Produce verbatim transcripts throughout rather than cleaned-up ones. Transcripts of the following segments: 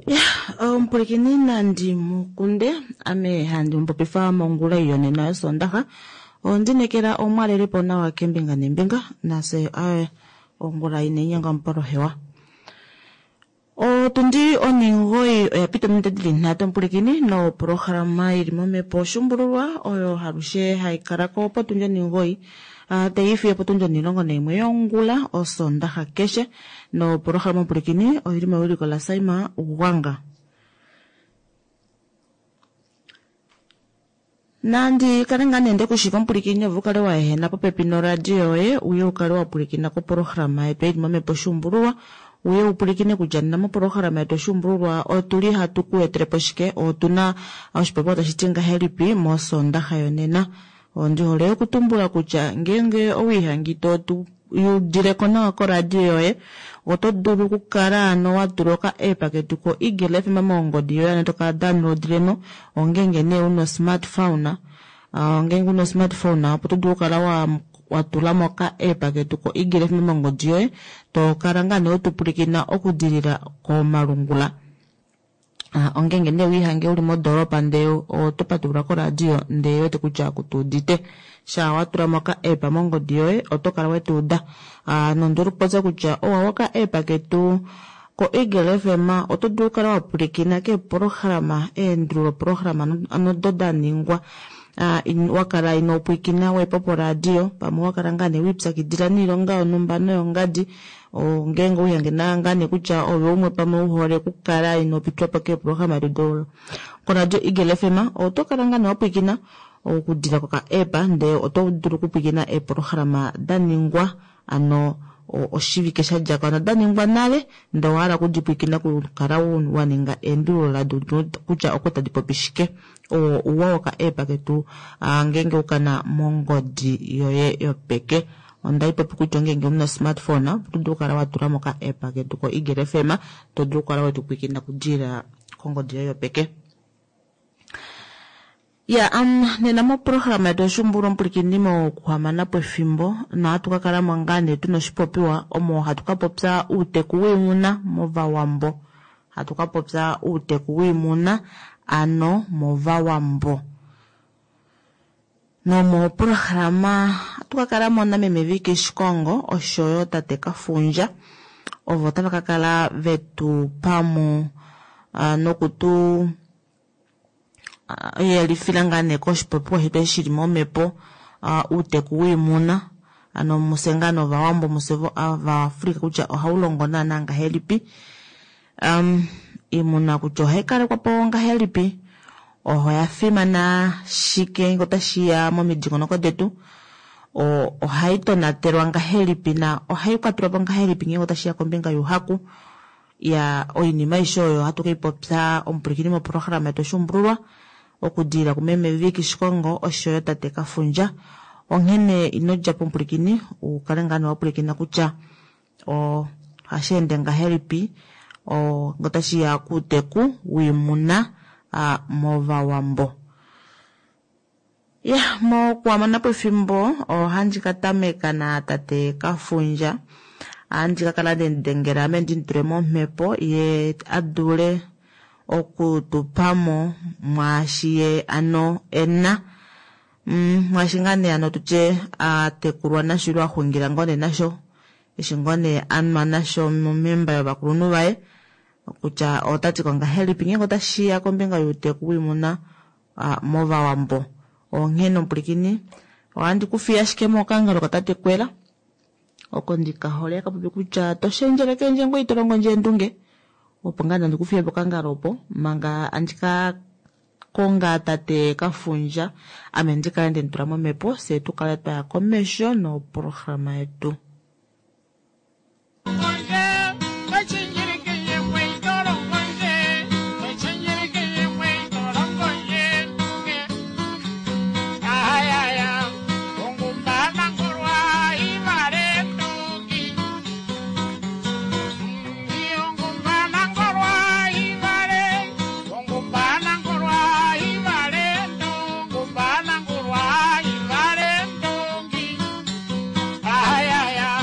Ya omupulikini nandi mukunde ame handi mupopifa mongula yonena yosondaxa ondinekela omwalelepo nawa kembinga nembinga nase aye ongula inenyenga omupolohewa. Otundi oningoyi oya pita ominute dili nhatu omupulikini noprograma ili momhepo Shumbululwa oyo halushe haikalako potundi oningoyi uh, taifiyo potundi onilongo naimwe yongula osondaxa keshe noprograma omupulikini oili mewiliko la Saima Ugwanga. Nandi kale ngaa nee ndekushiva omupulikini ove ukale wa ehena popepi noradio yoye uye ukale wa pulikina koprograma yetu ili momhepo Shumbululwa uye upulikine kutya nena moprograma yetu Shumbululwa otuli hatu ku etelepo shike otuna oshipopiwa tashi ti ngahelipi mosondaxa yonena. Ondi hole okutumbula kutya ngeenge owiihangi to tu udileko nawa koradio yoye oto dulu okukala ano wa tula oka app ketu ko Eagle F M mongodi yoye ano toka downloadilemo ongenge nee una smartphone uh, ngenge una smartphone opo to dulu okukala wa watulamo oka app ketu ko Eagle F M mongodi yoye to kala ngaa nee wetupulikina okudilila komalungula. Uh, ongenge nee wiihange uli modoropa ndee oto patulula koradio ndee wete kutya kutuudite sha watulamo oka app mongodi yoye oto kala wetuuda. Uh, nondulu kupopya kutya owa woka app ketu ko Eagle F M oto dulu okukala wapulikina keeprograma eendululo programa ano do daningwa uh, in, wakala inopwikina wepo poradio pamwe wakala ngaa nee wiipyakidila niilonga yonhumba noyongadi ngeenge uyange ngaa nee kutya ove umwe pamwe uhole okukala inopitwapo keeprograma do koradio Eagle F M oto kala ngaa nee wapwikina okudila koka app ndee oto dulu okupwikina eeprograma daningwa ano oshivike shadjako ano daningwa nale ndee owahala okudipwikina kukala waninga eendululo lado kutya oko tadi popi shike. Oo uwa woka app ketu ngeenge ukana mongodi yoye yopeke. Onda ipopi kutya ngeenge una smartphone oto dulu okukala watulamo oka app ketu ko Eagle F M to dulu okukala wetupwikina kudila kongodi yoye yopeke. Ya um, nena moprograma yetu Oshumbululwa omupulikini mokuhamana pwefimbo nohatu ka kalamo ngaa nee tuna oshipopiwa omo hatu ka popya uuteku wiimuna movawambo. Hatu ka popya uuteku wiimuna ano movawambo. Nomoprograma hatu ka kalamo nameme Vicky Shikongo oshoyo tate Kafundja ovo tava ka kala vetu pamo uh, nokutu yelifila ngaa nee koshipopiwa shetu shili momhepo uh, uuteku wiimuna ano muse ngaa novawambo muse vaAfrika kutya ohaulongo naana ngahelipi um, iimuna kutya ohayi kalekwapo ngahelipi oya fimana shike otashiya momidingonoko detu ohayi tonatelwa ngahelipi na ohayi kwatelwapo ngahelipi ngeenge otashiya kombinga youhaku ya oinima aishe oyo hatu keipopya omupulikini moprograma yetu Oshumbululwa okudilila kumeme Vicky Shikongo oshoyo tate Kafundja. Onghene ino djapo omupulikini ukale ngaa nee wapulikina kutya ohashi ende ngahelipi ngotashiya kuuteku wiimuna movawambo. Ya mokuhamana pwefimbo ohandi ka tameka na tate Kafundja andi ka kala ndendengela ame ndimutule momhepo ye adule okutupamo mwaashi ye ano ena mm, mwaashi ngaa nee ano tutye atekulwa nasho ile axungila ngoo nee nasho eshi ngoo nee anwa nasho momemba yovakulunhu vaye kutya otati ko ngahelipi ngeenge otashiya kombinga youteku wiimuna movawambo. Onghene omupulikini ohandi kufiya ashike mokangalo katate Kwela oko ndikahole kapopi kutya toshendjeleke ndje ngoye ito longo ndje eendunge opo ngaa nandi kufiye pokangalo opo manga andika konga tate Kafundja ame ndikale ndemutula momhepo fye tukale twaya komesho noprograma yetu. Ay, ay, ay.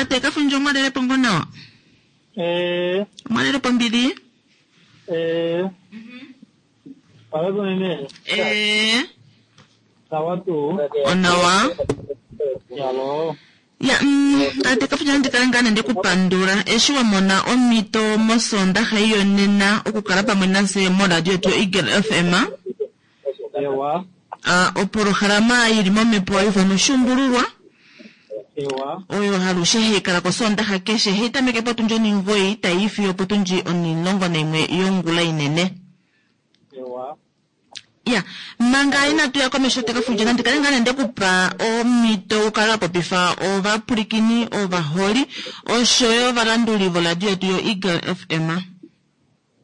Tate Kafundja omwalelepo ngo nawa? Eh, Omwalelepo mbili? eh. Palepo meme. Eh, Sawa tu. onawa. Yalo. Ya, mm, tate Kafundja nandi kale ngaa nande kupandula eshi wa mona omhito mosondaxa iyonena okukala pamwe nafye moradio yetu yo Eagle F M. Ewa. Ah, opolohalama ili momhepo haifano Oshuumbululwa. Ewa. Oyo halushe haikala kosondaxa keshe haitameke potundi onimugoi tai fiyo potundi onilongo naimwe yongula inene. Ewa. Ya, manga inatu ya komesho Tekafundja nandi kale ngaa nande kupa omhito ukale wa popifa ovapulikini, ovaholi oshoyo ovalanduli voradio yetu yo Eagle F M.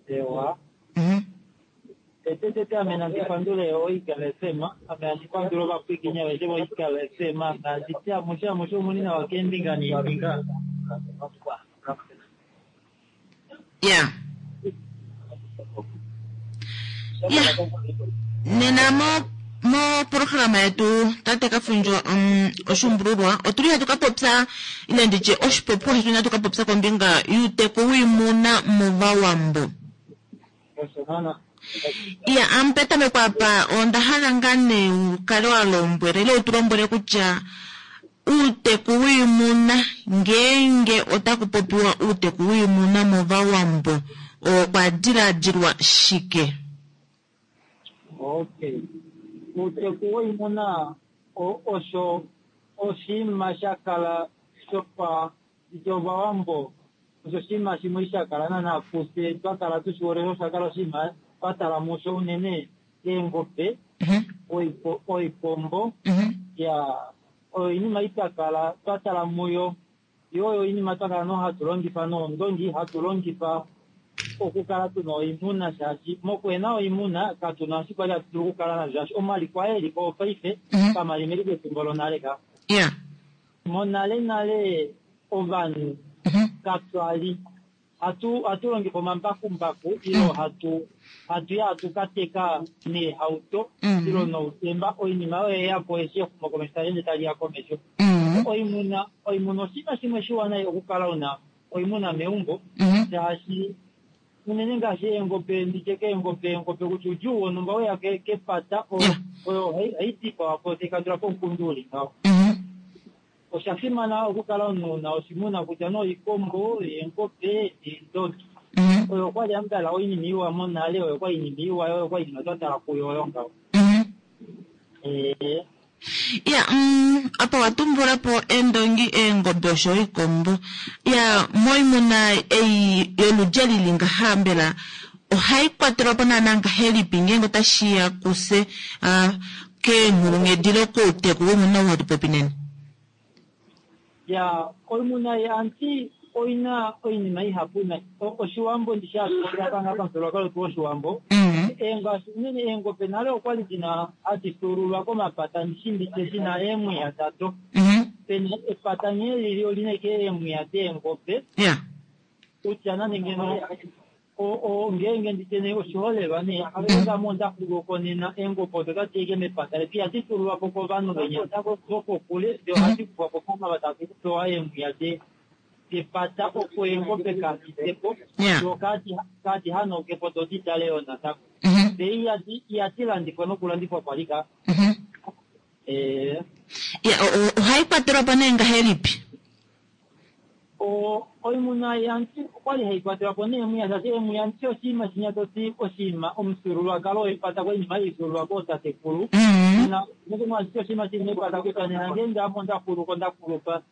Ewa. Mhm. Tete tete ame nandi pandule o Eagle F M, ame nandi pandule ovapulikini aveshe vo Eagle F M, nandi ti amushe amushe omuni nawa keembinga neembinga. Ya. Ya. Nena mo mo programa yetu Tate Kafundja, um, Oshuumbululwa otuli hatu ka popya ile nditye oshipopiwa shetu hatu ka popya kombinga yuuteku wiimuna movawambo. Osho naana. Ya, ampetameko apa onda hala ngaa nee ukale wa lombwela ile utu lombwele kutya uuteku wiimuna ngeenge otaku popiwa uuteku wiimuna movawambo okwa diladilwa shike? Okay. Uuteku woimuna osho oshinima sha kala shopa jovawambo osho oshinima shimwe sha kala naana kufye twa kala tushihole osho sha kala oshinima twa tala musho unene eengobe, oikombo, ya oyo iinima twa kala twa tala muyo. Yo oyo iinima twa kala no hatu longifa noondongi, hatu longifa okukala tuna oimuna shaashi mokuhena oimuna katuna eshi kwali hatu dulu okukala nasho shaashi omaliko aye eliko paife pamalimeli pefimbo lonale ka. Monale nale ovanhu katwali hatu hatu longifa omambakumbaku ilo hatu hatu ya hatu kateka neehauto ilo noutemba oinima oyo yeyapo eshi exumokomesho tali ende tali ya komesho. Oimuna oimuna oshinima shimwe shiwanawa okukala una oimuna meumbo shaashi unene ngaashi eengobe nditye keengobe eengobe kutya udjuu wonhumba weya kepata oyo haidipawa po taikandula po omukundu uli ngaho. Osha fimana okukala omunhu una oshimuna kutya noikombo, eengobe, eendongi. Oyo okwali ambala oinima iwa monale, oyo okwali iinima iwa, oyo okwali iinima twa tala kuyo oyo ngaho. Eh. Ya, mm, apa watumbula po eendongi, eengobe osho oikombo. Ya, moimuna ei yoludja lili ngaha mbela ohai kwatelwa po naana ngahelipi ngeenge otashi ya kufye, ah, keenghulunghedi lokouteku woimuna ou hatu popi nena? Ya, oimuna yanti oina oinima ihapu na oshiwambo ndisha panga pamufyuululwakalo wetu woshiwambo. Eengaashi unene eengobe nale okwali dina hadi fyuululwa komapata ndishinditye dina eemwiya dado. Pena epata nghee lili olina ike eemwiya deengobe. Kutya nande ngeno ngeenge nditye nee oshiholelwa nee ngame onda xulu nena eengobe odo tadi ike mepata letu ihadi fyuululwa po kovanhu venya vokokule de ohadi kufwa po komavata tadi kupewa eemwiya de depata opo eengobe kaditepo do kadi hanaukepo do didale yo natango. De ihadi ihadi landifwa nokulandifwa kwali ka. Eh. Ya, ohai kwatelwa po nee ngahelipi? O oimuna yanti okwali hai kwatelwa po neemwiya shaashi eemwiya ndishi oshinima shinya toti oshinima omufyuululwakalo wepata koinima haifyuululwa kootatekulu. Nena nokumwashike oshinima shili mepata kutya nena ngeenge ame onda xuluko nda kulupa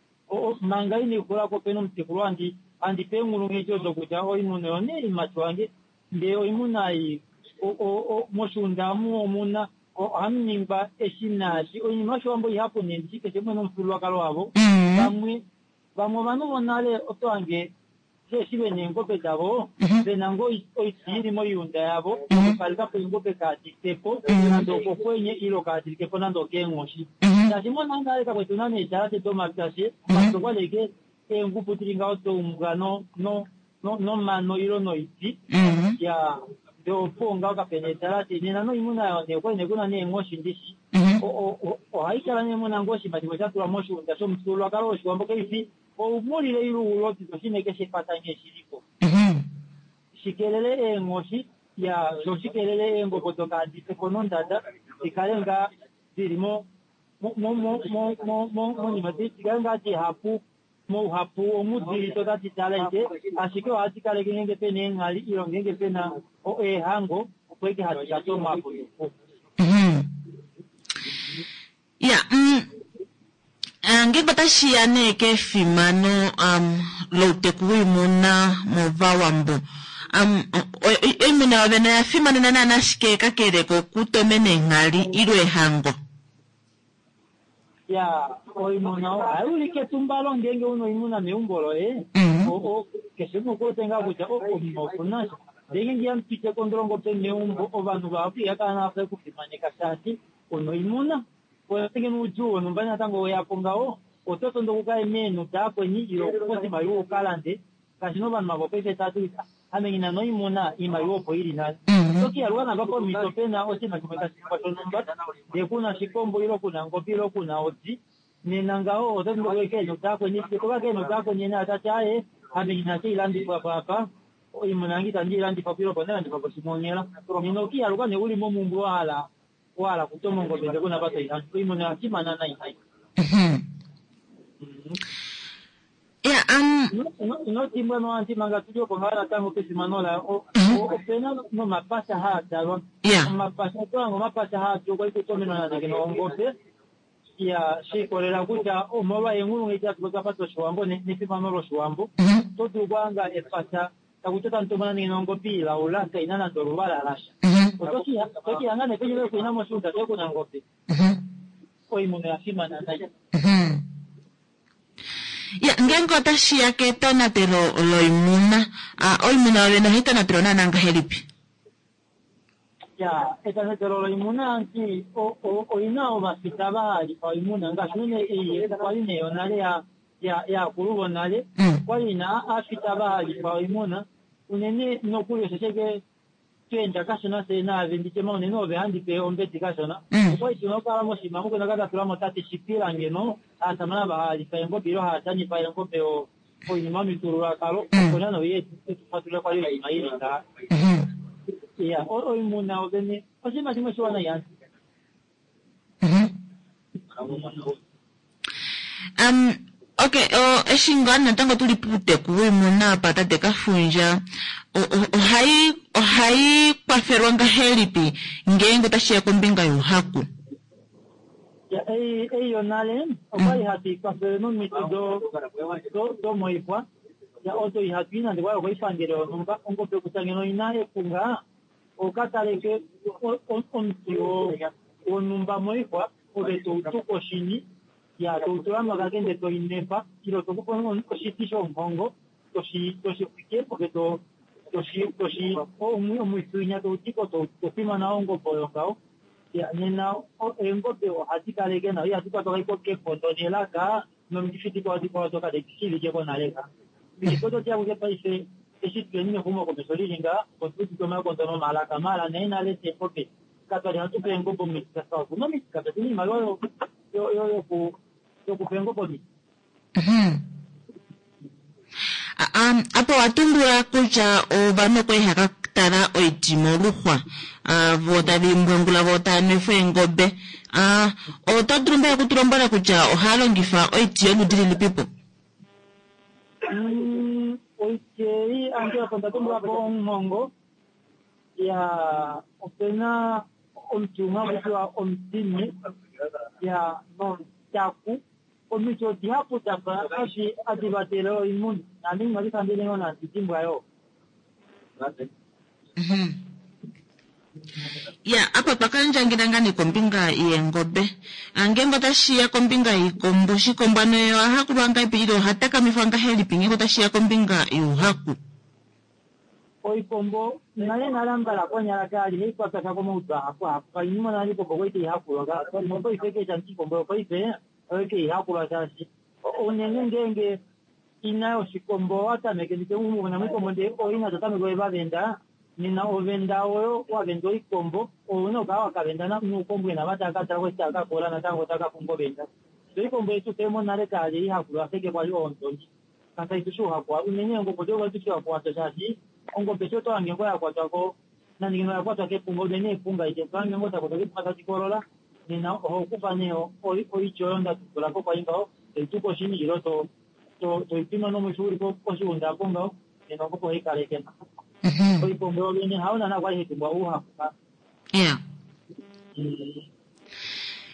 manga ina xulako pena omutekulu andi andi pe eenghulunghedi odo kutya oimuna oyo nee imati wange ndee oimuna ei moshiunda amu omuna ohamu ningwa eshi naashi oinima yoshiwambo ihapu nee ndishi keshe umwe nomufyuululwakalo wavo. Vamwe vamwe ovanhu vonale oto hange eshi vena eengobe davo vena ngoo oiti ili moiunda yavo okukaleka po eengobe kaditepo nande okokwenye ilo kadilikepo nande okeenghoshi. Shaashi monale kakwetu na needalate domapya she omapya okwali ike eengubu dili ngaho doumbwa no no nomano ilo noiti ya ndee opuwo ngaho kapena eedalate nena noimuna yayo nee okwali nee kuna neenghoshi ndishi ohaikala nee muna ngoo oshinima shimwe sha tulwa moshiunda shomufyuululwakalo woshiwambo kaifi oumulile ile oulodi toshine keshe epata nghee shilipo shikelele eenghoshi ya sho shikelele eengobe dokaadifeko nondada dikale ngaa dili mo monima dikale ngaa dihapu mouhapu omudili totadi tala ike ashike ohadi kaleke ngenge pena eenghali ilo ngenge pena eehango opo eke hadi katomwapo ya ngeenge otashiya nee kefimano louteku woimuna movawambo oimuna yovene oya fimanena naana ashike kakele kokutomena eenghali ilo ehango ya oimuna ohayi ulike etumbalo ngeenge una oimuna meumbo loye keshe umwe okuwete ngaa kutya omunhu okuna sha ndee ngeenge ihamupite kondolongo pe meumbo ovanhu vahapu ihakala nafa ekufimaneka shaashi una oimuna ngenge noudjuu wonhumba natango weyapo ngaho oto tondo okukaye meenhu daakweni ilo okupa oshimaliwa ukalande ngaashi novanhu vavo paife tava ame ngina noimuna iimaliwa opo ili nale tokiyaluka napa pomhito pena oshinima shimwe tashi ningwa shonhumba ndee kuna shikombo ilo kuna ngobe ilo kuna odi nena ngaho oto tondo okuya keenhu daakweni toka keenhu daakweni ena tati aaye ame ngina sheilandifwa po apa oimuna yange itandi ilandifa po ilo opo ndalandifa po shimwe onghela nena okiyaluka nee uli momumbwe wahala wahala kutoma ongobe ndee kuna apa toilande oimuna oyafimana nai nai ya um ino noanti manga tuli opo ngaa natango kefimano layo opena nomapasha haa talwa omapasha otolanga omapasha haa tu kwali kutomenwa nande kena ongobe ya shiikolela kutya omolwa eenghulunghedi hatu twapa doshiwambo nefimano loshiwambo oto dulu okuhanga epasha takuti otamutomona nenge ongobe ilaula kaina nande oluvala lasha otokihanga nee penye kuina moshiunda shoye kuna ngobe oimuna oyafimana nai. Ya ngeenge otashiya ketonatelo loimuna oimuna yovene ohai tonatelwa naana ngahelipi? Ya etonatelo loimuna anti oina ovafita vahalifa oimuna ngaashi unene ei kwali nee yonale yaakulu vonale kwali ina aafita vahalifa oimuna unene nokuli oshesheke tweenda kashona fye naave nditye unene ove handi pe ombedi kashona okwali tuna okukala moshinima mukuna katatulamo tate shipila ngeno aasamane ava halifa eengobe ilo haatanifa eengobe oinima yomifyuululwakalo opo nana oye etufatulule kwali oinima ili ngaha ya oimuna ovene oshinima shimwe shiwana yanti. Um okay eshi ngaa natango tuli puuteku woimuna apa tate Kafundja ohai ohai kwafelwa ngahelipi ngeenge otashiya kombinga youhaku? Ei ei yonale okwali hatu ikwafele nomiti domoixwa odo ihatu i nande kwali okoipangelo yonhumba ongobe kutya ngeno oina epunga okataleke omuti wonhumba moixwa ove toutu koshini ya toutula mokakende toinefa ilo tokufa oshiti shomuhongo toshixwike ove to toshi toshi omwifi winya toudiko tofimana ongobe oyo ngaho ya nena eengobe ohadi kaleke nawa ihadi kwatwa kekondo nelaka nomikifi dikwao dikwao doka dishivike konale ka omikifi odo diya kuke paife eshi tuleni mexumokomesho lili nga otuudite omakondo nomalaka maala naye nale eengobe katwali hatu pe eengobe omiti okuna omiti kapetuna iimaliwa yokupa eengobe omiti. Apo watumbula kutya ovanhu okwali haka tala oiti moluxwa vo tave imbwangula vo tava nwefa eengobe oto dulu mbela okutulombwela kutya ohaya longifa oiti yoludi lilipipo? Oiti ei ange opo ndatumbulapo omuhongo ya opena omuti umwe hakutiwa omutini ya nomutaku omiti odihapu dafa adi vatele oimuna naame inadifambile ngoo nandi yo. Ya apa twakandjangila ngaa nee kombinga yeengobe ngeenge otashiya kombinga yiikombo shikombo ano ye ohahakulwa ngahelipi ile oha takamifwa ngahelipi ngeenge otashiya kombinga youhaku? Oikombo nale nale ambala konyala kali haikwatwa komaudu ahapu ahapu kainima nale iikombo kwali taihakulwa nopaife kesha iikombo yopaife oyo keihakulwa shaashi unene ngeenge ina yoshikombo watameke ndite umuna moikombo ndee oina totameke ovavenda nena ovenda oyo wavenda oikombo ouna okukala wakavenda nuukombwena vataka katala kwesi takakola natango takapumbwa ovenda Oikombo yetu fye monale kali ihakulwa ashike kwali oondongi. Kaka itu shi uhaku unene ongombe odo kwali tushi hakukwatwa shaashi ongombe sho to hange ngo ya kwatwa ko nande ngeno ya kwatwa kepunga unene epunga ite to hange ngo takwatwa kepunga tashi kolola nena oho kufa nee oityo oyo nda tumbula ko kwali ngaho toitu koshini ilo to to toipima nomwifi uli koshiunda apo ngaho nena ongombe ohai kaleke. Oikombo yovene hayo naana kwali hai pumbwa ouhaku ka. Yeah.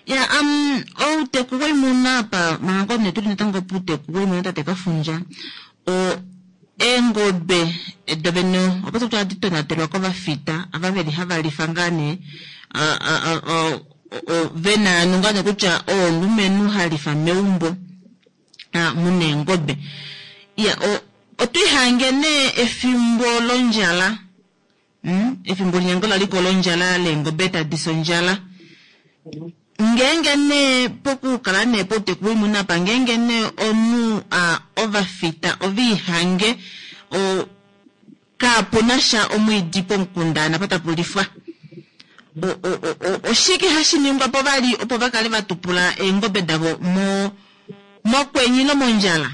Ya, um, outeku woimuna apa manga nee tuli natango puuteku woimuna tate Kafundja, o eengobe dovene opo tu hadi tonatelwa kovafita ava veli hava lifa ngaa nee vena ano ngaa nee kutya omulumenhu halifa meumbo muna eengobe. Ya, otwiihange nee efimbo londjala, efimbo linyango laliko londjala leengobe tadi fi ondjala. Ngeenge nee pokukala nee pouteku woimuna apa ngeenge nee omunhu ovafita oviihange kapuna sha omwiidi pomukunda napa tapu lifwa, oshike hashi ningwa po vali opo vakale vatupula eengobe davo mo mokwenye nomondjala?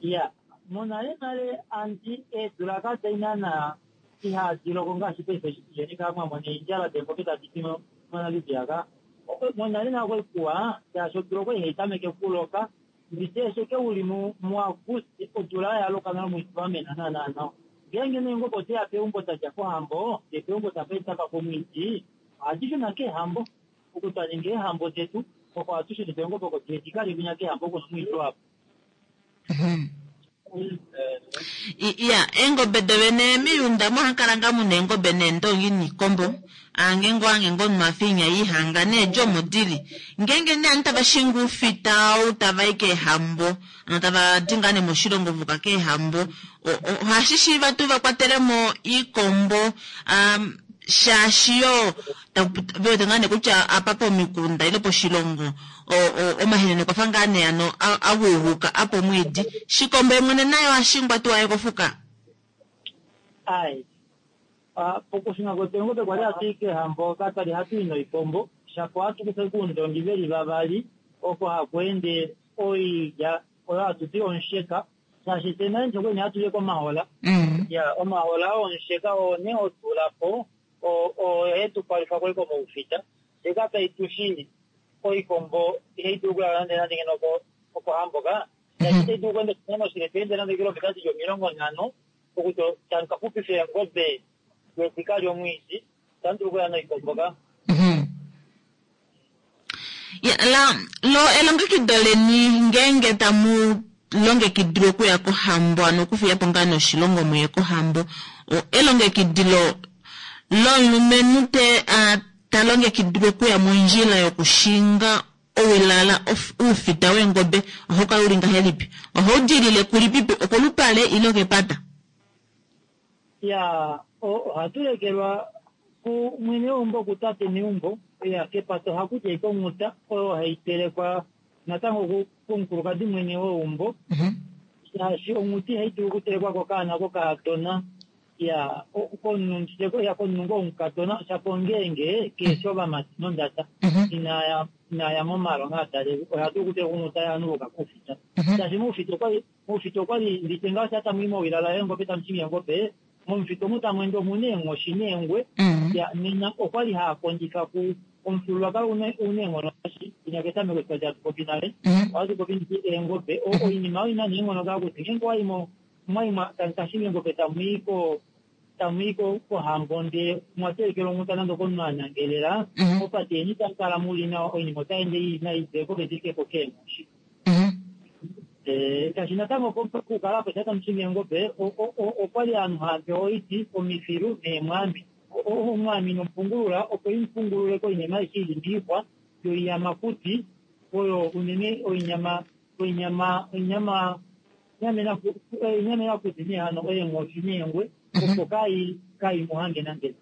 Ya, monale nale anti eedula kadai naana ihadi loko ngaashi paife yeni kaa mwamona eendjala deengobe tadi fi moNamibia ka. Monale nale okwali kuwa shaashi odula okwali hai tameke okuloka nditye ashike uli muAguste odula yaloka nale omwiidi wamena naana nawa. Ngeenge nee eengobe odeya peumbo dadja kohambo ndee peumbo tapa omwiidi ohadi shuna keehambo oku twaninga eehambo detu oko ohatu shunifa eengobe oko diye dikalye kwinya kehambo kuna omwiidi wapo. Ya, eengobe dovene miyunda mohakala ngaa muna eengobe neendongi niikombo ange ngo ange ngo mafinya ihanga needjo omo dili. Ngeenge nee aantu tava shingi oufita ou tava i keehambo ano tava di ngaa nee moshilongo vuka keehambo, ohashi shiiva tuu vakwatelemo iikombo shaashi yoo vewete ngaa nee kutya apa pomikunda ile poshilongo omahenene okwafa ngaa nee ano aguuguka apa omwiidi. Shikombo yemwene naye ohashingwa tuu aye kofuka? Ai, pokushuna kwetu eengobe kwali hatu i keehambo katwali hatu i noikombo shapo ohatu kufa oundongi veli vavali oko haku ende oilya oyo hatu ti omusheka shaashi fye nale okwali nee hatu li komahola. Ya, omahola oo omusheka oo nee hotula po oyo hetu palwifa kwali komaufita fye katwali tushi oikombo ihai dulu okulala nande nande ngeno okohambo ka shaashi itai dulu okweenda oshinano oshile toende nande ekilometa dili omilongo nhano okuto tamu kaxupifa eengobe dikalye omwiidi itamu dulu okuya noikombo ka. Ya, la lo elongekido leni ngeenge tamu longekidilwa okuya kohambo ano okufiyapo ngaa nee oshilongo muye kohambo, elongekidilo lomulumenhu te ta longekidilwa okuya mondjila yokushinga owilala oufita weengobe ohau kala uli ngahelipi? Ohau dilile kulipipi, okolupale ile okepata? Ya, ohatu lekelwa kumwene weumbo kutate meumbo. Ya, kepata ohaku di ashike onghuta oyo hai telekwa natango komukulukadi mwene weumbo shaashi onghuta ihai dulu okutelekwa kokaana kokakadona. Ya, komunhu ya komunhu ngoo womukadona shapo ngeenge keeshi ovamati nondada inaya inaya momalonga atalelwe oha dulu okuteleka onghuta yaanhu voka koufita shaashi moufita okwali moufita okwali nditye ngaho sha tamu i mowilala yeengobe tamu shingi eengobe momufita omu tamu ende omuna eenghoshi neengwe. Ya, nena okwali haakondjifa ku omufyuululwakalo una eenghono ngaashi winya ketameko eshi twali hatu popi nale ohatu popi nditi eengobe oinima oyo ina neenghono kaa kuti ngeenge owayi mwayi tamu eengobe tamu i ko tamu i kohambo ndee mwatelekelwa onghuta nande okomunhu anangelela mopate yeni itamu kala muli nawa oinima otai ende ili nayi eengobe dilikepo keenghoshi. Shaashi natango pokukala apo sha tamu shingi eengobe okwali ovanhu hava pewa oiti omifilu neemwami. Omwami nomupungulula opo imupungulule koinima aishe ili moixwa yoiyamakuti oyo unene oinyama oinyama oinyama oinyama yakuti nee hano eenghoshi neengwe opo kai kai muhange nande.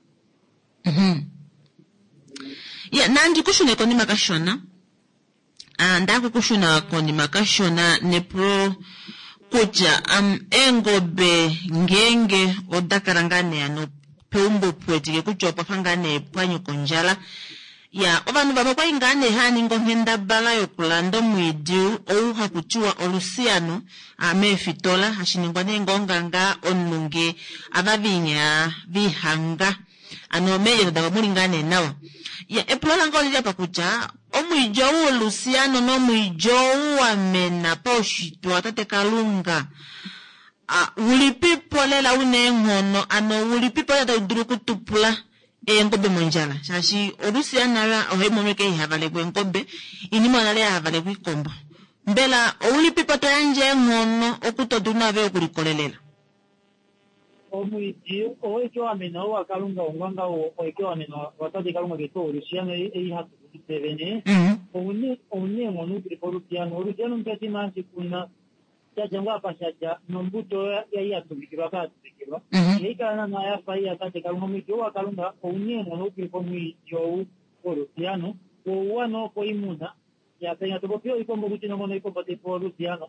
Ya, nandi kushune konima kashona. Ndaku kushuna konima kashona nepulo kutya um, eengobe ngeenge oda kala ngaa nee ano peumbo puwetike kutya opwafa ngaa nee pwanyuka ondjala, Ya ovanhu vamwe okwali ngaa nee haya ningi onghendabala yokulanda omwiidi ou haku tiwa olusiano meefitola, hashi ningwa nee ngoo nganga omunhu nge ava vinya vihanga ano meendjato davo muli ngaa nee nawa. Ya epulo lange olili apa kutya omwiidi ou wolusiano nomwiidi ou wamena paushitwe watate Kalunga ulipipo lela una eenghono, ano ulipipo lela tau dulu okutupula eengobe mondjala, shaashi olusiano ohayi mono ike ihavalekwa eengobe inima nale yahavalekwa iikombo. Mbela oulipipo to yandje eenghono okuto dulu nave okulikolelela? Omwiidi owaike wamena ou waKalunga ongwanga owaike wamena watate Kalunga ketu olusiano ei hatu kunu vene oune eenghono utulipo olusiano. Olusiano mpetima hashi kuna shadja ngoo apa shadja nombuto yai yatuvikilwa apa yatuvikilwa ihai kala naana yafa ei yatate Kalunga. Omwiidi ou waKalunga ouna eenghono utulipo omwiidi ou wolusiano ouwa noo koimuna. Ya penya topopi oikombo kuti nongono oikombo taipewa olusiano.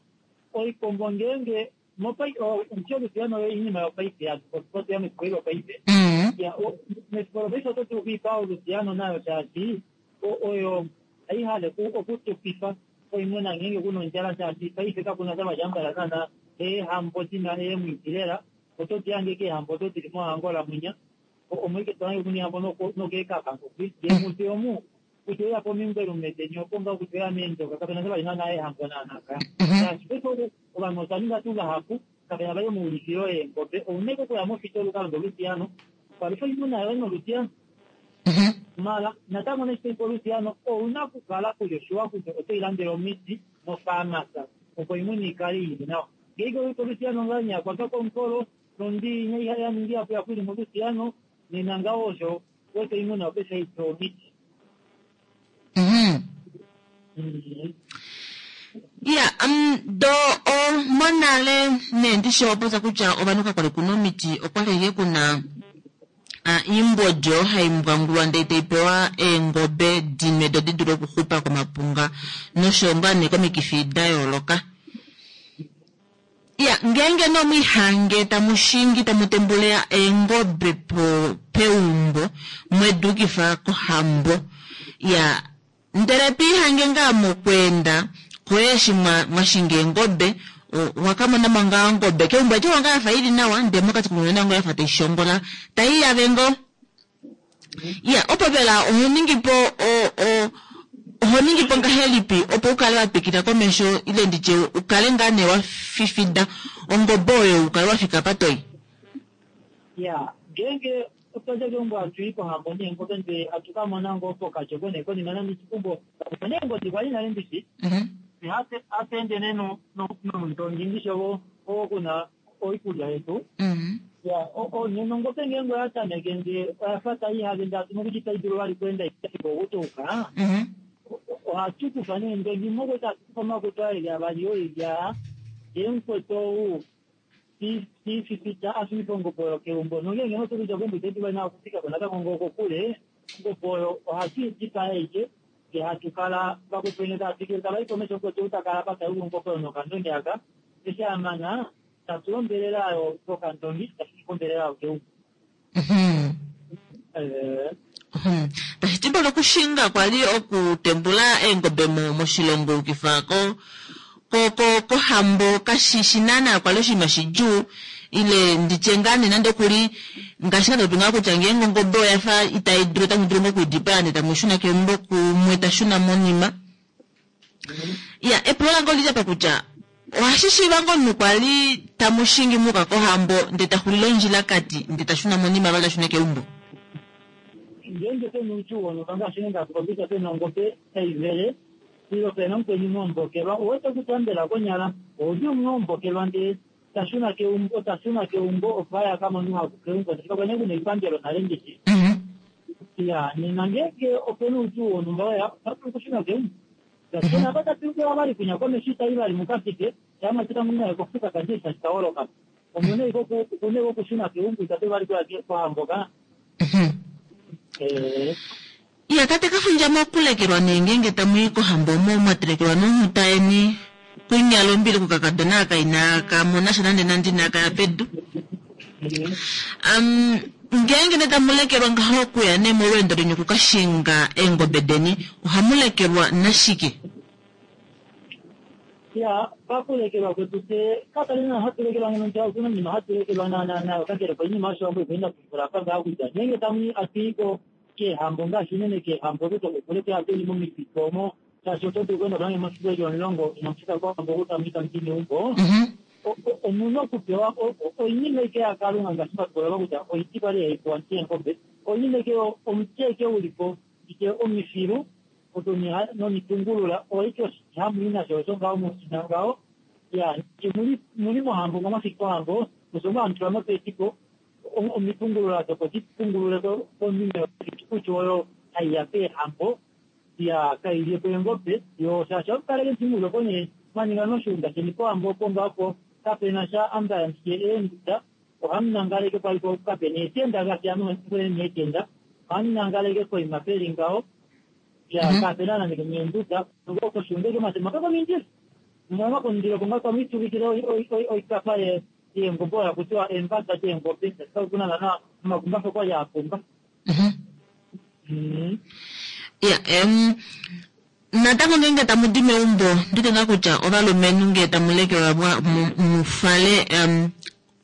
Oikombo ngeenge omuti olusiano oinima yopaife yatuya mefiku eli lopaife. Mefiku lopaife oto dulu okuipa olusiano nayo shaashi oyo haihale okutupifa oimuna ngeenge kuna ondjala, shaashi paife kakuna sha vali naana eehambo dina eemwiidi lela. Oto di hange keehambo odo dili moAngola mwinya omoike to hange kuna eehambo nokeekavango kwi ngee omu kutya oya pomingwelume deni opo ngaa kutya oya meendoka kapena sha vali naana eehambo naanaka. Shaashi paife ovanhu otwa ninga tuu vahapu kapena vali omaulikilo eengobe, ouna ike okuya mofitola ukalande olusiano palufa oimuna yoye nolusiano. Mala natango neshi toipa olusiano ouna okukala kuli oshiwa kutya oto ilandele omiti mofaamasa opo oimuna ikale ili nawa. Ngeenge oipa olusiano ngaa nyakwatwa komukolo nondi yaningi yapo yakwili molusiano nena ngaho osho wete oimuna opesha ipewa omiti. Ya um, do o monale nee ndishi opopya kutya ovanhu kakwali kuna omiti, okwali ike kuna iimbodi oyo hai mbwangulwa ndee tai pewa eengobe dinwe do di dule okuxupa komapunga nosho ngaa nee komikifi da yooloka. Ya ngeenge nomwihange tamu shingi tamu tembule eengobe po peumbo mweduukifa kohambo, ya ndele piihange ngaa mokweenda koye eshi mwashinga eengobe wakamona ngaa ongobe keumbo eti ngaa yafa ili nawa ndee mokati komuna ngo yafa taishongola taiyave ngoo. Ya opo vela oho ningipo oho ningipo ngahelipi opo ukale watwikila komesho ile nditye ukale ngaa nee wafifida ongobe oyo ukale wafika apa toyi? Ya ngeenge otwadja keumbo hatuyi kohambo neengobe ndee hatu kamona ngoo pokatyoko nee konima nande chikumbo neengodi kwali nale ndishi hatu ende nee nomundongi ndishi ovo kuna oikulya yetu. Ya nena ongobe ngeenge oya tameke ndee oyafa taihave ndee hatumo kutya itayi dulu vali kuenda okutuuka, ohatu kufa neendongi mokweta hatu kufa omakutu aeli avali oilya ndee mukwetu ou tififita ashunifa ongobe oyo keumbo. Nongeenge noto kutya keumbo itayi dulu vali nawa okufikako natango ngoo kokule, ongobe oyo ohatu idipaa aike ndee hatu kala vakwetu vene tava twikile tava i komesho, mukwetu ou takala apa tayulu ongobe oyo nokandongi aka, eshi amana tatula ombelela ayo kokandongi tashunifa ombelela ayo keumbo. Tashi ti mbela okushinga kwali okutembula eengobe moshilongo ukifa ko ko kohambo kashishi naana kwali oshinima shidjuu, ile nditye ngaa nee nande okuli ngaashi nga topopi ngaa kutya ngeenge ongobe oyafa itai dulu otamu dulu ngoo okuidipaya ndee tamu shuna keumbo kumwe tashuna monima. Ya epulo lange olili apa kutya ohashi shiiva ngoo omunhu kwali tamu shingi muka kohambo ndee taxulile ondjilakati ndee tashuna monima vali ashune keumbo? Ngeenge pena oudjuu wonhumba ngaashi nenge hatu popi kutya pena ongobe taivele ile pena omukweni muombokelwa, owete kutya mbela konyala ouli omunhu ombokelwa ndee tashuna keumbo tashuna keumbo opo aye akamone ouhaku keumbo shaashi kakwa nee kuna oipangelo nale ndishi. Ya nena ngeenge opena oudjuu wonhumba weya otatu dulu okushuna keumbo shaashi apa tatu vali kunya komesho itai vali mukafike shaamwatika munaye kofuka kandje tashi kaholoka omune iko okushuna keumbo itatu vali kuya kohambo ka. Iya tate Kafundja mokulekelwa nee ngeenge tamuyi kohambo omo mwatelekelwa nonghuta yeni kunyala ombili kukakadona aka inaka mona sha nande nande inaka ya pedu. Um, Ngeenge ne tamu lekelwa ngaho okuya ne molweendo leni okukashinga eengobe deni, ohamu lekelwa nashike? Ya, pakulekelwa kwetu fye kapali na hatu lekelwa ngeno nti okuna nima hatu lekelwa naana nayo kakele koinima yoshiwambo ipo ina tumbula apa ngaa kutya ngeenge tamu atuiko keehambo ngaashi unene keehambo kutya okulekela atuli momipito omo shaashi oto dulu okuenda nange mofiku eli omulongo inamufika kohambo kutamu tamu di meumbo. Mhm. Omuna okupewa oinima ike yakalunga ngaashi matukolelwa kutya oiti kwali haipewa eengobe oinima ike omuti eke ulipo ike omifilu nomitungulula oike oshihamu nasho osho ngaho musina ngaho ya muli mohambo ngomafiki kohambo osho ngo hamutula mopetiko omitungulula dopo dipungulule komime kutya oyo haiya peehambo ya kailyepo eengobe yo shaashi omukaleke ntimuleko nee mwaninga noshuunda sheni pohambo opo ngaho kapena sha ambala ndike eenduda ohamunangaleke paliko kapena eetenda ngaashi ame neetenda ohamunangaleke koima peli ngaho ya kapena nande meenduda koshuunda eke matema kakomindilo mama komundilo konga kwamituvikile oikafa yeengobe oyo hakutiwa eembada deengobe kuna nana omakumbafa kwali apumba. Ya, em natango ngeenge tamu di meumbo ndite ngaa kutya ovalumenhu ngee tamu lekelwa mufale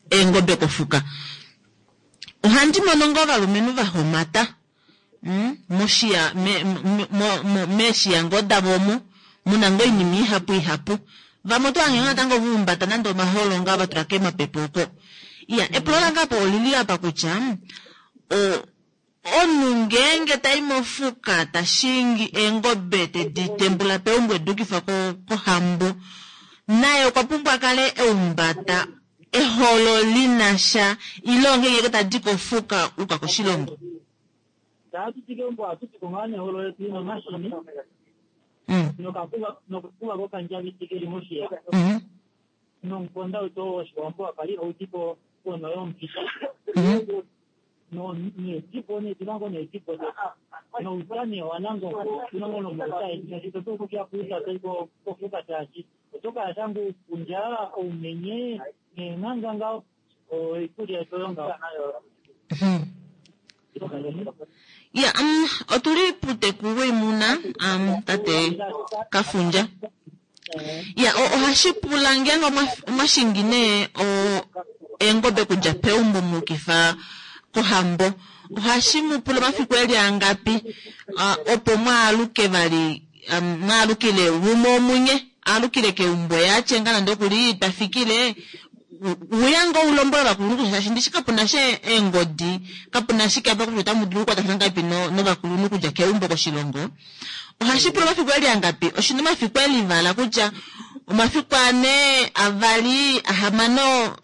eengobe kofuka ohandi mono ngoo ovalumenhu va homata moshiya meeshiya ngoo davo omo muna ngoo oinima ihapu ihapu vamwe oto hange natango vahumbata nande omaholo ngaa va tula kemapepe oko. Iya, epulo lange apa olili apa kutya omunhu ngeenge tai mofuka tashingi eengobe tedi tembula peumbo edukifa kohambo naye okwa pumbwa kale eumbata eholo linasha ile ngeenge tadi kofuka uka koshilongo. Taatu keumbo ohatu tiko ngaa neholo letu lina omashini nokakuva kokandjabiti keli moshiya nomukonda wetu woshiwambo wakali haudipo pono yomupita needibo needimango needibo nouta nee wanangongo tunango nomauta etu shaashi totu kuya kuuta toiko kofuka shaashi otokala shangu uupundja oumenye neenghanga ngaho oikulya yetu oyo ngaho. Ya, um, otuli puuteku woimuna um, tate Kafundja. Ya, ohashi pula ngeenge omwashingi nee eengobe kudja peumbo muukifa kohambo ohashi mu pula omafiku eli angapi opo mwaaluke vali mwaalukile umwe omunye aalukile keumbo yaatye ngaa nande okuli tafikile uya ngoo ulombwele ovakulunhu shaashi ndishi kapuna sha eengodi kapuna shike apa kutya otamu dulu okukwatafana ngahelipi novakulunhu kudja keumbo koshilongo. Ohashi pula omafiku eli angapi oshina omafiku elivala kutya omafiku ane avali ahamano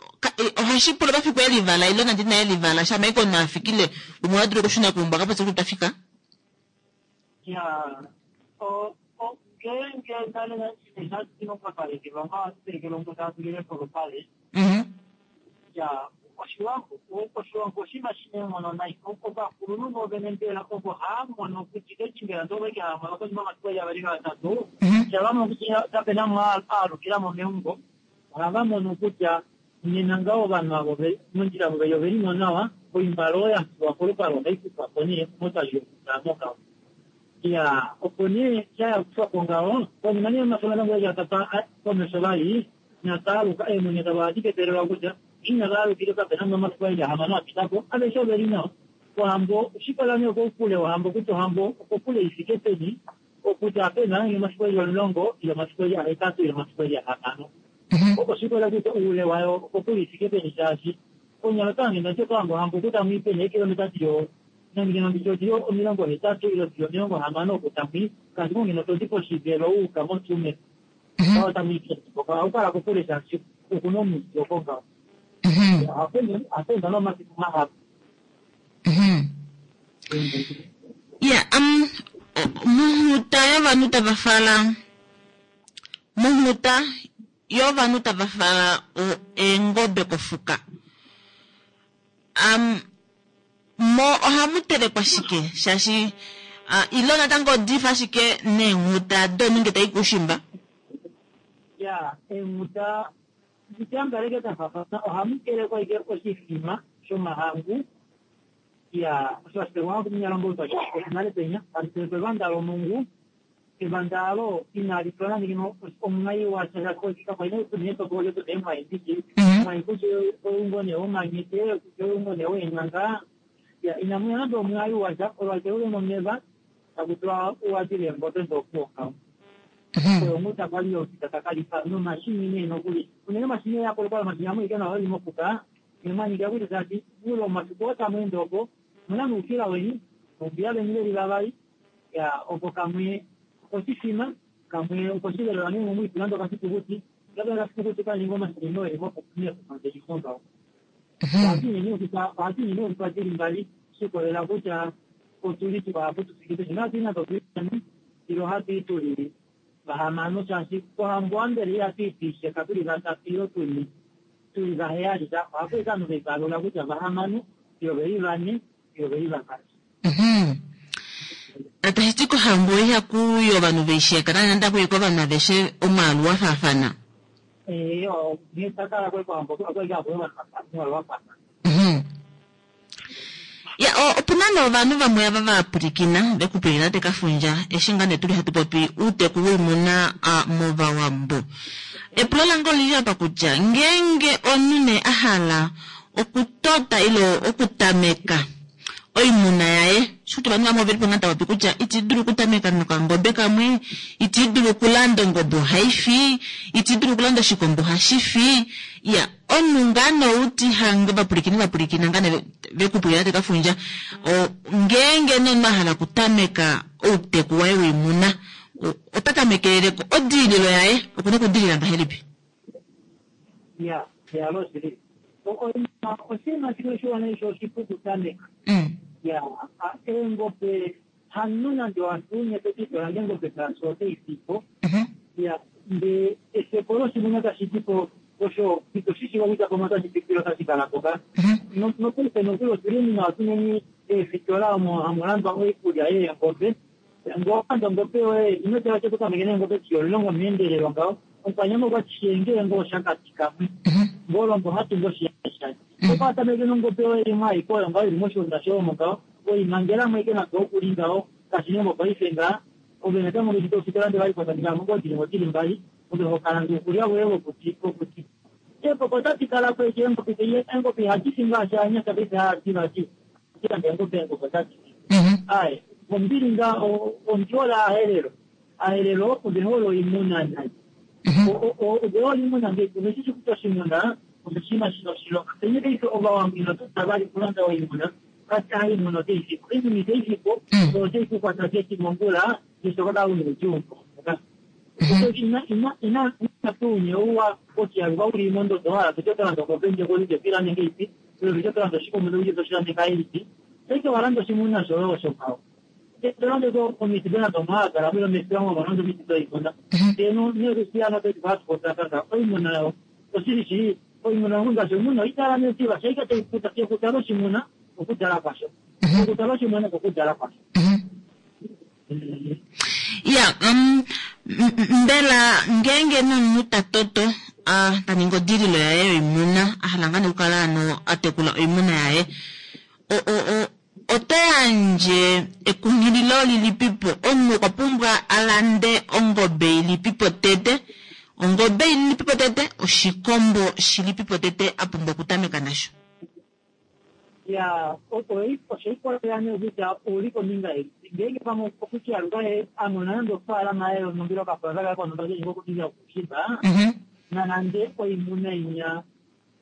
ohashi pula omafiku elivala ile nande ina elivala shama ike omunhu afikile umwe oha dulu okushuna keumbo akapopye kutya tafika. Ya, ngeenge nale shatulekelwa tatulile polupale ya oshiwambo oshiwambo oshinima shina eenghono nai ovakulunhu vovene mbela ovo haamono kutya keshi mbela ndoveke haamono konima omafiku eli avali gatatu shavamo kutya kapena mwe aalukilamo meumbo ohava mono kutya nena ngaho ovanhu avo mondjila voveli ovelimo nawa oimbalo oyo yafiwa kolupale ohai kufwapo nee motali yokutamo ngaho. Ya, opo nee shayakufwapo ngaho konima nee omafiku natango eli atatu komesho vali nataaluka eemwenyo davo ohadi ketelelwa kutya ina vaalukile kapena omafiku eli ahamano apitako aveshe oveli nawa. Ohambo oshikola nee koukule wohambo kutya ohambo okokule ifike peni okutya apena omafiku eli omulongo ile omafiku eli ahetatu ile omafiku eli ahamano. Oshikola kutya oule wayo okokule ifike peni shaashi konyala otange ndati otohambo ohambo kutamu peni eekilometa dilo nangeno nditye odili omilongo hetatu ile dili omilongo hamano okutamwi kasi kongeno todi poshivelo uuka motsumeb otamu ohakukala kokule shaashi okuna omuti oko ngaho ohakwenda nomafiku mahapu. Ya, um, monghuta yovanhu tava fala monghuta yovanhu tava fala eengobe kofuka um, mo ohamu telekwa shike shaashi uh, ilo natango odifa ashike neenghuta domunhu nge tai kuushimba. Ya, eenghuta ndityambaleke dafafana ohamu telekwa ike oshifima shomahangu Ya osho ashike kuminyalombo nale penya pevanda lomungu evanda alo inali tula nande omumai washakoikakwaineetoko lyototeemwai ndiki mwai kutya oungone womanyete kutya oungone weenyanga ya inamuya nande omwai washa olwaite ule nomeva takutula uwatile emboto ndokuoka oyo omuta kwali okita takalifa nomashini nee nokuli unene omashini yakolokola omashini amwe ike nawa oli mokuka nemanyika kuti tati ule omasiku otamweende opo muna nuukila weni umbiya veni veli vavali ya opo kamwe okoshifima kamwe okoshivelelwa nee momwiitula ndo kasitukuti labda kasitukuti kaninga omashini noeli mokuneekukandelihongawo ohatu nene okutwa dili mbali shikolela kutya otuli tukapo tufikite shina totulani ilo hatu tuli vahamano shaashi kohambo ambele ihatu tuli vatatu ilo tuli tuli vaheyali ta ohakuika anu veivalula kutya vahamano ilo veli vane ilo veli vavali. Tashi ti kohambo ihakuyi ovanhu veisheka nande akuyi kovanhu aveshe omwaalu wa faafana. Ee, nghee kwali kohambo okwali hakuyi omwaalu wa faafana. Ya opuna nee ovanhu vamwe ava vapwilikina vekupwilikina tekafundja eshi ngaa nee tuli hatu popi uuteku woimuna movawambo. Epulo lange olili apa kutya ngeenge omunhu nee a hala okutota ile okutameka oimuna yaye shuti ovanhu vamwe oveli po ngaa tava popi kutya iti dulu okutameka nokangobe kamwe, iti dulu okulanda ongobe ohaifi, iti dulu okulanda oshikombo ohashifi. Ya omunhu ngaa nee outi hange vapwilikini vapwilikina ngaa nee vekupwilikina tekafundja ngeenge nee omunhu a hala okutameka outeku waye woimuna ota tamekeleleko odiililo yaye okuna okudiilila ngahelipi? Ya yalo shili oshinima shimwe shiwana isho oshipu okutameka. Ya eengobe hanu nande wasunye toti tolande engobe shaashi otaifipo. Ya nde efepo loshimuna tashi dipo osho ito shishiva kutya pamwe otashi fikile otashi kalapo ka nopaife nokuli otuli muna otuneni eefitola omo hamu landwa oikulya yeengobe. Ngee owalanda ongobe yoye ino tala ashike totameke neengobe dili omulongo meendelelo ngaho omukwanyama okwati shiyenge ngoo oshakati kamwe ngoo olombo hatungu oshiyashani okwa tameke nongobe yoye imwe aike oyo ngaho ili moshiunda shoye omo ngaho oimangelamo ike nande okuli ngaho kashi nee mopaife ngaa ove natango ofitola nde vali potatikamo ngoo dilimo dili mbali ove hokalanda uukulya woye wokuti wokuti eepoko otadi kalapo eki eengobe eengobe ihadi fi ngaashi anyasha paife haadi vati landa eengobe eengobe otadi fi aye ombili nga ondiola ahelelo ahelelo ove hole oimuna nai ove hole oimuna ngee ove shishi kutya oshimuna oshinima shina oshilonga penye paife ovawambo ino vali kulanda oimuna kati oimuna otaifipo oimuna itaifipo otai kukwata keti mongula neshoka una oudjuu ina ina ina ouwa okiyaluka uli mondodo wala tocho tolanda ongobe nje kolije pilande ngeipi ile tocho tolanda oshikombo ulye toshilande ngahelipi paife walanda oshimuna shoye osho ngaho tolande omiti dena domaagala milo mesilango malando omiti doimuna eno nerusiyana peti oimuna yawo oshili shili oimuna ngaashi omuna oitala netiva shaika taikuta okutala oshimuna okudala kwasho okutala oshimuna okudala kwasho. Ya um, mbela ngeenge nomunhu ta toto ta ningi odililo yaye yoimuna a hala ngaa nee okukala ano a tekula oimuna yaye oto yandje ekunghililo lilipipo omunhu okwa pumbwa a lande ongobe ilipipo tete ongobe ilipipo tete oshikombo shilipipo tete a pumbwa okutameka nasho. Ya oshoikolela nee kutya ouli kombinga ilipi ngeenge pamwe okutyaluka a mona nande ofaalama yaye yonhumba okapulaza kaye konhumba keli kokuninga okushimba nanande oimuna inya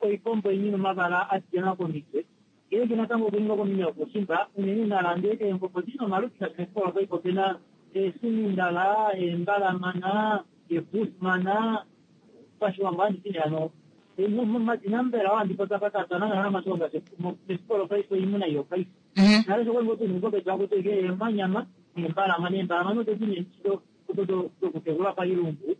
oikombo inyi nomavala a komitwe ngeenge natango okuninga kombinga yokushimba unene nalande eengobe odina omaludi ngaashi paife opena eesumindala eembalamana eebusmana pashiwambo handiti hano madina mbela wandipotapatata masho ngaashi mesikolo paife oimuna iyo paife nale sho kwali ngoo ngobe dakuti eemanyama neembalamana eembalamana odo dine dokutekula pailumbu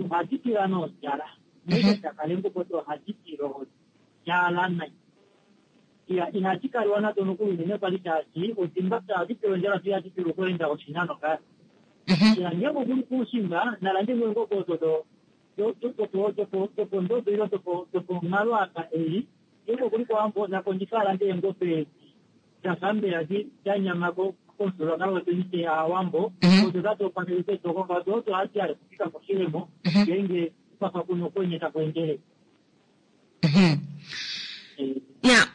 ohadi tila nodjala neishakale ngobo ohadi tila odjala nai ya inadi kaliwa nado nokuli unene kwali shaashi odimba ohadi tila ondjala tu ihadi tila okuenda oshinano ngaa ya ngeenge okuli kuushimba nalande ngo engobe odo dopondodo ile doponghalo apa ei ngeenge okuli kowambo nakondjifa alande eengobe edi Dafa mbela da nyama komufyuululwakalo wetu nite Aawambo, odo tatu opaleke etoko odo odo hadi hale kufika koshilemo ngeenge kwafa kuna okwenye taku endele. Ya,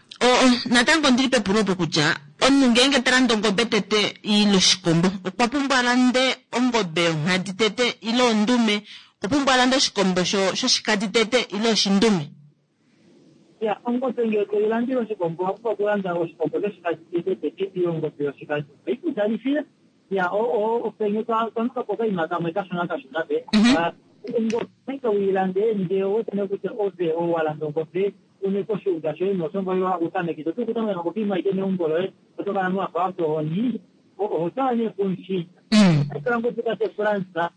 natango ondili pepulo opo kutya omunhu ngeenge ta lande ongobe tete ile oshikombo okwa pumbwa alande ongobe yonghadi tete ile ondume, okwa pumbwa alande oshikombo shoshikadi tete ile oshindume. Ya, ongobe ngele toyi landile oshikombo owa pumbwa okulanda oshikombo shoshikadi tete tete ile ongobe yoshikadi oikudalifile. Ya, openye twanuka po okaima kamwe kashona kashona pe ongobe uilande ndee owetene kutya ove ou walanda ongobe une koshiunda shoye nosongo utamekite oto kutameka nongobe imwe aike meumbo loye oto kala nowafa watohoni oho twala nee pumushinda otala ngoo putate Fransa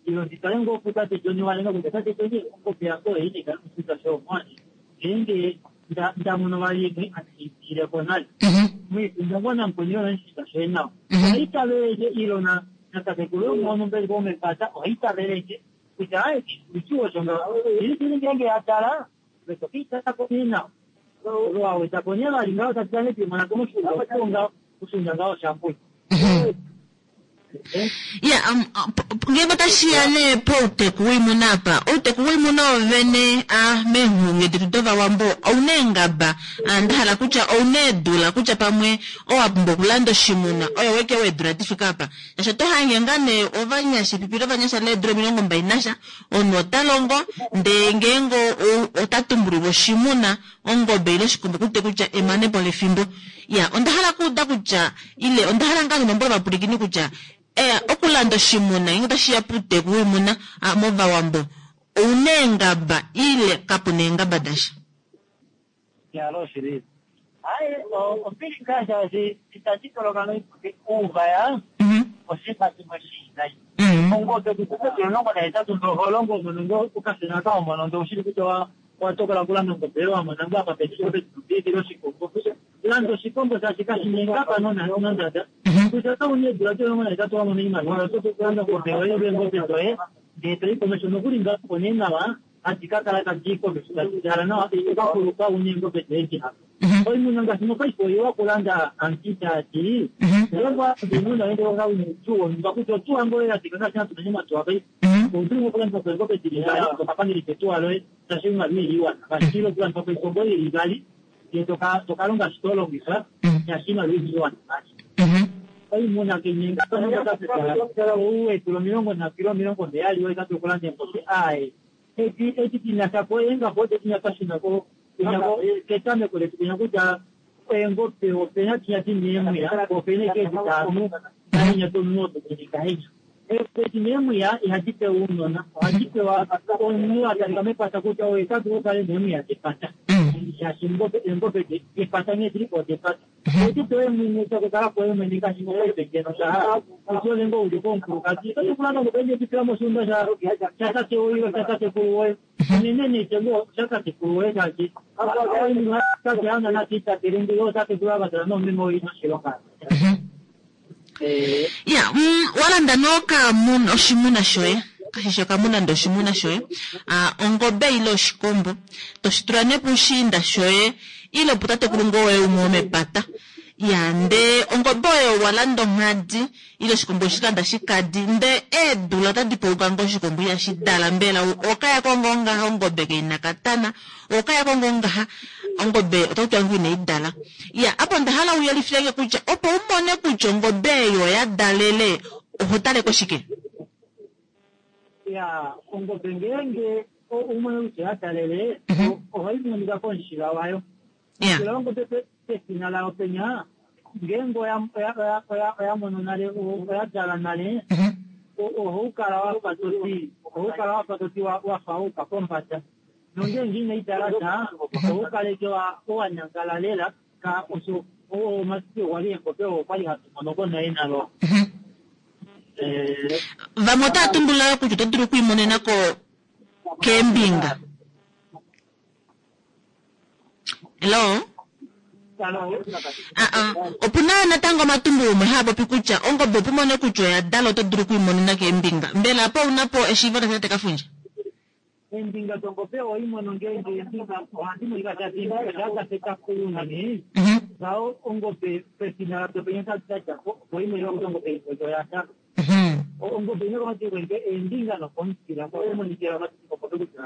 ilo nditale ngoo putate John walenga kutya tate John ongobe yange oyo ine kala moshiunda shoye omwani ngeenge ndamono vali imwe andi nale mwikunda ngoo namukweni yona moshiunda shoye nawa ohayi tavelenge ilo natatekulu yomuono vomepata ohayi tavelenge kutya aye uchiwo shonga ili ngeenge yatala vetokiitako nee nawa wawetako nee vali ngaho tati pimona komoshiunda oponga oshiunda ngaho shambuli. Ya, ngeenge otashiya nee pouteku woimuna apa, outeku woimuna wovene a meenghulungu detu dovawambo ouna eengaba, ndahala kutya ouna eedula kutya pamwe owa pumbwa okulanda oshimuna oyo weke weedula difika apa. Shaashi oto hange ngaa nee ovanyasha epipi lovanyasha leedula omilongo mbali nasha omunhu ota longo ndee ngeenge ota tumbulilwa oshimuna ongobe ile oshikombo kute kutya emanepo lefimbo. Ya, onda hala okuuda kutya ile onda hala ngaa nembo lovapulikini kutya eh, okulanda oshimuna ngeenge otashiya pouteku woimuna movawambo ouna eengaba ile kapuna eengaba dasha. Yalo shili. Hayi, ombili ngaa shaashi itandi toloka noiputi uuvaya oshinima shimwe shiinayi. Ongobe kutya omulongo nahetatu ndo oho longo mono ngo okashona kao mono ndo ushili kutya watokola okulanda ongobe yoye wamona ngoo apa peni oshikombo. Landa oshikombo shaashi kashina eengaba nondada. Kutya ota una eedula omulongo nahetatu wamona oimaliwa oto dulu okulanda ongobe yoye ile eengobe doye ndee toyi komesho nokuli ngaho nee nawa hadi ka kala tadi komesho tadi dala nawa okakuluka una eengobe doye dihapu. Oimuna ngaashi mopaife oiwa okulanda antitati ngeenge walanda oimuna yoye ndee una otuwa onumba kutya otuwa ngoo yatika ngaashi hatu nanye omatuwa paife oto dulu okulanda po eengobe dili mbali tokapangelifa etuwa loye shaashi oimaliwa ili iwana ngaashi ile okulanda po ikombo ili ivali ndee tokalonga shi tolongifa shaashi oimaliwa ili iwana ngaashi oimuna kenyenga ouweedula omilongo nhatu ile omilongo heyali oyo tatu okulanda eengobe aaye edi edi dinashapo eengaba odo dinya twashuna ketameko letu kunya kutya eengobe opena dinya dina eemwiya opena eke ditano nainya domunhu odo dilikahenya edi neemwiya ihadi pewa ounona ohadi pewa omunhu atalika mepata kutya oye tadulu okukala neemwiya depata shaashi eengobe depata nghee dilipo odepata odi pewa mwene takukala po mwene ngaashi mopaife ngeno shaha usiole ngoo uli komukulukadi oto kulanda ongobe ndetipila moshiunda shatate woye shatatekulu woye unene neitengo shatatekulu woye shaashi tate ana natiitatele ndele otatekulu avatala nomeme oyi noshilonga. Ya, walanda nookamuna oshimuna shoye kashishi okamuna nde oshimuna shoye ongobe ile oshikombo toshitula nee pushiinda shoye ile putatekulu ngoo woye umwe womepata. Ya, ndee ongobe oyo walanda onghadi ile oshikombo oshilanda shikadi ndee eedula otadi pauka ngoo oshikombo ihashi dala mbela okayako ngoo ngaha ongobe keina katana okayako ngoo ngaha ongobe otakutiwa ngoo inai dala. Ya, apo onda hala uyelifilenge kutya opo umone kutya ongobe eyo oya dalele oho taleko shike? Ya, ongobe ngeenge umone kutya oya dalele ohayi monika komushila wayo. Omushila wongobe pefina layo penya ngeenge oya mono nale oya dala nale ohau kala wafa toti ohau kala wafa toti wafa wauka pombada nongeenge inayi dala sha ohau kaleke wanyangala lela ka osho omasiku kwali eengobe oo kwali hatu mono konaye nalo. Vamwe otava tumbula kutya oto dulu okwiimonena ko keembinga. Hello? Opuna natango omatumbulo umwe haa popi kutya ongobe opo umone kutya oya dala oto dulu okwiimonena keembinga. Mbela apo ouna po eshiivo lasha tate Kafundja? Eembinga dongobe ohoimono ngeenge eembinga ohadi monika shaashi eembinga shadafeta unene Ngaho ongobe pefina lapenya tadjako opo imwe ongobe oya ongobe ino kwenge eembinga nokomutila omonikela omatitiko kutya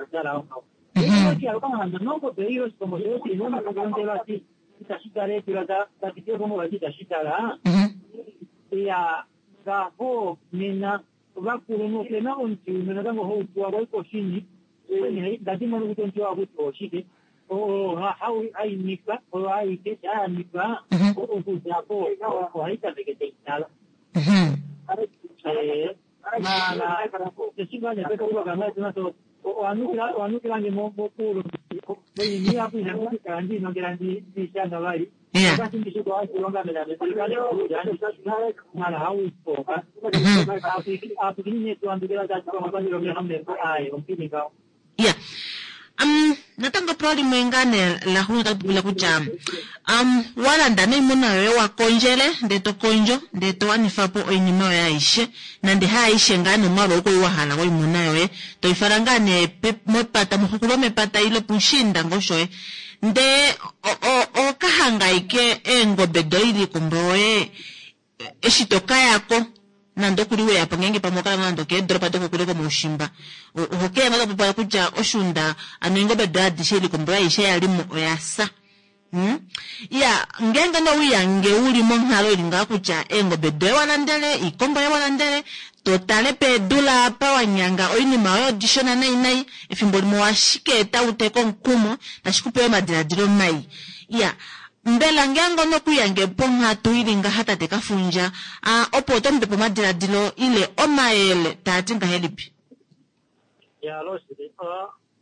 ongaho nongobe iyo oshikombo shoye itashi tala eedula da pitile komuvati itashi tala ya ngaho nena ovakulunhu opena omuti umwe natango hautuwa kwai koshini ndadimono kutya omuti wakuti oshike haimikwa oyo aike shayamikwa okudjapo ohaitameke taitala mala owanukilange mokulu oinima ndinongela ndishanga vali mala hauipoka ya um natango epulo limwe ngaa nee laxuuninwa tali pula kutya um walanda noimuna yoye wakondjele ndee to kondjo ndee to wanifa po oinima yoye aishe nande haaishe ngaa nomwaalu ou wahala woimuna yoye toifala ngaa nee mepata moxukulo mepata ile pushiinda ngoo shoye ndee okahanga aike eengobe doye iikombo yoye eshi tokayako nande okuli weyapo ngeenge pamwe okala nande okeedoropa dokokule komaushimba ohokeya nga topopala kutya oshuunda ano eengobe doye adishe iikombo yoye aishe yalimo oyasa. Hmm? Ya ngeenge nowiyange uli monghalo ili ngaa kutya eengobe doye walandele iikombo yoye walandele totale peedula apa wanyanga oinima yoye odishona nai nai efimbo limwe washike eta uteka omukumo tashi kupe omadiladilo mai. Ya mbela ngeenge onokuyange ponghatu ili ngaha tate Kafundja opo oto mupe omadiladilo ile omayele taati ngahelipi? Ya loshili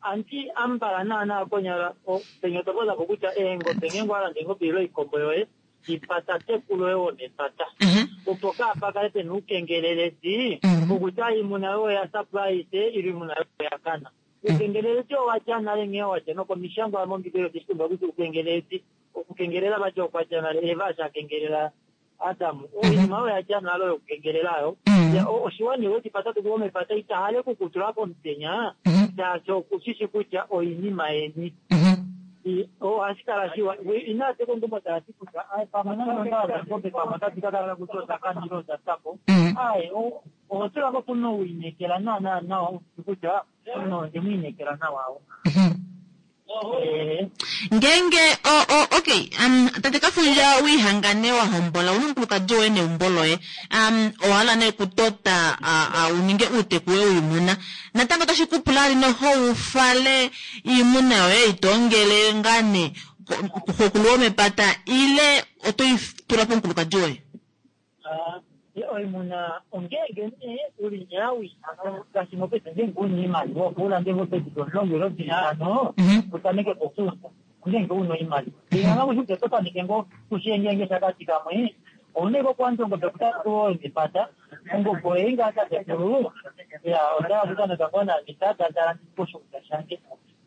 anti ambala naana konyala penya otopozapo kutya eengobe ngeenge walanda engobe ile oikombo yoye ipata tekulo yoye womepata opo kaapakale pena uukengeleledi okutya iimuna yoye oya surprise ile iimuna yoye oya kana. Uukengeleledi owatya nale nghee watya nokomishangwa mombibeli oteshitumba kutya uukengeleledi okukengelela vati okwatya nale Eva ashakengelela Adamu oinima oyo yatya nale oyo okukengelelayo oshiwani wetipata tuku womepata itahale okukutula pomutenya shaashi okushishi kutya oinima yeni ohashi kala shiwa inaateka omukumo taati kutya pamwe nanondaobe pamwe otadi kakala kutya oda kanile oda sapo aye oho tulako puno wiinekela naana nawa kutya omunhu ondemwiinekela nawa ngeenge okay um tate Kafundja wiihangane wahombola una omukulukadi woye neumbo loye um owahala nee kutota uninge uuteku woye wiimuna natango otashi kupula ali noho ufale iimuna yoye itoongele ngaa nee kuxokulu womepata ile otoitula pomukulukadi woye? Oimuna ongeenge nee uli nyawi ngaashi mopaife ngeenge una iimaliwa opo ulande ngoo pedu omulongo ile vitano utameke pokuuta ongeenge una oimaliwa inganga kushi ototameke ngoo kushiyengenge shakati kamwe ouna ike okuwandja ongobe kutatu mepata ongobe oye ngaa tatekulu ya otaya kutameka ngoo namitata poshuunda shange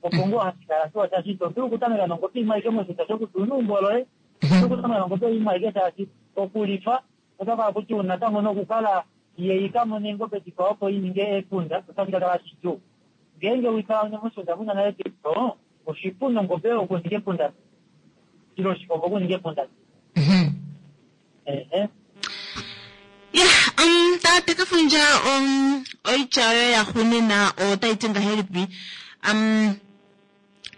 opo ngoo hashi kala shiwa shaashi ito dulu okutameka nongobe imwe aike moshuunda shokuti una eumbo loye okutameka nongobe imwe aike shaashi okulifa otakala kutya natango nokukala ye ikamone engobe dikwao opo ininge epunda otashi kakala shidjuu ngeenge wikala moshuunda muna nale diko oshipu nongobe okuninga epunda ile oshikombo okuninga epunda. Ehe ya um tate Kafundja um oitya yoye yaxuuninwa otayi ti ngahelipi um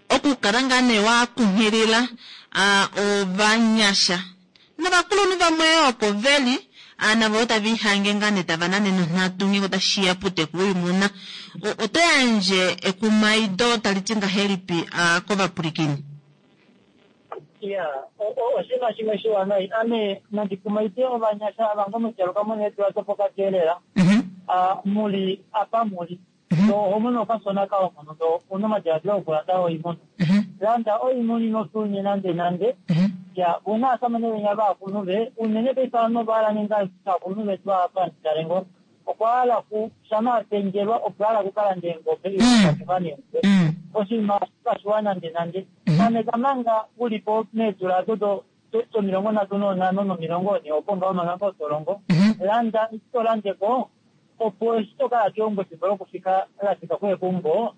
okukala ngaa nee wakunghilila ovanyasha novakulunhu vamwe oko veli navo otava ihange ngaa nee tava nane nonghatu ngeenge otashiya puuteku woimuna oto yandje ekumaido tali ti ngahelipi kovapwilikini? Ya oshinima shimwe shiwanawa ame nandikumaide ovanyasha ava ngo moshaluka muna eedula dopokati elela muli apa muli oho mono okashona kaomono ndo una omadiladilo okulanda oimuna landa oimuna ino nande nande ya una asamane venya vakulunhu ve unene paife ovanhu ovahala ninga akulunhu vetu apa nditalengo okwa hala ku shama apenjelwa okwa hala kukalanda eengobe ile neengobe oshinima kashiwa nande nande tameka manga ulipo meedula dodo domilongo nhatu nonhano nomilongo ne opo ngaho manga ngoo tolongo landa ito landeko opo eshi tokala keumbo efimbo lokufika lafika kuye keumbo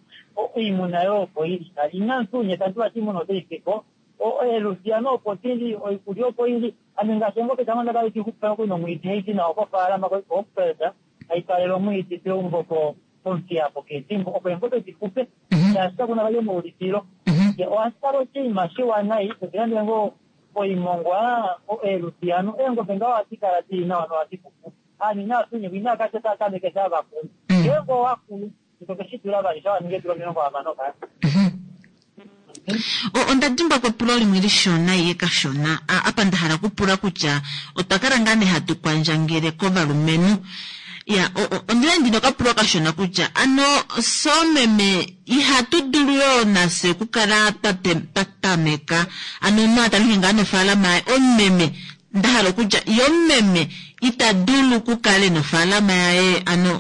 oimuna yoye opo ili nale ina sunye tanti vati iimuna otaifiko Eelusiano opo dili, oikulya opo ili. Ame ngaashi eengobe dange onda kala hadi xupifa nokuli nomwiidi haidi nao kofaalama koHochfeld, hai twalele omwiidi peumbo pOmuthiya poKeetimbo opo eengobe di xupe shaashi kakuna vali omaulifilo. Ohashi kala oshinima shiwa nai totilandele ngoo oimongwa, eelusiano, eengobe ngaho ohadi kala dili nawa nohadi xupu. Aanhu inava finyekwa inava kala tava tameke sha vakulu. Ngeenge owakulu ito ke shi dula vali sha waninga eedula omilongo hamano ka. Onda dimbwa kepulo limwe lishona iye kashona apa nda hala okupula kutya otwa kala ngaa nee hatu kwandjangele kovalumenhu. Ya, ondina ndina okapulo kashona kutya ano soomeme ihatu dulu yoo nafye okukala twa tameka ano omunhu a tameke ngaa nofaalama yaye omumeme nda hala okutya ye omumeme ita dulu okukala ena ofaalama yaye ano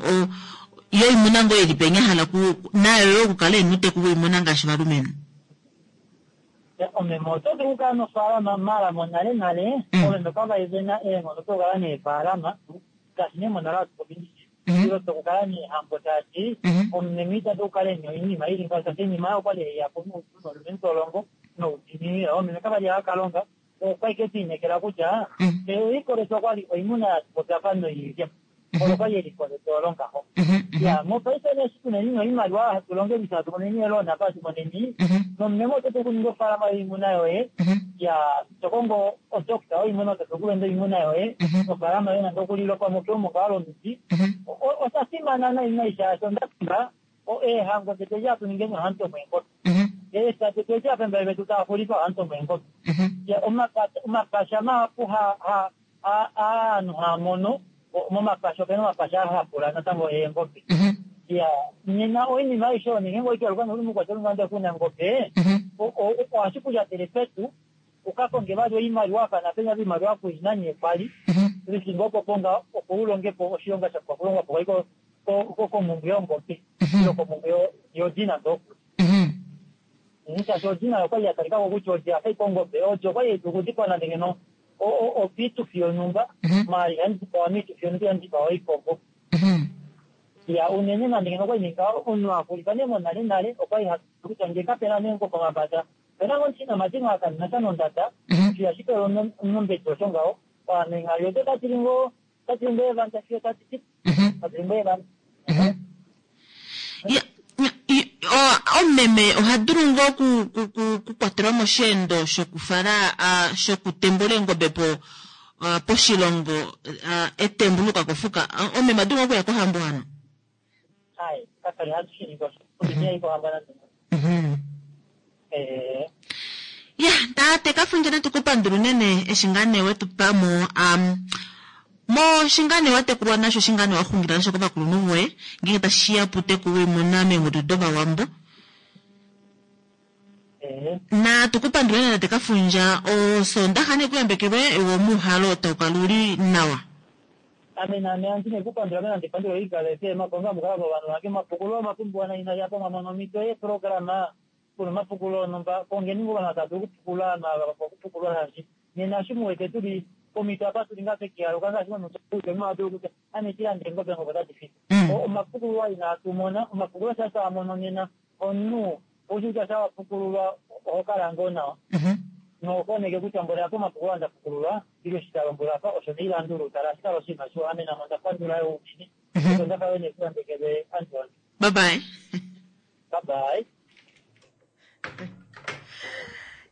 yoimuna ngoo ili penya hala nayo yoo okukala ena uuteku woimuna ngaashi ovalumenhu. Omeme oto dulu okukala nofaalama mala monale nale omeme kavali vena eenghono dokukala neefaalama ngaashi nee monale hatu popi ndishi ile tokukala neehambo shaashi omumeme ita dulu okukala ena oinima ili ngaho shaashi oinima oyo okwali haiyapo noupu nolumenhu tolongo noudiinini. Omeme kavali hava kalonga okwali ke liinekela kutya eliko okwali oimuna yatupopya noilya olo kwali eliko letu olo ngaho. Ya mopaife nee eshi tuneni noimaliwa hatu longelifya hatu moneni eeloan apa hatu moneni nomumeme oto dulu okuninga ofaalama yoimuna yoye ya to kongo odokita yoimuna oto dulu okulanda oimuna yoye nofaalama yoye nande okulilopamo keumbo ngaa lomiti. Osha fimana nai nai shaashi onda pimba eehango detu edi hatu ningeni ohatu tomo eengobe. Eefya detu edi apembele vetu tava xulifa ohatu tomo eengobe. Omapasha mahapu aanhu haa mono momapasha opena omapasha ahapula natango eengobe. Ya nena oinima aishe oyo ngeenge oikealuka noli mukwateli ngande kuna ngobe ohashi kulyatele petu ukakonge vali oimaliwa apa napenya oimaliwa kuina nee kwali lifimbo opo ponga opo ulongepo oshilonga sha pumbwa okulongwa po komumbwe yongobe ile komumbwe yodi nande okuli. Shaashi odi nayo okwali ya talikako kutya odi yafa ike ongobe, odi okwali hai dulu okudikwa nande ngeno opiitufi yonhumba maala ihai dipawa miitufi yonhumba ihai dipawa oikombo. Ya unene nande ngeno okwali ninga omunhu axulifa nee monale nale okwali hatu kutya ngee kapena nee ngoo pomapata opena ngoo omushinamati akanina nondada osho ihashi pewa omumbedi osho ngaho ovanhu odo tatili ngoo tatili ngoo evanda fiyo tati ti tatili ngoo evanda. Omumeme oha dulu ngoo okukwatelwa mosheendo shokufala shokutembula eengobe po poshilongo etembu luka kofuka. Omumeme adulu ngoo okuya kohambo hano? Ai, kakali hatu shi ningi osho. Omumeme kohambo nande. Eh. Ya, tate Kafundja natu kupandula unene eshi ngaa nee wetu pamo mo shingane watekulwa nasho shingane waxungila nasho kovakulunhu voye ngeenge tashiya puuteku woimuna meengudu dovawambo. Na tukupandule tate Kafundja osondaxa nekuyambekelwe womuhalo taukala uli nawa. Ame naame andi nekupandula ame nande pandula oikala FM konga mukala vovanhu vange mapukulo mapumbiwa naina yapo mwamono omhito yeprograma kuna omapukulo onhumba kongeni ngoo vanhu tava dulu okupukula okupukulwa shaashi nena eshi muwete tuli pomhito apa tuli ngaa pekialuka ngaashi momunhu kutya ame tilande eengobe ngobe otadi fiti. Omapukululwa inatu mona, omapukulo sha twa mono nena omunhu oushi kutya sha wapukululwa oho kala ngoo nawa. Nokoneke kutya mboli apa omapukulo anda pukululwa ile eshi talombwelwa apa osho neilandulu tala ohashi kala oshinima shiwa ame namo onda pandula yo unene. Osho onda kala nekuyambekelwe Anton. Bye bye. Bye bye.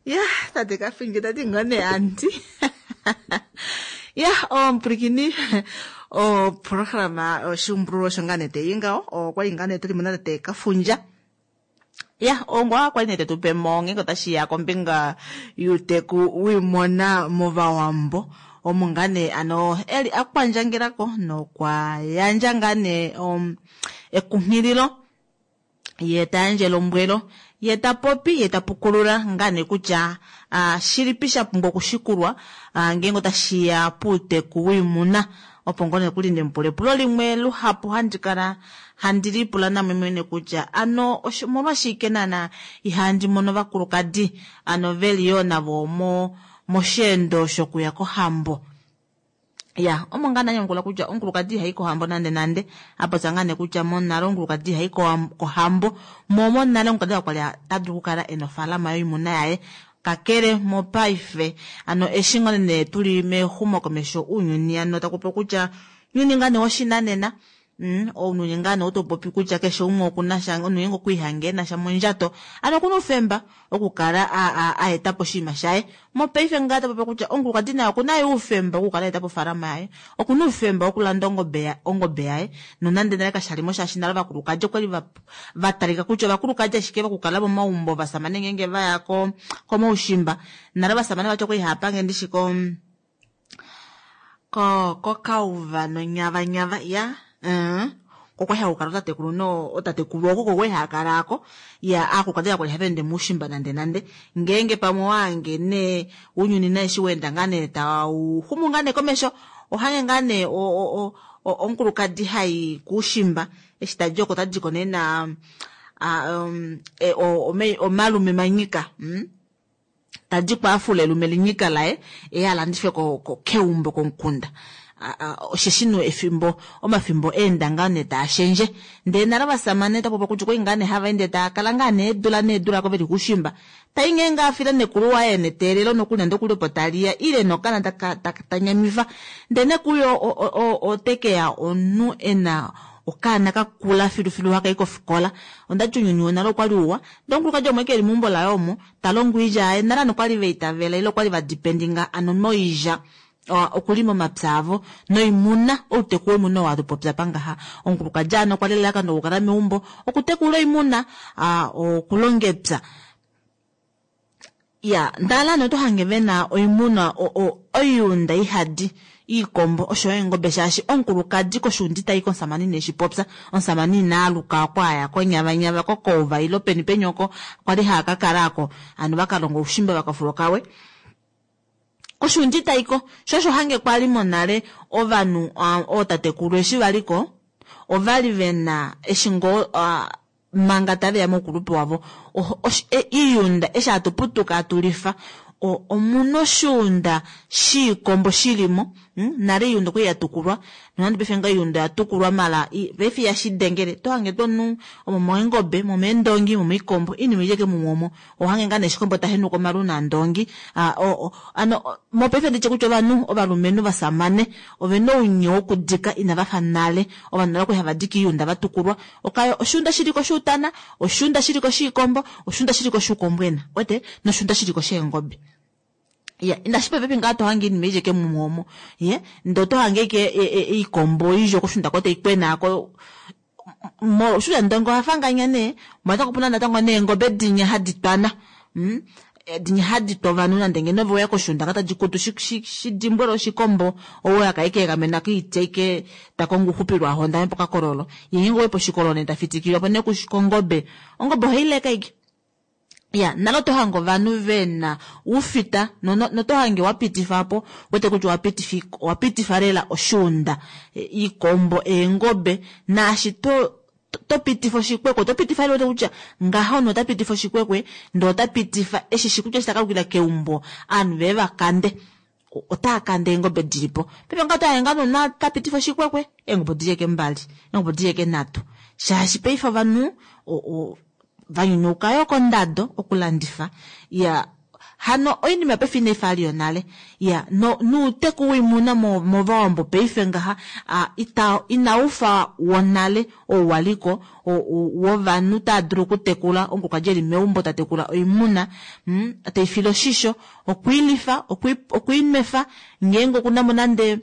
Ya, tate Kafundja tati ngoo nee anti. Ya, omupulikini oprograma oshiumbululo osho ngaa nee teyi ngaho okwali ngaa nee tuli mo natate Kafundja. Ya, ongwa kwali nee tetupemo ngeenge otashiya kombinga yuuteku wiimuna movawambo omo ngaa nee ano eli akwandjangelako nokwa yandja ngaa nee ekunghililo ye tayandje elombwelo ye tapopi ye tapukulula ngaa nee kutya shilipi sha pumbwa okushikulwa ngeenge otashiya puuteku wiimuna opo ngoo nee kuli ndemupula epulo limwe luhapu handi kala handi lipula namwe mwene kutya ano omolwashike naana ihandi mono ovakulukadi ano veli yoo navo mo mosheendo shokuya kohambo. Ya, omo ngaa nanyamukula kutya omukulukadi ihayi kohambo nande nande apopya ngaa nee kutya monale omukulukadi ihayi kohambo mo monale omukulukadi okwali ta dulu okukala ena ofaalama yoimuna yaye Kakele mopaife ano eshi ngoo nee tuli mexumokomesho ounyuni ano taku popi kutya ounyuni ngaa nee woshinanena mm, ounyuni ngaa nee otopopi kutya keshe umwe okuna sha omunhu ngeenge okwiihange ena sha mondjato ano okuna oufemba okukala a etapo oshinima shaye. Mopaife ngaa tapopi kutya omukulukadi naye okuna yo oufemba wokukala aetapo ofaalama yaye, okuna oufemba wokulanda ongobe yaye nonande nale kashalimo shaashi nale ovakulukadi okwali vatalika kutya ovakulukadi ashike vokukala momaumbo ovashamane ngeenge vaya komaushimba nale ovashamane vati okwali haapange ndishi ko kokauva nonyavanyava iya okwali hakukala otatekulu otatekulu oko okwali haakala aako iya aakulukadi kakwali hava ende moushimba nande nande ngeenge pamwe owahange nee ounyuni nee eshi waenda ngaa nee tauxumu ngaa nee komesho ohange ngaa nee omukulukadi hayi kuushimba eshi tadi oko otadiko nee na omalume manyika tadiko afula elume linyika laye eye alandife keumbo komukunda. Osheshi no efimbo omafimbo eenda ngaa nee taashendje ndee nale ovasamane tapopi kutya okwali ngaa nee hava ende taakala ngaa nee eedula needula ko veli kuushimba tai ngeenge afile nekulu waye neteelelo nokuli nande okuli opo taliya ile nokana tanyamifa ndee nekuyo otekeya omunhu ena okaana kakula filufilu hakayi kofikola. Ondati ounyuni wonale okwali uwa ndee omukulukadi omwe keli meumbo laye omo talongo oilya yaye nale ovanhu okwali vaitavela ile okwali vadipendinga ano moilya okulima omapya avo noimuna outeku woimuna oo hatupopya apa ngaha. Omukulukadi ano okwali elalakano lokukala meumbo okutekula oimuna okulonga epya. Iya ndala ano oto hange vena oimuna oiunda ihadi iikombo oshoyo eengobe shaashi omukulukadi koshuunda itayi komusamane ineshipopya omusamane inaaluka oko aya konyavanyava kokouva ile peni peni oko kwali haakakala aako ano vakalonga oushimba vakafula okawe koshuunda itaiko sho osho hange kwali monale ovanhu ootatekulu eshi valiko ovali vena eshi ngoo manga taveya moukulupe wavo iiyunda eshi hatuputuka hatulifa omuna oshuunda shiikombo shilimo nale iiyunda okwali yatukulwa nonande paife ngaha oiunda oyatukulwa maala paife ihashidengele otohange tuu omunhu omomeengobe momeendongi momoikombo oinima oili ashike mumwe omo ohange ngaa nee shikombo tahenuka omalu naandongi ano mopaife nditye kutya ovanhu ovalumenhu ovasamane ovena ounye wokudika inavafa nale ovanhu nale okwali hava dike oiunda vatukulwa oshuunda shiliko shuutana oshuunda shiliko shiikombo oshuunda shiliko shuukombwena wete noshuunda shiliko sheengobe. Iya inashi pepi ngaa tohange iinima ili ashike mumwe omo ye ndee otohange ashike iikombo oyindji okoshuunda ko taikwena ko oshuunda ndongo ohafanganya nee natango opuna natango neengobe dinya hadi twana dinya hadi twa ovanhu nande ngeno ove weya koshuunda nga tadi kutu shidimbwele oshikombo ou aka ikeegamena koiti aike takongo ouxupilo ahondame pokakololo ye ngeenge owayi poshikololo nee tafitikilwapo nee kongobe ongobe ohaileke ashike. Ya nale oto hange ovanhu vena oufita noto hange wapitifapo wete kutya owapitifa lela oshuunda iikombo eengobe naashi to topitifa oshikwekwe otopitifa lela kutya ngaha omunhu ota pitifa oshikwekwe ndee ota pitifa eshi kutya eshi takalukila keumbo ovanhu veye vakande otaakande eengobe dilipo. Paife ngaha otohange ngaa nomunhu tapitifa oshikwekwe eengobe odili ashike mbali eengobe odili ashike nhatu shaashi paife ovanhu vanyunyuka yoo kondado okulandifa iya hano oinima paife inaifa yali yonale iya nouteku woimuna movawambo paife ngaha inaufa wonale ou waliko wovanhu tava dulu okutekula omukulukadi eli meumbo tatekula oimuna teifile oshisho okwiilifa okwiinwefa ngeenge okunamo nande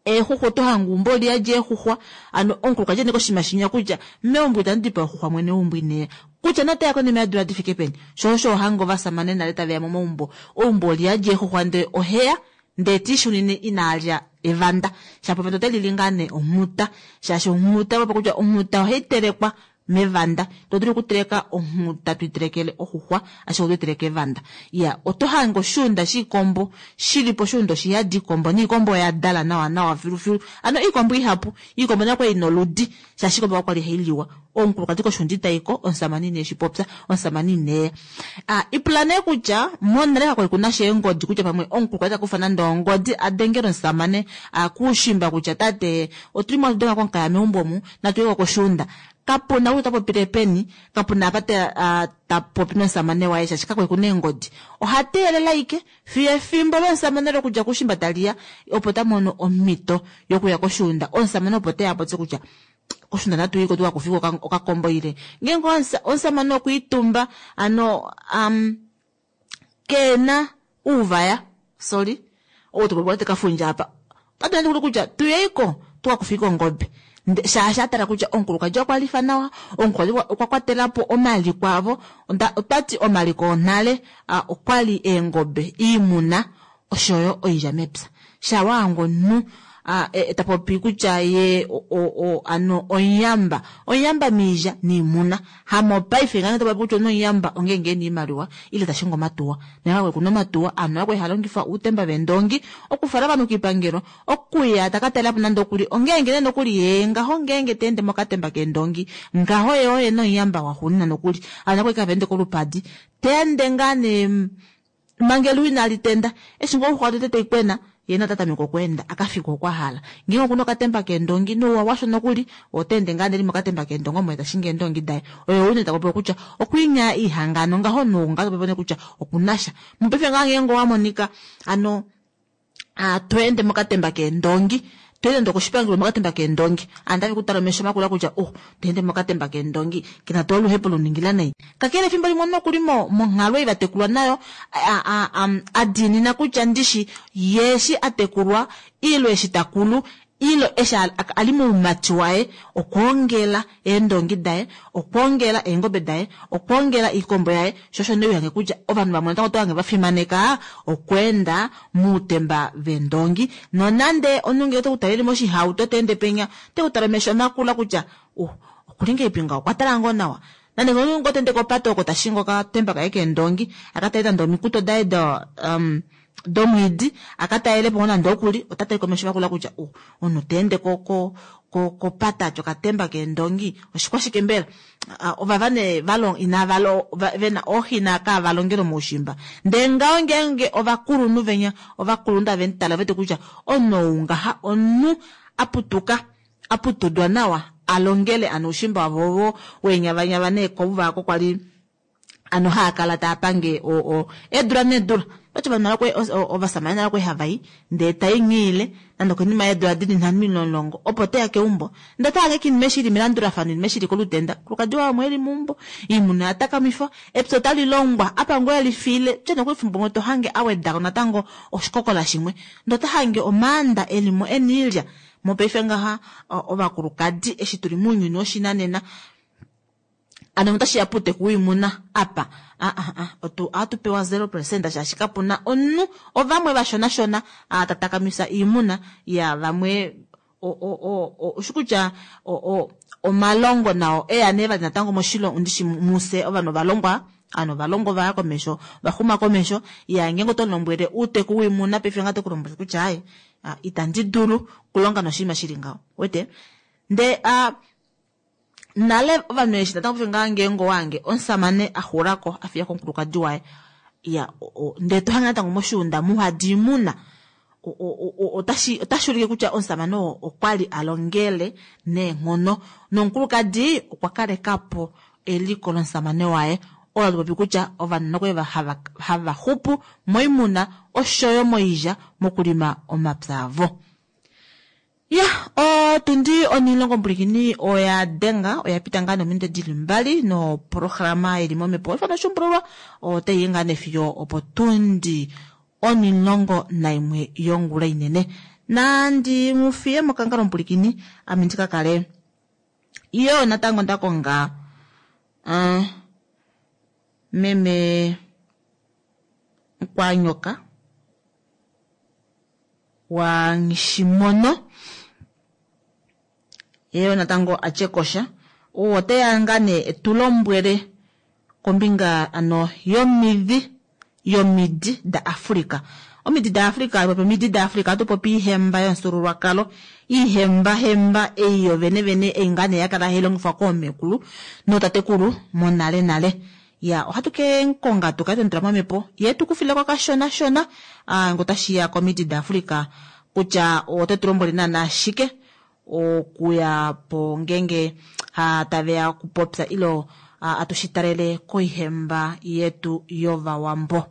eexuxwa otohange eumbo oliyadi eexuxwa ano omukulukadi ene koshinima shinya kutya meumbo itandi dipa oxuxwa mwene weumbo ineya kutya noteya konima yeedula difike peni sho osho ohange ovasamane nale taveya momaumbo eumbo oliyadi eexuxwa ndee oheya ndee tiishunine inaalya evanda shapo evanda otelili ngaa nee onghuta shaashi onghuta opo kutya onghuta ohaitelekwa mevanda todulu okuteleka onghuta tuitelekele oxuxwa ashike otoiteleke evanda. Iya oto hange oshuunda shiikombo shilipo oshuunda oshiyadi iikombo niikombo oyadala nawa nawa filufilu ano iikombo ihapu iikombo nayo okwali ina oludi shaashi iikombo kakwali hailiwa omukulukadi koshuunda itaiko omusamane ineshipopya omusamane ineya. Ipula nee kutya monale kakwali kunasha eengodi kutya pamwe omukulukadi takufa nande ongodi adengele omusamane kuushimba kutya tate otulimo atudenga komukaya meumbo omu natuyeko koshuunda. Kapuna kutya ota popile peni, kapuna apa ta, ta popi nomusamane waye shaashi kakwe kuna eengodi. Oha teelela ashike fiyo efimbo lomusamane lokudja koushimba taliya opo ta mono omhito yokuya koshuunda. Omusamane opo teya apopye kutya koshuunda natu yiko tuka kufike okakombo ile ngeenge omusamane okwiitumba ano um, keena uuvaya, sorry, ou topopi kafundja apa, otatu nande kutya tuyeiko tuka kufike ongobe. Shaashi a tala kutya omukulukadi okwa lifa nawa, omukulukadi okwa kwatela po omaliko avo. Otwati omaliko onale okwali eengobe, iimuna oshoyo oilya mepya. Shawa omunhu ta popi kutya ye ano omuyamba, omuyamba miilya niimuna. Hamopaife ngeenge ta popi kutya omunhu omuyamba ongeenge ena iimaliwa ile tashingi omatuwa. Nale kuna omatuwa, aanhu okwali haya longifa uutemba veendongi okufala ovanhu kiipangelo, okuya taka talelapo nande okuli, ongeenge nee nokuli yee ngaho ngeenge ta ende mokatemba keendongi ngaho ye oye nomuyamba waxuuninwa nokuli. Aanhu okwali hava ende kolupadi, ta ende ngaa nee manga eluwa inali tenda, eshi ngoo oxuxwa tete taikwena ye nota tameke okweenda akafike oko ahala. Ngeenge okuna okatemba keendongi nouwa washo nokuli ota ende ngaa neli mokatemba keendongi omo tashingi eendongi daye. Oye ou nee tapopiwa kutya okwiinya ihangano ngaho nounga tapopiwa kutya okunasha. Mopaife ngaa ngeenge owa monika ano to ende mokatemba keendongi, to ende koshipangelo mokatemba keendongi, aantu otave ku tala omesho makula kutya oh, to ende mokatemba keendongi kena tuu oluhepo luningila nai. Kakele efimbo limwe nokuli monghalo ei vatekulwa nayo a diinina kutya ndishi ye eshi a tekulwa ile eshi takulu ile eshi ali moumati waye okwoongela eendongi daye, okwoongela eengobe daye, okwoongela iikombo yaye. Sho osho nee uhange kutya ovanhu vamwe natango oto hange vafimaneka okweenda muutemba veendongi, nonande omunhu ngee oteku tala eli moshihauto ta ende penya oteku tala omesho makula kutya uh okuli ngahelipi ngaho, okwa tala ngoo nawa. Nande omunhu ngoo ta ende kopate oko tashingi okatemba kaye keendongi aka tale nande omikuto daye do um, domwiidi aka talelepo ngoo nande okuli, ota tale komesho makula kutya uh omunhu ta ende ko ko kopata atya okatemba keendongi oshikwashike mbela? Ovava nee valong inava vena ooxi inaa valongele moushimba. Ndee ngaho ngeenge ovakulunhu venya ovakulunhu tave mutala vete kutya omunhu ou ngaha omunhu aputuka aputudwa nawa alongele ano oushimba wavo ovo weenyavanyava neekovu vaako kwali ano haa kala taa pange eedula needula. Oti vanhu ovasamane nale okwali hava i ndee tainghiile nande okonima yeedula dili nhano ile omulongo opo teya keumbo, ndee ota hange oinima eshi ili melandulafano, oinima eshi ili kolutenda, omukulukadi waye omo eli meumbo, oimuna oya takamifwa, epya otali longwa apa ngoo elifiile, tye nokuli efimbo limwe to hange awedako natango oshikokola shimwe, ndee ota hange omaanda elimo ena oilya. Mopaife ngaha ovakulukadi eshi tuli mounyuni woshinanena ano otashiya puuteku woimuna apa ohatu pewa zero percent shaashi kapuna omunhu, ovamwe vashonashona tatakamisa iimuna ya vamwe oshi kutya omalongo nao eya nee vali natango moshilongo ndishi mufye ovanhu ovalongwa, ovanhu ovalongwa ovaya komesho, vaxuma komesho. Ya ngeenge oto lombwele uuteku woimuna paife ngaha oteku lombwele kutya aaye itandi dulu okulonga noshinima shili ngaho, uwete? Ndee nale ovanhu eshi natango paife ngaha ngeenge owange omusamane axulako afiyako omukulukadi waye, ya ndee tohange natango moshuunda muhadi oimuna, otashi otashi ulike kutya omusamane oo okwali alongele neenghono nomukulukadi okwa kalekapo eliko lomusamane waye. Olo hatu popi kutya ovanhu nokwali hava xupu moimuna oshoyo moilya mokulima omapya avo. Ya otundi onilongo mbulikini oya denga oya pita ngaa nominute dili mbali noprograma ili momhepo ifano oshuumbululwa otayi ngaa nefiyo opo tundi onilongo naimwe yongula inene. Nandi mufiye mokangalo mbulikini ame ndika kale iyo natango ndakonga uh, meme Nkwanyoka wa Nghishimono yeyo natango atyekosha oteya ngaa nee etulombwele kombinga ano yomidhi yomidi da Africa. Omidi da Africa, popi omidi da Africa ohatu popi iihemba yomufyuululwakalo, iihemba hemba ei yovene vene ei ngaa nee yakala hai longifwa koomekulu nootatekulu monale nale. Ya ohatu ke konga tukale twemutula momhepo ye tukufileko kashona shona ngee otashiya komidi da Africa kutya ote tulombwele naana shike okuya po ngeenge Taveya okupopya ilo atushitalele koihemba yetu yovawambo.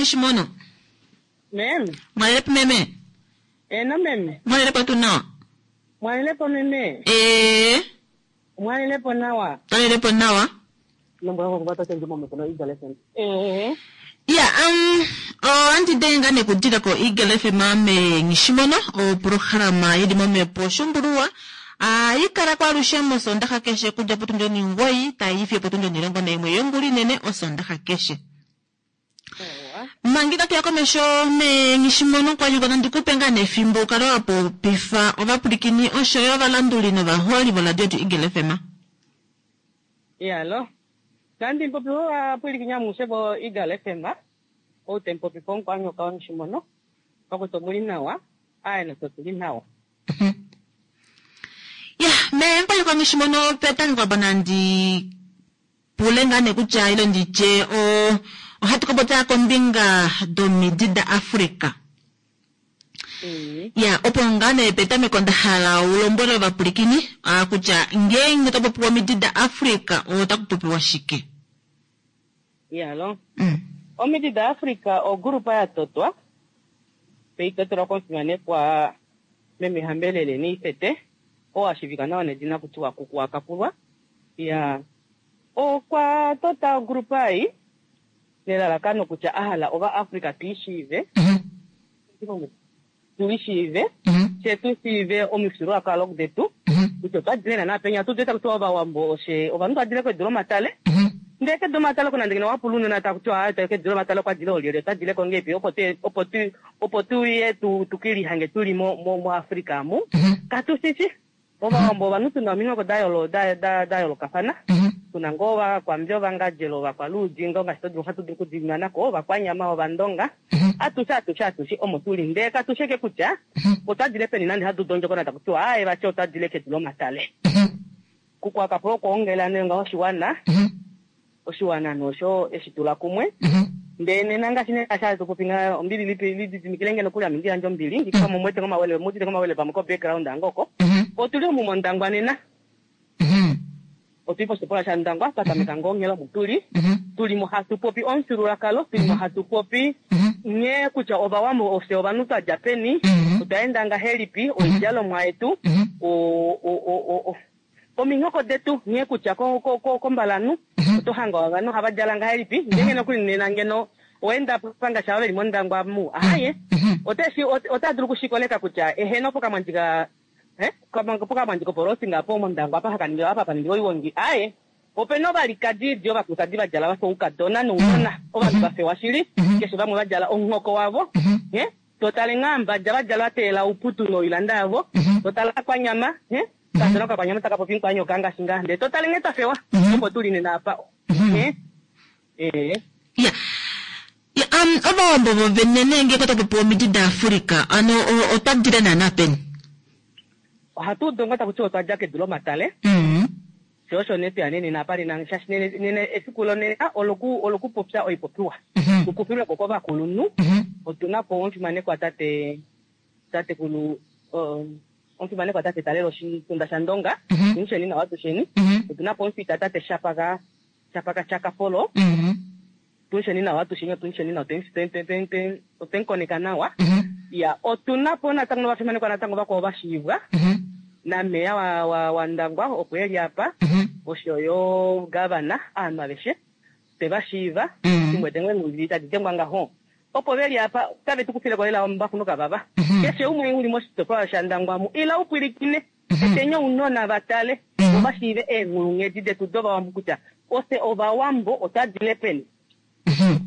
Shimono. Meme. Mwalelepo meme. Eno meme. Mwalelepo tu nawa. Mwalelepo meme. Eh. Mwalelepo nawa. Mwalelepo nawa. Eh. Ya, um, oh, anti denga ne kudira ko Eagle F M mame Ngishimono, o programa yili momepo shumbulua. Ah, ikara kwa lushemo sondaha keshe kuja potunjo ni ngoi, taifi potunjo ni longo na imwe yonguli nene o sondaha keshe. Mangika kia komesho me Ngishimono kwa yuko nandikupe nga nefimbo ukalo wapo pifa ovapulikini osho yo valanduli novaholi voradio yetu Eagle F M. Yalo. Nandi mpopi wa pulikinya musebo Eagle F M. O tempo pipo kwa nyoka Ngishimono. Kwa kutomuli nawa, aye na totuli nawa. Ya, me mpa yuko Ngishimono petani kwa banandi pule ngane kutya ilo ndiche o ohatu kopota kombinga domidi da Africa. Mm. Ya, opo ngane petameko ndahala ulombwele ovapulikini kutya ngeenge topopiwa omidi da Africa otakupopiwa shike. Yalo. Mm. Omidi da Africa ogrupa ya totwa peitotelwa komufimanekwa meme Hambelele Niifete oo ashivika nawa nedina kutiwa Kuku Akapulwa. Ya, okwa tota ogrupa ei nelalakano kutya ahala ova Africa tuishiive. Mm -hmm. Tuishiive. Mm -hmm. She tuishiive omifyuululwakalo detu. Mm -hmm. Kutya otwa dile naana penya tu tueta kutiwa ovawambo oshe ovanhu twa dile kedu lomatale. Mm -hmm. Ndee kedu lomatale kuna ndengene wapula unona takutiwa aa kedu lomatale okwa dile olyelye otwa dile ko ngepi opo tu opo tu opo tuye tu tukilihange tuli mo mo mo Africa mu. Mm -hmm. Katushishi. Ovawambo ovanhu tuna ominghoko da yoolo- da- da- da yoolokafana. Mhm. Tuna ngoo ovakwambi, ovangadjelo, ovakwaluudi, ngoo ngaashi to dulu hatu dulu okudimana ko, ovakwanyama, ovandonga. Mhm. Atushe atushe atushe omo tuli, ndee katusheke kutya Mhm. otwa dile peni nande hatu dondjokona taku tiwa aaye vati otwa dile kedu lomatale. Mhm. Kukwakapo okwoongela nee ngaho oshiwana, Mhm. oshiwana nosho eshi tula kumwe. Mhm. Ndee nena ngaashi nee ngaashi hatu popi nga ombili lipi lididimikile ngeno kuli ame ndi yandje ombili ngikama mumwete ngomawele mudite ngomawele pamwe ko background angoko. Mhm. Otuli omu mOndangwa nena, Mhm. otuli poshitopolwa shaNdangwa twa tameka ngoo onghela omu tuli. Mhm. Tuli mo hatu popi omufyuululwakalo, tuli mo hatu popi Mhm. nghee kutya ovawambo ofye ovanhu twa dja peni, Mhm. otwa enda ngahelipi, oidjalomwa yetu, Mhm. o- o- o- o- o- ominghoko detu nghee kutya ko- ko- ko- kombalanhu Mhm. oto hanga ovanhu ohava djala ngahelipi, ndee nokuli nena ngeno oenda pangasha veli mOndangwa mu ahaye Mhm. oteshi ot- ota dulu kushikoleka kutya eheno pokamwandjika eh pokamwandjika opolosinga po mOndangwa apa hakaningilwa apa paningilwa oiwongi aye opena ovalikadi ovakulukadi va djala vafa oukadona nounona ovanhu va fewa shili Mhm. keshe vamwe va djala omunghoko wavo Mhm. eh totale nghaambadja va djala vateela ouputu noilanda yavo Mhm. totala kwanyama eh kadona kakwanyama taka popi nkwanyoka ngaashi ngaa ndee totale nghee twa fewa Mhm. opo tuli nena apa Mhm. eh eh Ya. Ya, um, ovawambo vovene nenge ota popi omidi daAfrika ano o- otwa dile naana peni? ohatu udu ngoo taku tiwa otwa dja kedu lomatale Mhm. sho osho nee tweya nee nena apa nena shaashi nene nena efiku lonena oloku olokupopya oipopiwa Mhm. tukufilweko kovakulunhu Mhm. otuna po omufimanekwa tate tatekulu um, omufimanekwa tate Talelo Shitunda shaNdonga Mhm. tusheni nawa tusheni Mhm. otuna po omufita tate Shapaka Shapaka Chakafolo Mhm. tusheni nawa tusheni otusheni nawa otwemukoneka nawa Mhm. ya otuna po natango novafimanekwa natango vakwao vashiivwa Mhm. nameya wa, wa, wa Ndangwa opo eli apa Mhm. oshoyo gavana aanhu aveshe tevashiiva Mhm. timwe dengwe nguli tadi dengwa ngaho opo veli apa tave tukufileko lela ombakunuka vava Mhm. keshe umwe uli moshitopolwa shaNdangwa mu ila upwilikine Mhm. etenye ounona vatale Mhm. ovashiive eenghulunghedi detu dovawambo kutya ose ovawambo otwa dile peni Mhm.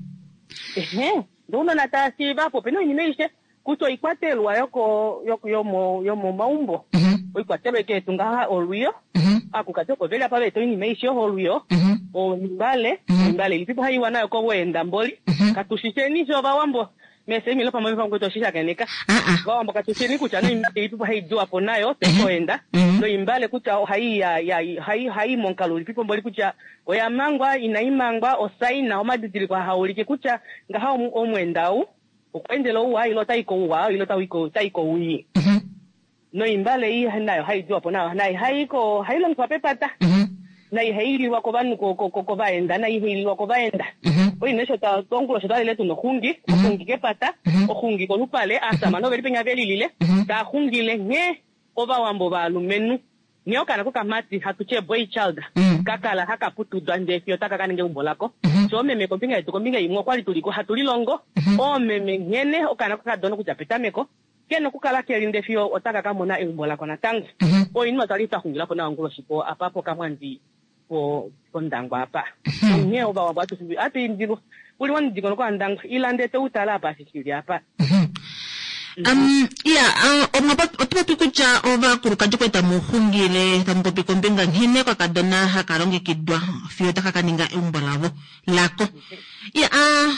ehe ndee ounona tava shiiva apo opena oinima aishe kutya oikwatelwa yoko yoko yomo yomomaumbo Mhm. oikwatelwa eke yetu ngaha olwiyo Mhm. akukati opo veli apa veeta oinima aishe olwiyo Mhm. oimbale Mhm. oimbale ilipipo haiwa nayo koweenda mboli Mhm. katushisheni sho ovawambo mesemilo pamwe pamwe toshishakeneka Ah, ah. ovawambo katusheni kutya noimbale ilipipo haidiwa po nayo tekoenda Mhm. noimbale kutya ohai ya ya hai hai monkalo ulipipo mboli kutya oya mangwa inai mangwa osaina omadidiliko haulike kutya ngaha omu- omwenda ou okweendela ouwa ile otai kouwa ile otai kowii Mhm. noimbale ei nayo haidiwa po nayo nayo haiko hailongifwa pepata Mhm. na ihailiwa kovanhu ko- ko- ko- kovaenda na ihailiwa kovaenda Mhm. oine sho ta ongulo sho twalile tuna oxungi oxungi kepata Mhm. oxungi kolupale aasamane oveli penya velilile Mhm. taa xungile nghee ovawambo vaalumenhu nghee okaana kokamati hatu tye boy child Mhm. kakala haka putudwa ndee fiyo taka kaninga eumbo lako Mhm. sho oomeme kombinga yetu kombinga imwe okwali tuliko hatu lilongo Mhm. oomeme nghene okaana kokadona kutya petameko kena okukala keli ndee fiyo otaka ka mona eumbo lako natango Mhm. oinima twali twa xungilapo nayo onguloshi po apa pokamwandi po pondangwa apa Mhm. onghee ovawambo atu atuindilwa uli momudingonoko waNdangwa ila ndee toutala apa shishili apa Mhm. Um, ya uh, omwa pop- oto popi kutya ovakulukadi kwali tamu xungile tamu popi kombinga nghene okakadona haka longekidwa fiyo taka kaninga eumbo lavo lako ya uh,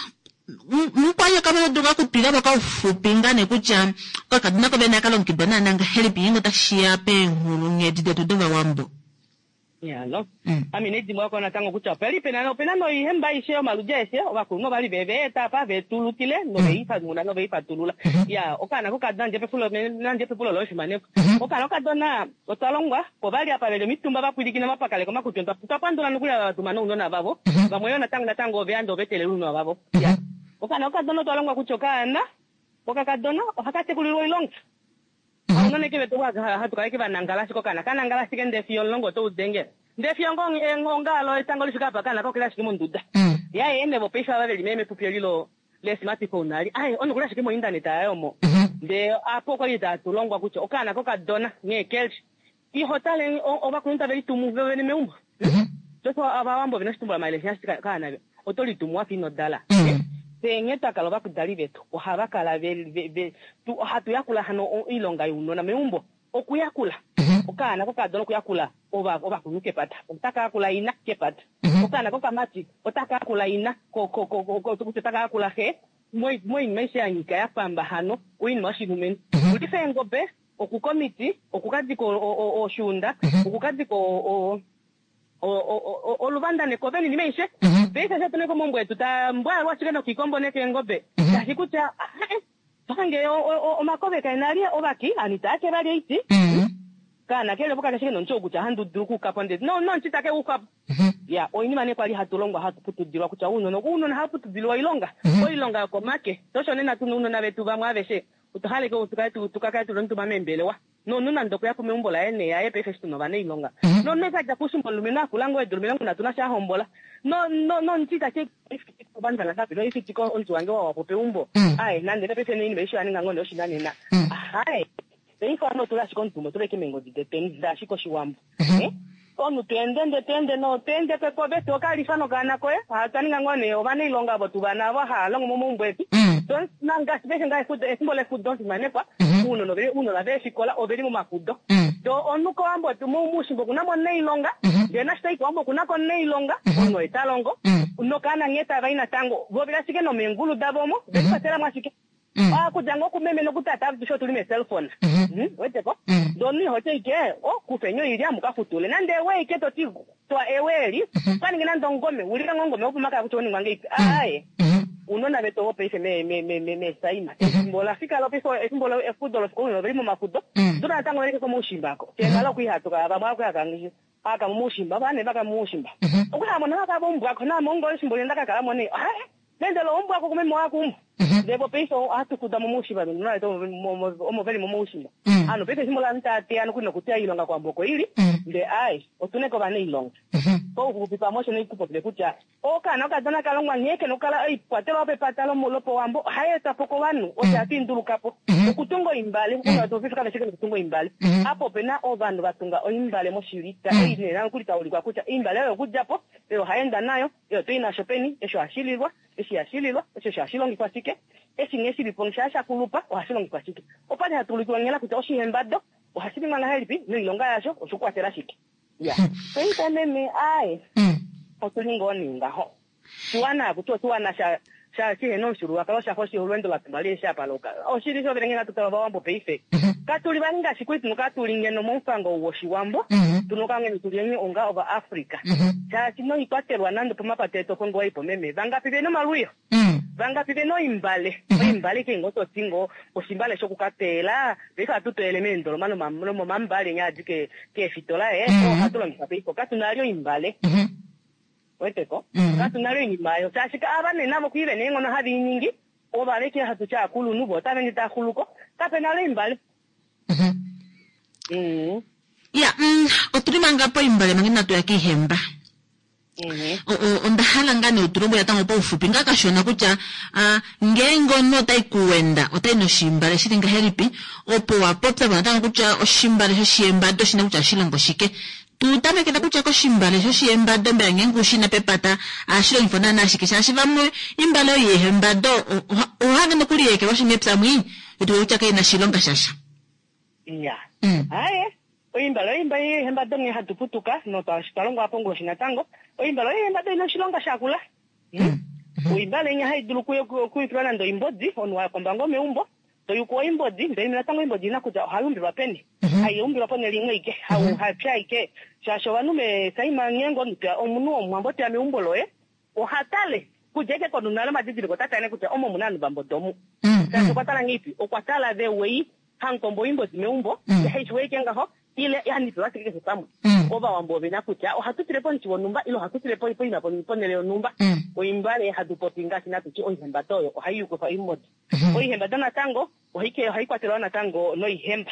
mukwanyoka moduka okutwila po kaufupi nga nee kutya okakadona kovene aka longekidwa naana ngahelipi ngeenge otashiya peenghulunghedi detu dovawambo yalo Mm. ame nedimbo wako natango kutya opeli pena opena noihemba aishe yomaludi aeshe ovakulunhu ovali veveeta apa vetulukile noveifanuna noveifatulula ya okaana kokadona nandje pepulo nandje pepulo loye fimaneko okaana kokadona otwa longwa povali apa veli omitumba vapwilikina vapakale komakutwi otwa twa pandula nokuli ava vatuma nounona vavo vamwe yo natango natango oveya ovetelela ounona vavo ya okaana kokadona otwa longwa kutya okaana kokakadona ohaka tekulilwa oilonga ounona eke vetu hatu kala eke vanangala ashike okaana kanangala ashike ndee fiyo omulongo otoudengele ndee fiyo ngo ongalo etango lifika apa okaana kokela ashike monduda Mm. yaye ene vopaife ava veli memepupi eli lo le-smartphone ali aye onokuli ashike mointaneta yayo omo Mhm. ndee apo okwali tatulongwa kutya okaana kokadona nghee keli iho tale o- ovakulunhu tave litumu vovene meumbo Mhm. sosho avawambo vena oshitumbula maele shinashi kaana oto litumu wafa ino dala Mm. fye nghee twakala ovakudali vetu ohava kala ve, ve, ve, tu, ohatu yakula hano o- oilonga younona meumbo okuyakula Mhm. okaana Okaana kokadona okuyakula ovakulunhu kepata, otaka yakula ina kepata. Okaana kokamati otaka yakula ina, kutya otaka yakula xe, moinima aishe ya nyika ya pamba hano oinima yoshilumenhu. Okulifa eengobe, okuka omiti, okukadika oshuunda, okukadika oluvanda nekove ninima aishe. Paife eshi otuna komaumbo etu tambwaalwa ashike nokiikombo nekeengobe, shaashi kutya pange omakove kaena ali ovaki ovanhu itava ke vali oiti. Kaana kele opo kake ashike nomuti ou kutya ohandi dulu okuukapo ndee nomuti take uukapo. Ya oinima nee kwali hatu longwa hatu putudilwa kutya ounona ounona ohava putudilwa oilonga, oilonga yokomake. Sho osho nena tuna ounona vetu vamwe aveshe otwa hala tukakale tuli omutumba meembelewa nomunhu nande okuya po meumbo laye nee yaye paife eshi tuna ovanailonga. Nomunhu eshi adja koushimba omulumenhu akula ngoo eedula omilongo nhatu nasha ahombola nomuti itati ovanhu vangapi oifitika omuti wange wawapo peumbo. Aye nande nee paife oinima aishe oya ninga ngoo nee oshinanena. Ahaye paife ovanhu otuli ashike omutumba otuli ashike meengodi detweni ngaashi koshiwambo. Omunhu tweende nde tweende no tweende kekove tokalifa nokaana koye twa ninga ngoo nee ovanailonga ovo tuvana avo hava longo momaumbo etu. Ngaashi paife nga efimbo lefudo fimanekwa ounona veefikola oveli momafudo. Do omunhu kowambo moushimba okuna mo omunailonga, ndee nashi tayi kowambo okuna ko omunailonga, omunhu oye ta longo nokaana nghee tava i natango vo oveli ashike nomeengulu davo omo velikwatelamo ashike. Okudja ngoo kumeme nokutata atushe otuli meecellphone. Weteko? Ndee omunhu ihoti ashike kufeni oilya mukafutule nande ewe ashike toti twa ewe eli ukaninge nande omungome ulike ngoo omungome wopomakaya kutya owaningwa ngahelipi. Aaye ounona vetu ovo paife meesaima efimbo olafika paife efimbo efudo lofikola ounona oveli momafudo nduna natango veleke komaushimba ako fyee nale okwali hatuka vamwe okwali haka momaushimba ovanhu vaka momaushimba okwali hamona haka vombwako naame ngoo efimbo limwe ndakakalamo nee aye nendele ombwako kumeme wakuumbo. Ndee vo paife ohatu fuda momaushimba nounona vetu omo veli momaushimba. Hano paife efimbo lovanhu tava teya nokuli nokuteya oilonga kowambo oko ili, ndee aaye otuna ashike ovanailonga. Pauxupi pamwe osho nee kupopile kutya okaana okadona kalongwa nghee kena okukala oikwatelwa yopepata lopowambo ohai etwapo kovanhu osho hatu indulukapo. Okutunga oimbale, ounona vetu paife kave shi okutunga oimbale. Apa opena ovanhu vatunga oimbale moshilita, ei nee nokuli taulikwa kutya oimbale oyo okudjapo, oyo haenda nayo, oyo toi nasho peni, eshi ohashi lilwa, eshi ihashi lilwa, eshi ohashi longifwa shike, eshi nghee shilipo shaa shakulupa ohashi longifwa shike. Opali hatu ulikilwa nghela kutya oshihembado ohashi ningwa ngahelipi noilonga yasho oshokukwatela shike. Ya paife meme aaye otuli ngoo nee ngaho. Oshiwana kutya oshiwana sha sha shihena omufyuululwakalo shafa olweendo latumba lihe shapaloka. Oshili sho vene ngee hatu tala ovawambo paife katuli vali ngaashi kwali tuna tuli ngeno momufango woshiwambo, tuna okukala ngeno tuli onga ovaAfrica. Shaashi noikwatelwa nande pomapata etu opo ngoo waipo meme, vangapi vena omalwiyo, vangapi vena oimbale, oimbale ke ngoo toti ngoo oshimbale shokukateyela, paife ohatu toyele meendoloma nomomambale nya adi keefitola ee ohatu longifa paife katuna vali oimbale. Weteko? Katuna vali oinima oyo shaashi ava nee navo kwii vena eenghono have iningi ovaleke hatu tya akulunhu vo otava ende taaxuluko kapena vali oimbale. Ya otuli manga poimbale manga inatu ya kiihemba. Onda hala ngaa nee utulombwele natango paufupi ngaa kashona kutya ngeenge omunhu otai kuwenda otai noshimbale shili ngahelipi, opo wapopya natango kutya oshimbale shoshihembado oshina kutya oshilongo shike. Tutamekela kutya koshimbale shoshihembado mbela ngeenge ushina pepata ohashi longifwa naana shike, shaashi vamwe imbale oyo yehembado ohahange nokuli yeekelwashi mepya mwii etu kutya kaina oshilonga shasha. Ya aye oimbale oimba yehembado nghee hatu putuka notwa longwa ponguloshi natango oimbale oyo ina oshilonga shakula. Oimbale inya hai dulu okuyukilwa nande oimbodi, omunhu wakomba ngoo meumbo toyuku oimbodi, ndele natango oimbodi ina kutya ohai umbilwa peni, hai umbilwa ponhele imwe ike, hapya ike, shaashi ovanhu mesaima ngeenge omunhu womuwambo teya meumbo loye oha tale kudja ike konhu nale omadidiliko ota tale kutya omo muna ovanhu vambodo omu. Shaashi okwa tala ngeipi, okwa tala vewei hamukombo oimbodi meumbo, haishi ike ngaho ile hanipewa ashike keshe pamwe. Ovawambo ovena kutya ohatu tile pomuti wonhumba ile ohatu tile poima ponhele yonhumba. Oimbale hatu popi ngaashi natuti oihembado oyo ohai yukifa oimbodi. Oihembado natango ohai kwatelwa natango noihemba.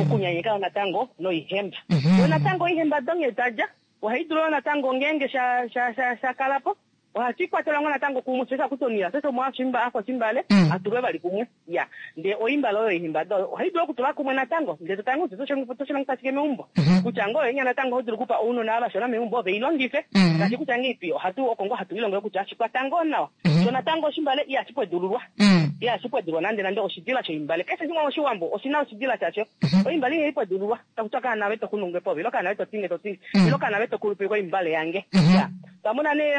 Okunyanyeka natango noihemba. Yo natango oihembado nghee tadja ohai dulu natango ngeenge sha sha sha kalapo ohashi kwatelwa ngoo natango kumwe, sho kutya omunhu afeshe omwa afa oshimbale atulwe vali kumwe. Ya ndee oimbale oyo oihembado oyo ohai dulu okutulwa kumwe natango, ndee totale kutya otoshi shike meumbo. Kutya ngoo oyo natango oho dulu okupa ounona vashona meumbo veilongife, ngaashi kutya ngeipi ohatu oko ngoo hatu lilongele kutya shikwata ngoo nawa, Sho natango oshimbale ihashi pwedululwa. Ihashi pwedulwa nande nande oshidila shoimbale. Keshe shimwe moshiwambo oshina oshidila shasho. Oimbale ihai pwedululwa. Takutya kaana ve toxununge povi, ilo kaana ve totinge totinge, ilo kaana ve tokulupe koimbale yange. Ya. Twamona nee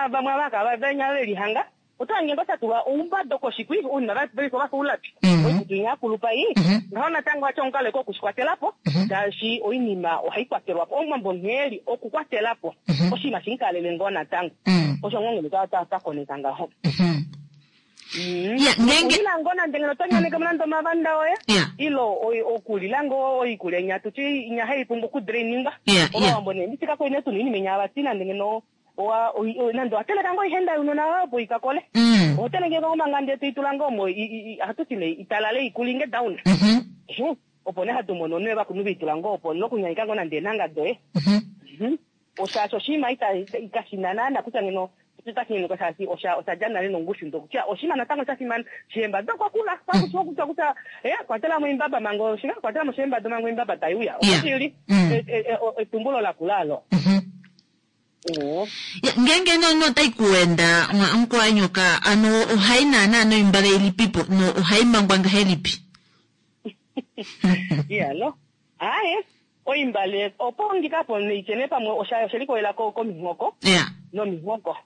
vamwe ava venya velihanga oto hange ngo shatulwa oumbado koshikwi ounima vaifo vafa oulapi. Oikutu inya yakulupa ei. Ngaho natango wacha omukalo eko okushikwatelapo shaashi oinima ohai kwatelwapo. Omuwambo nghee okukwatelapo oshinima shinkalele ngoo natango. Osho ngoo ngeno twakoneka ngaho. Okulila ngoo nande ngeno tonyaneke nande omavanda oye ilo okulila ngoo oikulya inya tuti inya haipumbwa okudrainingwa. Ovawambo nee nditika koine tuna oinima inya vati nande ngeno nande wateleka ngoo oihenda younona wayo opo ikakole. Ohoteleke ngoo omangande toitula ngoo omo ohatuti nee italale ikulinge down. Opo nee hatu mono nee vakulunhu veitula ngoo opo nokunyaika ngoo nande eenhanga doye. Oshaasho oshinima ikashina naana kutya ngeno otashinyenuka shaashi oshadja nale nongushu ndo kutya oshinima natango shafimana. Shihembado okwa kula kwakushiwa kutya kwatelamo oimbaba manga kwatelamo oshihembado manga oimbaba taiuya. Oshili etumbulo lakula alo. Ngenge no tai kuenda omukwanyoka ano ohai naana noimbale ilipipo no ohai mangwa ngahelipi? Iyalo. Aye, oimbale opo ngikapo neichene pamwe oshalikolela komihoko. Nomihoko.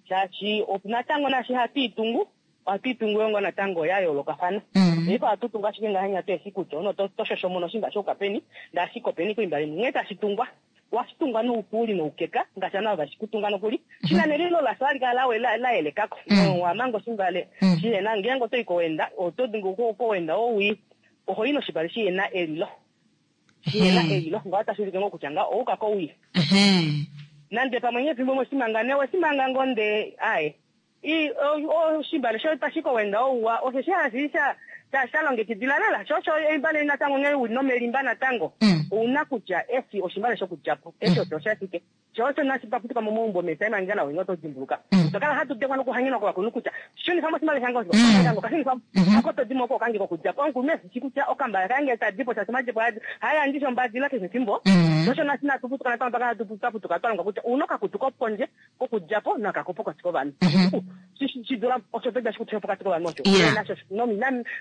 Shaashi natango nashi hatu itungu, ohatu itungu yongo natango ya yoolokafana. Ifa hatu tungu ashike ngahenya tweshi kutya ono toshoshomono oshimba shokapeni, ndashikopeni koimbale nghee tashi tungwa. Washitungwa noupuli noukeka ngaashi ana vashikutunga nokuli shina nelilo lasho alikala laelekako wamanga oshimbale shihena ngeenge otoi kowenda oto kowenda owi ohoyi noshimbale shihena elilo shihena elilo ngaho tashi ulike ngoo kutya ngaho ouka kowii nande pamwe ngefimbo moshimanga ne wesimanga ngoo nde aye oshimbale sho tashi kowenda ouwa osho hashi sha shalongekidila lela sho osho oimbale natango nghee uli nomelimba natango ouna kutya esi oshimbale shokudjapo eshi osho oshashike sho osho nashi twaputuka momaumbo mesaimangela oinga oto dimbuluka tokala hatu dengwa nokuhangenwa kovakulunhu kutya shunifamo oshimbale shange osho kashunifamo ako todimo oko kange kokudjapo omukulu eshi kutya okambale kange tadipo shaashi omadjepo hayandisha ombadila keshe efimbo sho osho nashi natuputuka natango twakala twaputuka twalongwa kutya ouna okakutu kopondje kokudjapo nakakopo pokati kovanhu shidula osho toda shikutu pokati kovanhu osho nasho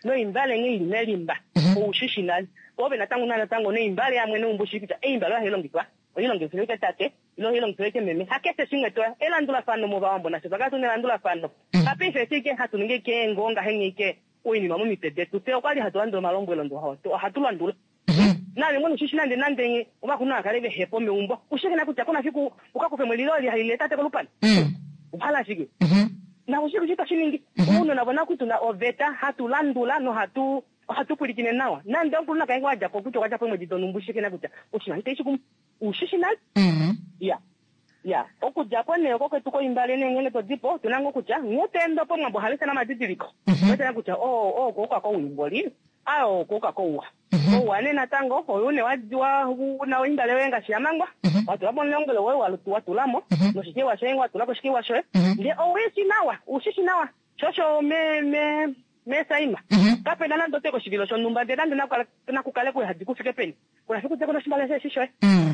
noimbale nghee ili melimba oushishi nale ove natango natango noimbale yamwe neumbo shi kutya eimbale ohai longifwa oilongifwa ke tate ilo oilongifwa ke meme hakeshe shimwe toya elandulafano movawambo nasho twakala tuna elandulafano hapaife shike hatu ningi keengo ngahenya ike oinima momitwe detu fye okwali hatu landula omalombwelo ndo ohatu landula nale mwene ushishi nande nande ovakulunhu akale vehepo meumbo ushike kutya kuna fiku ukakufe mwelilo lihalile tate kolupale uhala shike na ushike shi tashiningi ounona vona kutuna oveta hatu landula nohatu ohatu pulikine nawa nande omukulunhu akaenge wadjapo kutya okwadjapo omwedi donumbu ushike kutya oshinima itaishi kumu ushishi nale ya ya okudjapo nee oko kwetu koimbale nee ngenge todipo tuna ngoo kutya nghee toende pomwambo ohalisa namadidiliko wetena kutya oo okouka kouimboli ayo okouka kouwa ouwa nee natango oyu ne una oimbale yoye ngaashi yamangwa watulapo omulongelo woye watulamo noshikiwa shoye watulako oshikiwa shoye ndee owishi nawa ushishi nawa shosho me me mesaima kapena nande ote koshivilo shonhumba ndee nande nakukale kuhadi kufike peni kuna fiku teko noshimbale shoye shishoye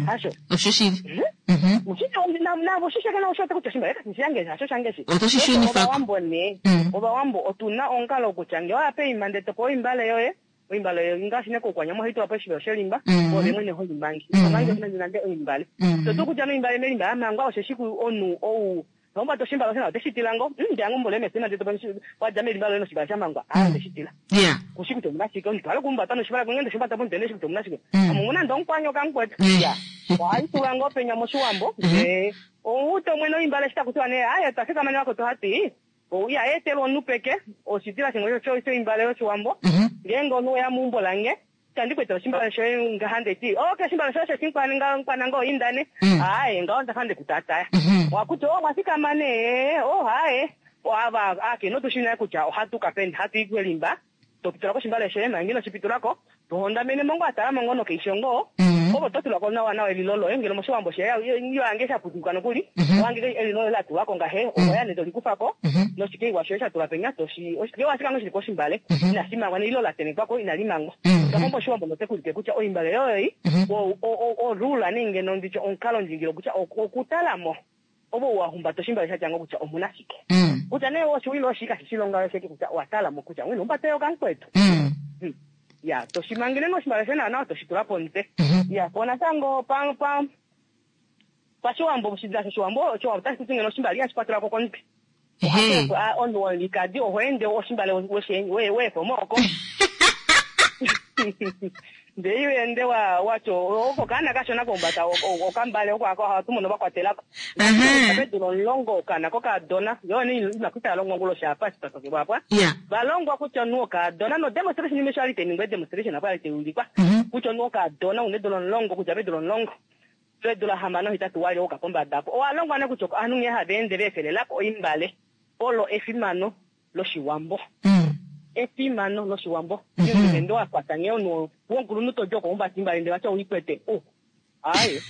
hasho oshoshili ushishe ushote kutya oshimbale kashi shange hasho shange otoshishunifako ovawambo nee ovawambo otuna omukalo kutya ngee waya peima ndee topewa oimbale yoye oimbale yoye ngaashi nekoukwanyama ohaitulwa po oshivilo shelimba ove mwene holimbangi omange nande nande oimbale totu kutya noimbale melimba yamangwa osheshi omunhu ou ombata oshimbale osho oteshitila ngo ndiyangombole mesina ndee wadja melimba loye noshimbale shamangwa aa ndeshitila kushi kutya omuna shike omuntu ale kumbata noshimbale ngende shimbata pomutene shi kutya omuna shike amumuna nde omukwanyoka mukwetu ya ohaitulwa ngoo penya moshiwambo ndee outo mwene oimbale shi takutiwa nee aye twafikamane wakoto hati ya etelwa omunhu peke oshidila shimwe shoimbale yoshiwambo ngeenge omunhu weya meumbo lange tandi kwetela oshimbale shoye ngaha ndeti okay oshimbale shoye shoshinkwananga oindane aye ngaho ndafa ndekutataya wakuti o mwafikama nee o haye ava akeno tushi naye kutya ohatuka peni hatu i kelimba topitulako oshimbale shoye manga inoshipitulako tohondamene mongo atala mongo nokeisho ngoo opo totulako nawa nawa elilo loye ngeno moshiwambo sheyange shaputuka nokuli owange elilo loye latulwako ngahe oya nee tolikufako noshikeiwa shoye shatulwa penya oshikeiwa shikango shili koshimbale inashimangwa nelilo latenekwako inalimangwa takomba oshiwambo notekulike kutya oimbale yoyoi orula nenge nonditye omukalo ndjingilo kutya okutalamo Ovo wa humbata oshimbale sha tya ngo kutya omuna shike. Mm. Kutya nee oshiwilo oshi kashi shilonga sheke kutya owa tala mo kutya wino humbata okamukwetu. Mm. Hmm. Ya, toshimangele noshimbale shoye nawa toshi tula pomutwe. Mhm. Ya, po natango pa pa pashiwambo oshidila shoshiwambo oshiwambo otashi kuti ngeno oshimbale ihashi kwatelwa ko komutwe. Ehe. Ah, omunhu wolikadi oho ende oshimbale weshe- we- weefo mooko. Ndee iwe ende wa watyo oko kaana kashona kombata okambale oko ako ohatu mono vakwatelako. Ehe. Pedula omulongo okaana kokadona yo nee inakuta longwa onguloshi apa shitatokelwa apa. Ya. Valongwa kutya omunhu wokadona no demonstration imwe sho ali teningwa demonstration apo ali teulikwa. Mhm. Kutya omunhu wokadona una eedula omulongo kutya pedula omulongo pedula hamano hetatu wali ouka pombada apo. Owa longwa nee kutya ovanhu nghee hava ende veefelelako oimbale olo efimano loshiwambo. Mm. Efimano loshiwambo. Mhm. Ende wa kwata nghee omunhu wonkulunhu todi okuhumbata imbale ndele vati ouikwete. Oh, aye.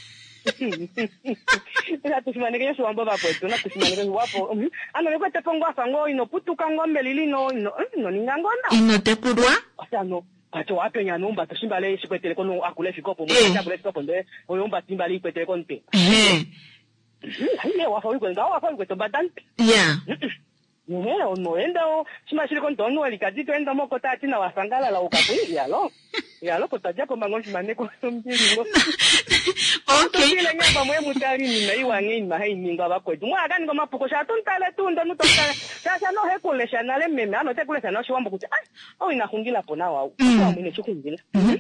Natu fimaneke oshiwambo vakwetu, natu fimaneke oshiwambo. Mhm. Ano vekwete po ngoo afa ngoo ino putuka ngoo melili ino ino ino ninga ngoo nawa. Ino tekulwa? Ano ati wapenya nuumbata oshimbale shikwetele kono akula efika opo Eh. akula efika opo ndele oyo umbata imbale ikwetele komutwe. Ehe. Hayi wafa uyikwete ngawo wafa uyikwete ombada mpe. Ya. Ehe, onoenda shima shili komutwe omunhu welikadi toenda mokota ati nawa sangalala ukapu yalo. Yalo kotadja pombango ofimaneko ombilingo. Okay. Totile nyamba mwe mutali nina iwa nghee inima hai ningwa vakwetu. Mwe akaninga omapuko sha tuntale tundo nutotale. Sha no hekulesha nale meme ano tekulesha noshiwambo kutya ah ou ina xungila po nawa ou. Mm. Oshiwambo ine shixungila. Mhm.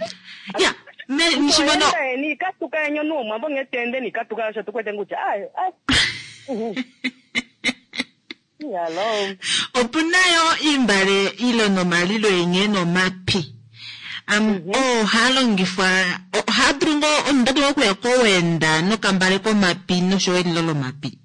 Ya. Me nishimono Toenda nikatuka enyo nuo mwambo ngetende nikatuka osho tukwete kutya ai ai. Mhm. Yalo. opuna yo imbale ilo nomalilo yenye nomapi. Am oo haa longifwa ohaa dulu ngoo omunhu ota dulu okuya kowenda nokambale komapi noshowo elilo lomapi.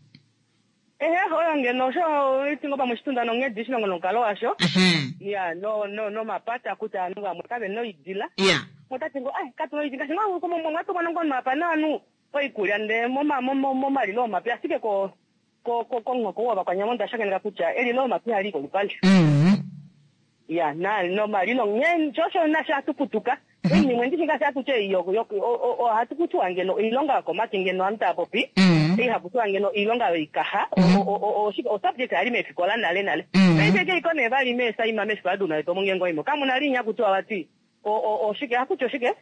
Ehe, oyo ngeno osho itingo pamwe oshitunda nonghedi shilongo nomukalo washo. Ehe. Ya no no nomapata kutya ovanhu vamwe kave noidila. Ya. Otati ngo ai katu noidila ngaashi ngoo mwatumwa ngo mapa naanhu oikulya ndee moma momalilo omapi ashike ko ko ko komuhoko wovakwanyama onda shakeneka kutya elilo omapi ihali kolupale. Mhm. Ya na nomalilo nghee shosho nasho hatu putuka. Oinima ndishi ngaashi hatu tye yo yo ohatu kutiwa ngeno oilonga yokomake ngeno ovanhu tava popi. Mhm. Ihapu tiwa ngeno oilonga yoikaha osubject yali meefikola nale nale. Mhm. Paife keiko nee vali meesaima meefikola duna letu omo ngeenge oimo. Kamuna linya kutiwa vati oshike hakuti oshike?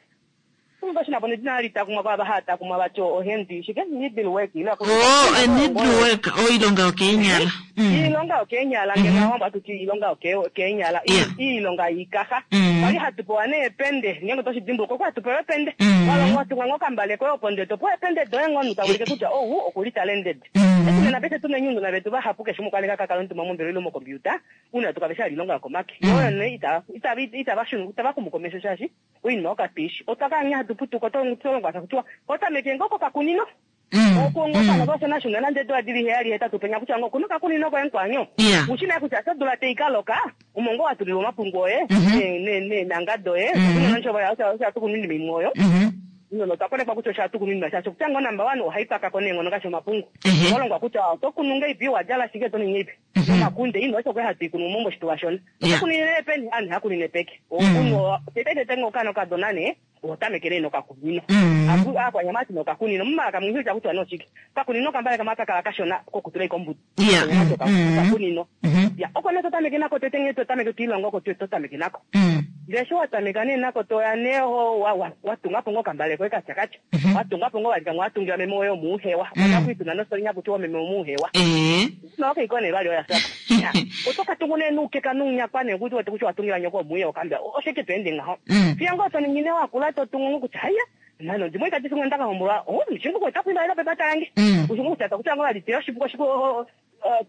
Shinapo nedina hali takumwa kwava haya takumwa vati ohendi shike needle work ile Oh, needle work oilonga yokeenyala. Mm. Iilonga yokeenyala ngeno awambo hatuti iilonga yokeenyala Yeah. iilonga yiikaha. Mm. Kwali hatu pewa neepende ngeenge toshi dimbuluka okwa hatu pewa epende. Mm. Walongwa watunga ngoo okambale koye opo ndee topewa epende doye ngoo omunhu taulike kutya ou okuli talented. Mm. Eshi nena paife tuna enyundu vetu vahapu keshe umwe okwa ninga kakala omutumba mombelewa ile mokompiuta una tukave sha ilonga yokomake. Oyo nee ita ita itava shunu itava xumu komesho shaashi oinima yokapiishi. Otwa kala nghee hatu putuka otolongwa takutiwa otameke ngoo kokakunino. Mm. Oku ngoo kana vashona shuna nande eedula dili heyali hetatu penya kutya ngoo okuna okakunino koye nkwanyo. Ya. Ushina kutya sho odula tai ka loka omo ngoo watulilwa omapungu oye Mhm. neenanga doye Mhm. osho hatu kunu oinima imwe oyo. Mhm. Nono otwa konekwa kutya osho hatu kunu oinima shaashi kutya ngoo number one ohai pakako neenghono ngaashi omapungu. Ehe. Walongwa kutya oto kunu ngeipi wadjala shike to ningi ngeipi. Mhm. Omakunde ino osho kwali hatu ikunu mo moshituwa shona. Yeah. Oto kunine peni ovanhu hakunine peke. Mm. Okunu tete tete ngoo okaana okadona nee oho tameke nee nokakunino. Mm. Aku akwanyama ati nokakunino mumalaka mwihi kutya noshike. Kakunino kambale kamwe kakala kashona kokutula ikombutu. Yeah. Kwanyama ati Mm. okakunino. Mhm. Ya oko nee totameke nako tete nghee totameke twiilonga oko totameke nako. Mm. Ndee sho watameka nee nako toya nee ho watungapo ngoo okambale koye katyakatya. Mhm. Watungapo ngoo walika watungila meme woye omuuhewa. Mm. Otakwituna nosolinya kutiwa meme omuuhewa. Eh. Nokeiko nee vali oya sako. Oto katungu nee nuukeka nuunyakwa nee kuti wete kutya watungila nyoko omuuhewa okambia oshike to ende ngaho. Mm. Fiya ngoo toningi nee wakula totungu ngoo kutya haiya nano ndimwe ikati simwe ndakahombolwa oh mshingu kweta kuimba ila pepata yange. Mm. Ushingu kutya kutya ngoo vali teyo oshipuko shiku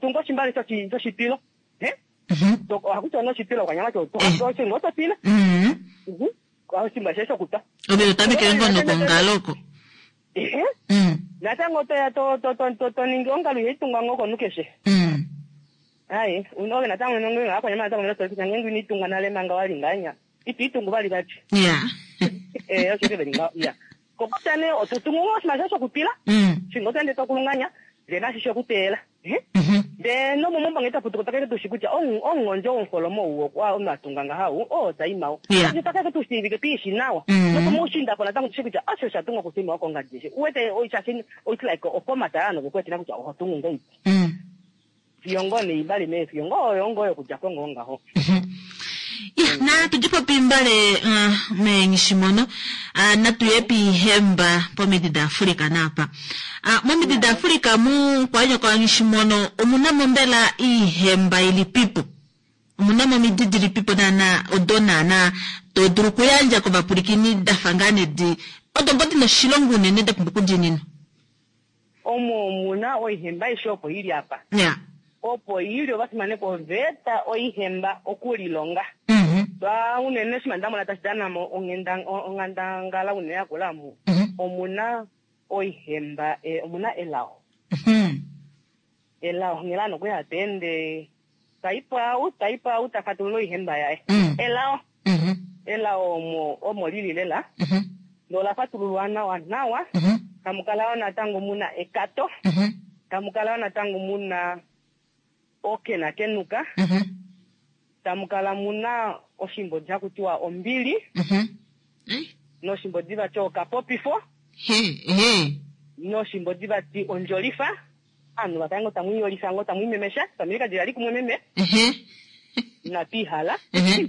tunga oshimbale shoshipilo. Eh? Mhm. Hakuti noshipilo kwanyama cho Eh. oshingo topila. Mm. Mhm. Oshimba she shokutwa. Ove otamekele ngoo nokongalo oko. Ehe. Mm. Natango toya to to to to toningi ongalo ihaitungwa ngoo komunhu keshe. Mm. Hayi, unoke natango nonge akwanyama natango nosolekisa ngenge initunga nale manga wali nganya. Itu itungu vali vati. Ya. Eh, osho ke veli ngaho. Ya. Kokutya nee ototungu ngoo oshinima shoye shokutwila. Mm. Shingo toende tokulunganya. Ndee nashi shokuteyela. Eh? Mhm. Ndee nomomaumbo ngee twaputuka otwa tushi kutya omungondjo womufolomo ou omunhu atunga ngaha ou oo taimao. Yeah. Otwa tushiivike twiishi nawa. Mm. Nopomuushiinda po natango tushi kutya osho sha tungwa kusaima wokongadi eshi. Uwete shaashi it's like oformat yaanhu vekuetela kutya oho tungu ngahelipi. Mm. Fiyo ngoo neimbali mee fiyo ngoo oyo ngoo yokudja ko ngoo ngaho. Ya, na tudipo pimbale uh, meenghishimono uh, natuye piihemba pomiti daAfrika naapa. Uh, momiti daAfrika mu kwanyoko nghishimono omuna mo mbela iihemba ilipipo? Omuna mo omidi dilipipo naana odo naana to dulu okuyandja kovapulikini dafa ngaa nedi odo ngoo dina oshilongo unene da pumbwa okudiininwa. Omo omuna oihemba aishe opo ili apa. Ya. Opo ili ovafimanekwa oveta oihemba okulilonga. Mhm. Twa unene shima ndamona tashi dana mo onghandangala unene yakula mu. Mhm. Omuna oihemba eh, omuna elao. Mhm. Elao nghela nokuya teende taipo au taipo au tafatulula oihemba yaye. Mm. Elao Mhm. elao omo omo lili lela. Mhm. Lola fatululwa nawa nawa. Mhm. Tamukala wo natango muna ekato. Mhm. Tamukala wo natango muna okenakenuka. Mhm. Tamukala muna oshimbodi hakutiwa ombili. Mhm. Eh? Noshimbodi vati okapopifo. He, he. Noshimbodi vati ondjolifa. Aanhu vakale ngoo tamwiiyolifa ngoo tamwiimemesha. Famili kadila li kumwe meme. Ehe. Inatu ihala. Ehe.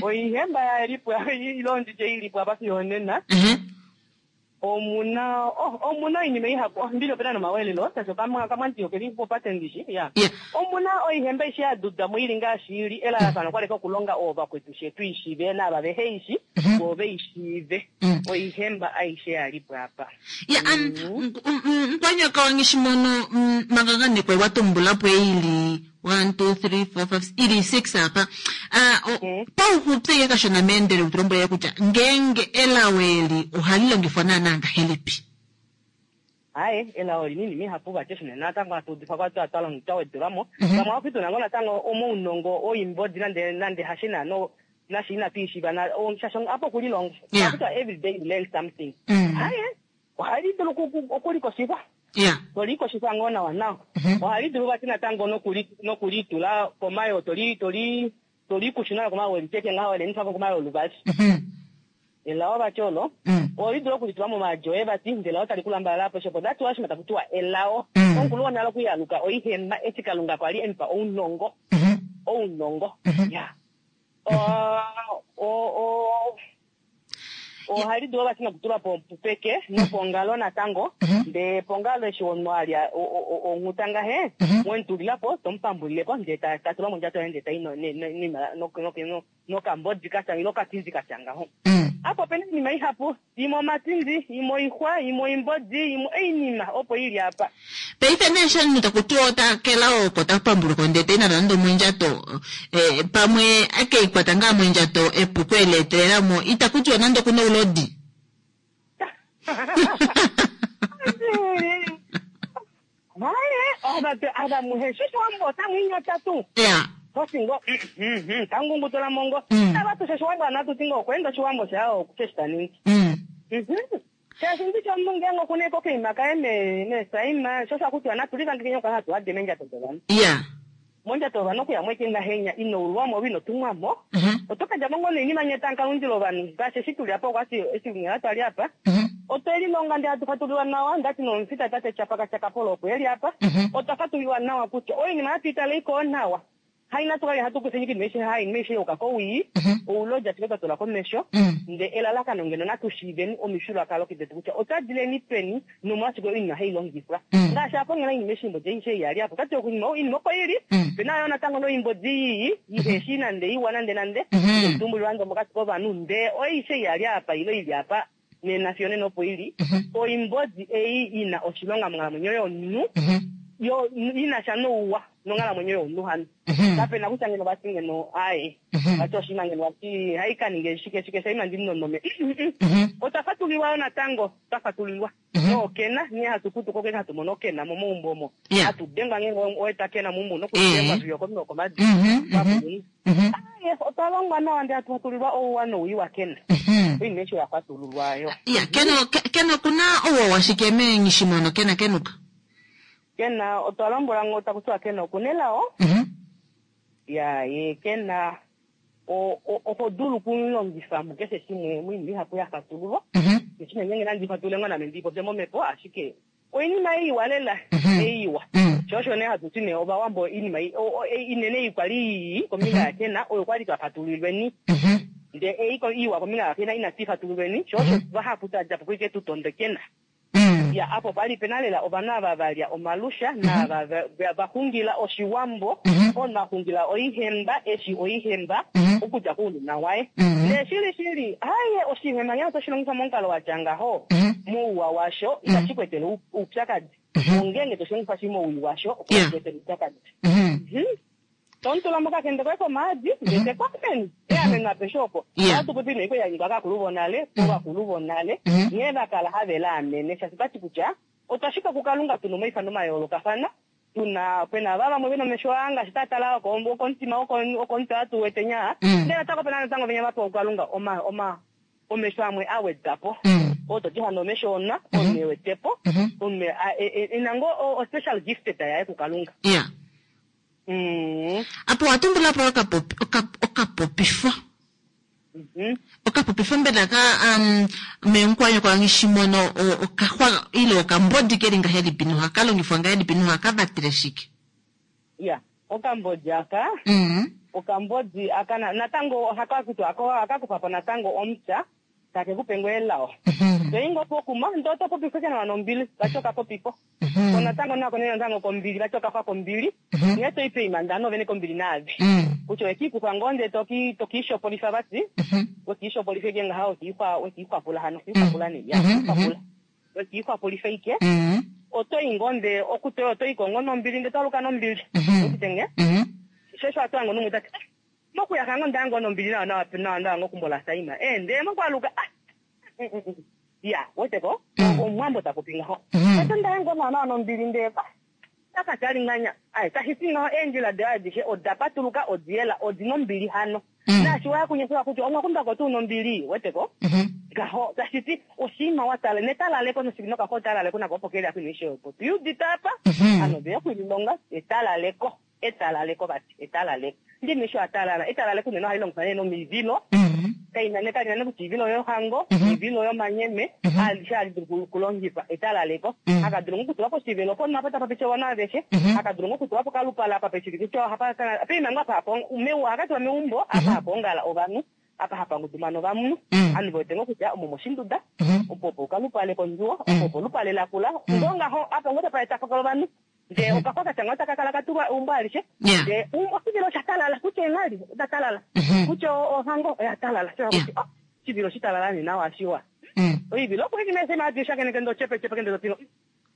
Oihemba yalipo ilo nditye ilipo apa fiyo onena. Ehe. Omuna oh, omuna oinima ihapu. Oh, mbili opena nomawelelo. Shaashi okamwa kamwandiyo keli popate ndishi. Ya. Yeah. Omuna oihemba ishi ya dudamo ili ngaashi ili elalakano kwaleka okulonga oovakwetu shetu ishiive naava vehe ishi Mhm. vo veishiive. Mm. Oihemba aishe yalipo apa. Ya, um, nkwanyaka wangishimono mm, mangangane wa tumbulapo ili one two three four five ili six apa. Ah, o- Mm. pauxupi kashona meendele utulombwele kutya ngeenge elao eli ohali longifwa naana ngahelipi? Hayi elao linini mihapu vati shine natango hatu udifa kwa twa twalonga twawedelwamo. Mhm. Vamwe ohaku tuna ngoo natango omounongo oimbodi nande nande hashina no nashi inatu ishiiva na o- shaashi apo okulilonga. Yeah. Hakutya every day you learn something. Mm. Hayi ohali dulu oku- oku- okulikoshifa. Yeah. Tolikoshifa ngoo nawa nawa. Mhm. Ohali dulu vati natango nokuli nokulitula komayo toli toli tolikushuna komayo weliteke ngaho welenifa komayo oluvali. Mhm. Elao vati olo. Mm. Ohali dulu okulitula momaadi oye vati ndele otali kulambalala apeshe opo that's why shima taku tiwa elao. Mm. Omukulu wonale okuyaluka oihemba eshi Kalunga kwali emupa ounongo. Mhm. Ounongo. Mhm. Ya. O- o- o- ohali dulu vati nokutulwa po peke nopongalo natango. Mhm. Ndee pongalo eshi omunhu alya o- o- o- onghuta ngahe Mhm. mwemutulila po tomupambulilepo ndee ta- tatula mondjato yaye ndee tai no- ne- ne- nima- no- no- no- nokambodi katya ile okatindi katya ngaho. Mm. Apo opena oinima ihapu, imwe omatindi, imwe oixwa, imwe oimbodi, imwe oinima opo ili apa. Paife nee eshi omunhu takutiwa ota kelao oko tapambuluka ndee tai nalo nande omondjato eh, pamwe akeikwata ngaa mondjato epuko eleetelelamo itakutiwa nande okuna oulodi. Haye, ava ava muhe shishiwambo otamwiinyota tuu. Yeah. Tosingo, tangungutola mongo. Mm. Ava tushe oshiwambo anatu tingo okweenda oshiwambo shawo keshe taningi. Mm. Mhm. Shaashi ndishi omunhu ngeenge okuna eko okaima kaye me- mesaima, sho osho hakutiwa natu livange kenye hatu hade meendjato dovanhu. Yeah. Mondjato yovanhu okuyamo eke ngahenya ino ulwamo ove ino tumwamo. Mhm. Oto kadja mo ngoo noinima nye tamukalundila ovanhu ngaashi eshi tuli apa okwati eshi nghela twali apa. Mhm. Otwe lilonga ndee hatu fatulilwa nawa ndati nomufita tate Chapaka Chakapolo opo eli apa. Mhm. Otwa fatulilwa nawa kutya oinima hatu itale iko nawa. Hai natu kale hatu kufa inima aishe hai inima aishe yuka kowii. Mhm. Oulodi ashike twa tula komesho. Mm. Ndee elalakano ngeno natu shiiveni omifyuululwakalo detu kutya otwa dileni peni nomolwashike oinima hai longifwa. Mm. Ngaashi apa nghela oinima eshi oimbodi aishe iyali apa otati oinima oinima opo ili. Mm. Opena yo natango noimbodi iyi iheshi nande iwa nande nande. Mhm. Itumbulilwa nande omokati kovanhu ndee oishe iyali apa ilo ili apa nena fiyo nena opo ili. Mhm. Oimbodi ei ina oshilonga monghalamwenyo yomunhu Mhm. yo ina sha nouwa nonghalamwenyo yomunhu hano. Mhm. Kapena kutya ngeno vati ngeno aye Mhm. vati oshinima ngeno vati hai kaninge shike shike shaima ndinonome. Mhm. Otwa fatulilwa yo natango twa fatulilwa. Mhm. Nookena nghee hatu putuka okene hatu mono okena momaumbo omo. Yeah. Hatu dengwa ngeenge owe kena meumbo nokudengwa Eh. fiyo okominwe komadi. Mhm. Mhm. Twakulunhu. Mhm. Aye otwa longwa nawa ndee hatu fatulilwa ouwa nowii wakena. Mhm. Oinima eshi oya fatululwa yo. Ya, keno ke- keno kuna ouwa washike meenghishimono kena kenuka? Kena otwa lombwelwa ngo taku tiwa kena okunelao. Mhm. Ya ye kena oho dulu okulongifa mukeshe shimwe moinima ihapu ya fatululwa. Mhm. Neshina ngenge nandi fatulule ngo name ndipopye momhepo ashike oinima iwa lela Mhm. eiwa. Mm. Sho osho nee hatu ti nee ovawambo oinima i- o- o- inene ei kwali ii kombinga yakena oyo kwali twa fatululweni. Mhm. Ndee ei ko- iwa kombinga yakena inatu ifatululweni sho osho vahapu tadja po kuike tu tonde kena. Mm. Ya apo pali pena lela ovanhu ava valya omalusha naava va- va- vaxungila oshiwambo Mhm. omunhu axungila oihemba eshi oihemba Mhm. okudja kounona waye. Mhm. Ndee shili shili haye oshihemba ngee otoshi longifa momukalo watya ngaho Mhm. mouwa washo itashi ku etele ou- oupyakadi. Mhm. Ongenge toshi longifa shi mowii washo opo Yeah. shi ku etele oupyakadi. Mhm. Mhm. Tomutula mokakende koye komaadi ndee tekwameni eameno apeshe opo. Yeah. Ohatu popi nee kweyanyikwa kaakulu vonale ovakulu vonale Mhm. nghee vakala have laamene shaashi tati kutya otwa shitwa kukalunga tuna omaifano mayoolokafana tuna pena va vamwe vena omesho aa ngaashi tatala okomutima okomutwe atu wete nyaa Mm. ndele natango pena natango venya vapewa kukalunga oma oma omesho amwe awedwa po Mm. oto ti hano omesho ona omunhu ewetepo Mhm. omunhu a- e- e- ena ngoo o- o special gifted yaye kukalunga. Yeah. Mm. Apo watumbula po okapopi oka- okapopifo. Mhm. Okapopifo mbela ka um meenkwanyo kwangishimono okaxwa ile okambodi keli ngahelipi nohaka longifwa ngahelipi nohaka vatele shike? Ya okambodi aka Mhm. okambodi aka na- natango ohaka kutwa ako akakufapo natango omupya take kupe ngoo elao. Mhm. Toyi ngoo pokuma ndee oto popifa ashike nawa nombili vati okapopifo. Mhm. Ko natango nako nee natango kombili vati okafa kombili. Mhm. Nghee toyi poima ndano vene kombili naave. Mm. Kutya owekiikufa ngoo ndee toki tokiishopolifa vati Mhm. wekiishopolifa ike ngaha wekiixwa wekiixwapula hano kiixwapula nee ya Mhm, kiixwapula. Wekiixwapulifa ike Mhm. otoyi ngoo ndee okutoyo otoyi ko ngoo nombili ndee toaluka nombili. Mhm. Wetite ngee? Mhm. Sho osho hatu hango numwe tati "Ah, mokuyaka ngoo ndaya ngoo nombili nawa nawa nawa nawa ngoo kumbola saima eh ndee mokwaluka ah mm, mm, mm. ya weteko Mm. omuwambo tapopi ngaho Mhm. ate ndaya ngoo nawa nawa nombili ndee ah takatali nganya ai tashiti ngaho eendjila dayo adishe oda patuluka odiyela odina ombili hano Mm. naashi waya kunyesela kutya omwakundako tuu nombili weteko Mhm. ngaho tashiti oshinima watala netalaleko noshikinokaho talaleko nako opo keli akuinishe opo tuyudite apa Mhm. ano veya okwililonga etalaleko etalaleko vati etalaleko ndimisho atalala etalaleko unene ohali longifwa nee nomivilo Mhm. kaina ne kalina nekuti ivilo yohango Mhm. ivilo yomanyeme Mhm. alishe hali dulu kulongifa etalaleko Mm. akadulu ngokutula poshivelo ponhu apa tapa peshe vana aveshe Mhm. akadulu ngokutula pokalupala apa peshivike peima apa hapo akatula meumbo apa hapoongala ovanhu apa hapangudumana ovanhu Mm. ovanhu vewete ngoo kutya omo moshinduda Mhm. opo opo okalupale kondjuwo Mm. opo opo olupale lakula ndoo ngaho apa ngoo tapa etafakala ovanhu ndee okafa katya ngoo taka kala katulwa eumbo alishe Yeah. ndee um- oshivilo osha talala kutya eenghali oda talala Mhm. kutya o- ohango oya talala sho Yeah. kuti oh oshivilo shitalala nee nawa shiwa Mm. oivilo okuikinesemaadi shakeneke ndo chepe chepe kende totino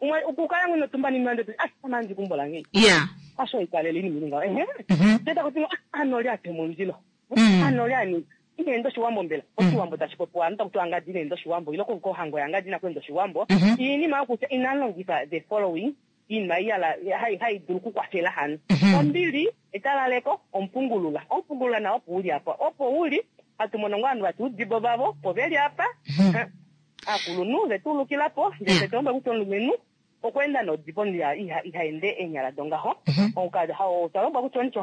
umwe ukukala ngwino tumba nini mande ah amandi kumbola ngei Yeah. asho ikalele ini milinga ehe Mhm. teta kuti ah anoli ate momundilo Mm. anoli ani inendo oshiwambo mbela oshiwambo tashi popiwa anu takuti angadi inendo oshiwambo ile kohango yangadi inakwenda oshiwambo Mhm. iinima yokutya inalongifa the following iinima iyala hai hai dulu okukwafela hano Mhm. ombili etalaleko omupungulula omupungulula nawo opo uli apa opo uli hatu mono ngoo ovanhu vati udibo vavo opo veli apa Mhm. Eh, aakulunhu vetuulukilapo ndee Yeah. tetulombwele kutya omulumenhu okweenda nodibo iha iha ende eenyala dongaho Mhm. otwalombwa kutya omuti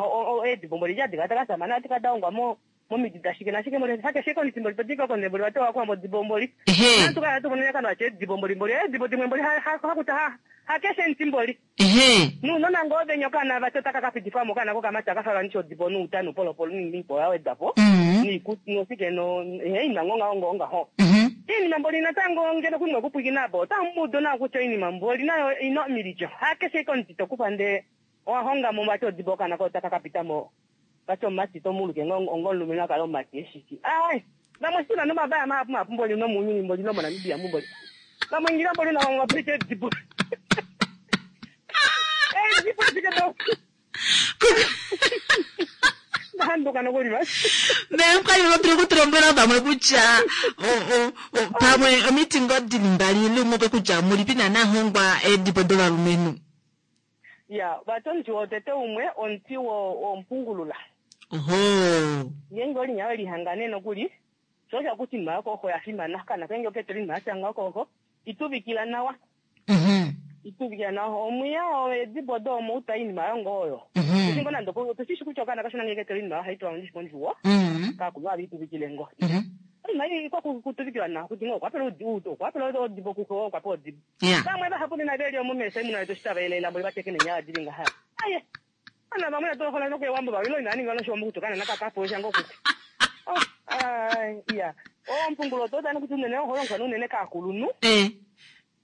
eedibo mboli adika dakasamana adika daongwa mo momiti dashike nashike mboli hakeshe koniti mboli todika konde mboli vati wakuwa modibo mboli Ehe. nantu kala tumonene kano ache edibo mboli mboli edibo dimwe mboli hakuta hakeshe nti mboli Ehe. nuunona ngoo venya okana vati otaka kapitifwamo okana kokamati akafalwa nisho odibo nuuta nupolopolo niipo yawedwapo Mhm. niikuti nosike no ehe inima ngoo ngaho ngoo ngaho Mhm. iinima mboli natango ngeno kumwe kupwikina po otamuudu nawa kutya oinima mboli nayo ina omilityo hakeshe komuti tokufa ndee owahongamo vati odibo okana ko taka kapitamo vati omumati tomuluke ongo omulumenhu akale omumati eshiki ai vamwe sina nomavaya mahapu mahapu mboli nomuuyuni mboli nomonamibia mumboli vamwe ngira mboli navamwe edibo edibo shike to ndahanduka nokulima Meenkwanyo otuli okutulombwela pamwe kutya o- o- o- pamwe omiti ngoo dili mbali ile umwe kutya mulipi naana hongwa eedibo dovalumenhu. Ya vati omuti wotete umwe omuti wo- womupungulula Oho. ngenge olinya welihangane nokuli sho osho kuti inima yokooko oya fimana kana kenge oketela inima yatya ngaho kooko ituvikila nawa Mhm. Ituvikila nawa omwiya edibo do omouta iinima yongo oyo. Mhm. Tushi ngo nande tushi kutya okaana kashona ngeke ketele iinima hayi tulwa ndishi kondjuwo. Mhm. Kakulu avituvikile ngo. Mhm. Oinima ei kwa kutuvikilwa nawa kuti ngo okwapela odi okwapela odibo kuko okwapa odibo. Ya. Vamwe vahapu nena veli omumesa imuna yetu shitava ele lambo livateke nenyala dili ngaha. Aye. Ana vamwe natolohola nokuewambo vawilo ina ninga noshiwambo kuti kana nakakapo shango kuti. Oh, ai, iya. Ompungulo otodani kuti unene oholongwa unene kaakulunhu. Eh.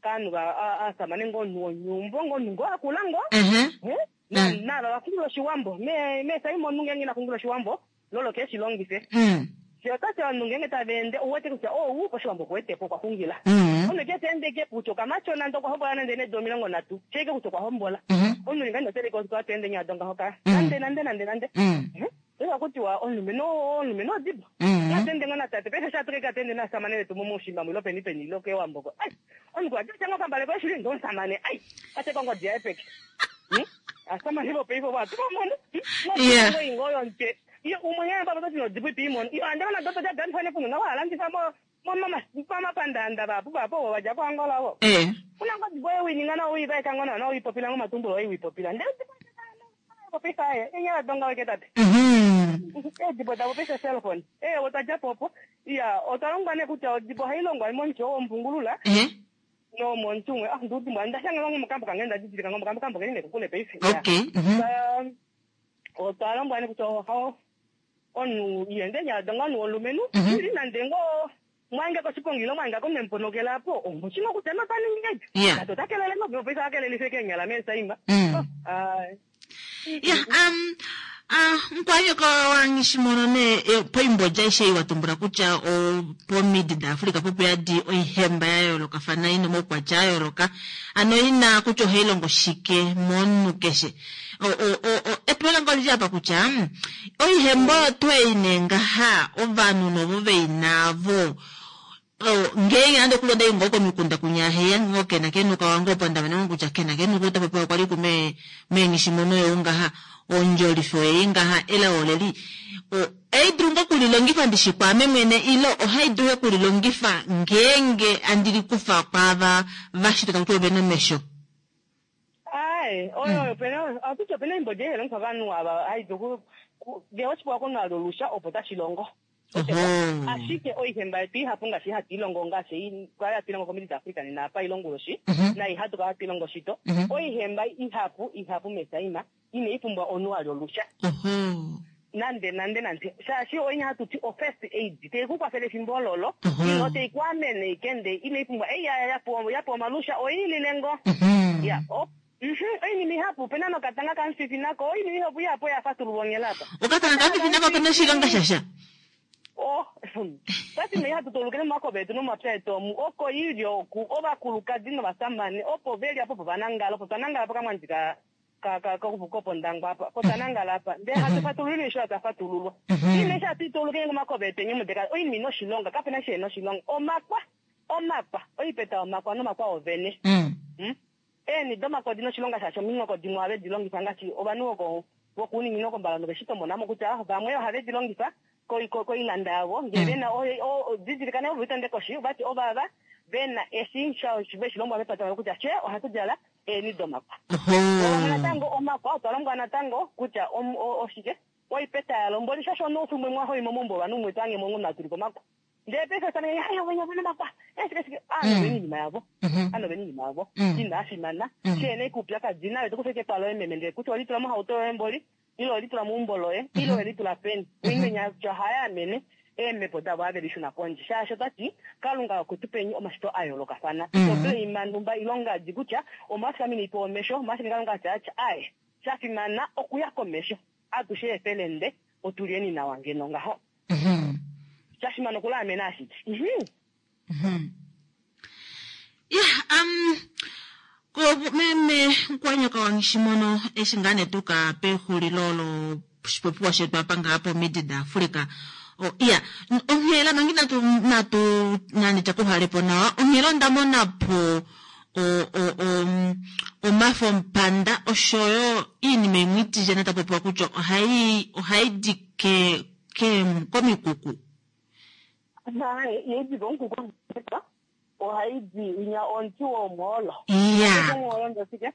Kanhu aasamane ngo omunhu wonyumbo ngo omunhu ngo akula ngo. Mhm. Eh? Na nava vakungula oshiwambo. Me mesa imo omunhu ngenge nakungula oshiwambo lolo ke shilongife. Mm. Se otati ovanhu ngenge tava ende ouwete kutya ou oshiwambo okuwetepo okwa xungila. Mm. Omunhu ke teende ke kutya okamatyona nande okwa hombola nande needi omilongo nhatu sheike kutya okwa hombola. Mhm. Omunhu ninga inoteleka ofikola teende nyadonga hoka. Mm. Nande nande nande nande. Mm. Eva kutiwa omulumenhu omulumenhu odibo. Mm. Natende ngo natate paife shatukeka tende nasamane vetu mumushimba mwilo peni peni ilo kewamboko. Ai, omunhu ati chango kambale ko shili ndomusamane. Ai, ate kongo dia epeke. Hmm? Asamane bo peipo ba tumono. Yeah. No ingo yonke. Iyo umwe yena baba toti nodibo ipimo. Iyo andana doto ja gani fane kuno na wala ndisa mo mama mama pandanda bapu bapo waja ko Angola wo. Eh. Una ngo dibo ewi ngana oi ba kango na oi popila ngo matumbulo oi popila. Ndeo popisa ye. Inya donga weke tate. Mhm. Edibo tapopisa cellphone. Eh otadja popo. Iya, otalongwa ne kutya odibo hailongwa moncho ompungulula Eh. no muntu umwe ah ndudimbo ndashanga ngo mukambo kange ndadidilika ngo mukambo kambo kene kukule paife. Okay. Mhm. Otalongwa ne kutya ho onu yende nyadonga nu olumenu Mhm. ili nande ngo mwange koshipongilo mwange komemponokela po omuchino kutya notaningi Yeah. kato takelele ngo pesa akelelise kenyala mesa imba. Mm. Oh, ai. Ya, um, ah, nkwanyoko wangishimono ne eh, poimbodja ishe iwatumbula kutya pomidi da Africa popo yadi oihemba ya yoolokafana ina omaukwatya a yooloka ano ina kutya ohayi longo shike momunhu keshe. O- o- o- o- epulo lange olili apa kutya mm, oihemba oyo twei nee ngaha ovanhu novo veinavo ngeenge nande okulonda ingo komikunda kunyaheya ngo kena kenuka wange opo ndamana kutya kena kenuka utapopiwa kwali kume meenghishimono yo ngaha ondjolifo ei ngaha elao leli ei dulu ngo kulilongifa ndishi kwaame mwene ilo ohai dulu okulilongifa ngeenge andilikufa kwaava vashitwa takuti ovena omesho. Ai, oyo oyo pena akuti opena imbodja ihelongifwa vanhu ava haidulu ngee oshipewa komunhu olusha opo tashi longo. Oho. Ashike oihemba yetu ihapu ngaashi hatu ilongo ngaashi kwali hatu ilongo komidi daAfrica nena apa ilonguloshi Mhm. na ihatu kala hatu ilongo shito. Mhm. Oihemba ihapu ihapu mesaima ine ipumbwa omunhu ali olusha. Oho. Nande nande nande shaashi oinya hatu ti o-first aid teikukwafela efimbo ololo Mhm. ino teikuamene ikende ine ipumbwa ei ya yapewa yapewa omalusha oilile ngo. Mhm. Ya, o mhm, oinima ihapu opena nokatanga kamufifi nako oinima ihapu ihapu oyafatululwa ongelapa. Okatanga kafifi nako opena oshilonga shasha. Oh, tati me hatu tolukele momakobe etu nomapya etu omu oko ili oku ovakulukadi novasamane opo veli apo opo vanangala opo twanangala po kamwandi ka ka ka kopondangwa apa po twanangala apa ndee hatu fatululile isho hatafatululwa. Mhm. Ine sha tuitolukele momakobe etu enye mudeka oinima ina oshilonga kapena shi ena oshilonga omakwa omakwa oipeta omakwa nomakwa ovene. Mm. Hmm? Eeni domakwa odina oshilonga shaashi ominghoko dimwe ohave di longifa ngaashi ovanhu voko vokuuninginino kombalando veshitomona kutya vamwe ohave di longifa koi- ko- koilanda yavo ngee vena didilikane ovo vitande koshi vati ovava vena eshi veshilombwa mepata lavo kutya she ohatu djala eeni domakwa. Oho. Ovamwe natango omakwa otwa lombwa natango kutya om- o- oshike oipeta yalo mboli shaashi onoufimwe mwahoimo mombo ovanhu umwe twange mongu tuli pomakwa. Ndee paife tane ayo venya vena makwa eshike shike aanhu vena iinima yavo. Mhm. Ano vena iinima yavo Mm. ina fimana Mm. sheene kuupyakadi nayo tokufeke epalo ememe ndee kutya olitula mohauto yoye mboli ile olitula meumbo loye ile olitula peni oimenya kutya ohaya amene eemhepo davo ave lishuna pondje shaashi otati kalunga okutupeni omashito a yoolokafana Mm. itopeima numba ilongadi kutya omwashike ame niipewa omesho omwashike kalunga atya atya aye shafimana okuya komesho atushe efelende otulieni nawa ngeno ngaho Mhm. shafimana okulaamena ashike Mhm. Mhm. Ya, um ko meme nkwanyaka wangishimono eshi ngaa netuka pexulilo loshipopiwa shetu apa ngaa pomidi daAfrica. O iya, n- onghela mangi natu natu nani takuhalepo nawa onghela onda mona po o o o omafo mpanda oshoyo iinima imwe itijana tapopiwa kutya ohayi ohayi di ke ke komikuku. Hayi, yediva onkuku Ohaidi winya omuti womwoolo. Iya. Omwoolo shike?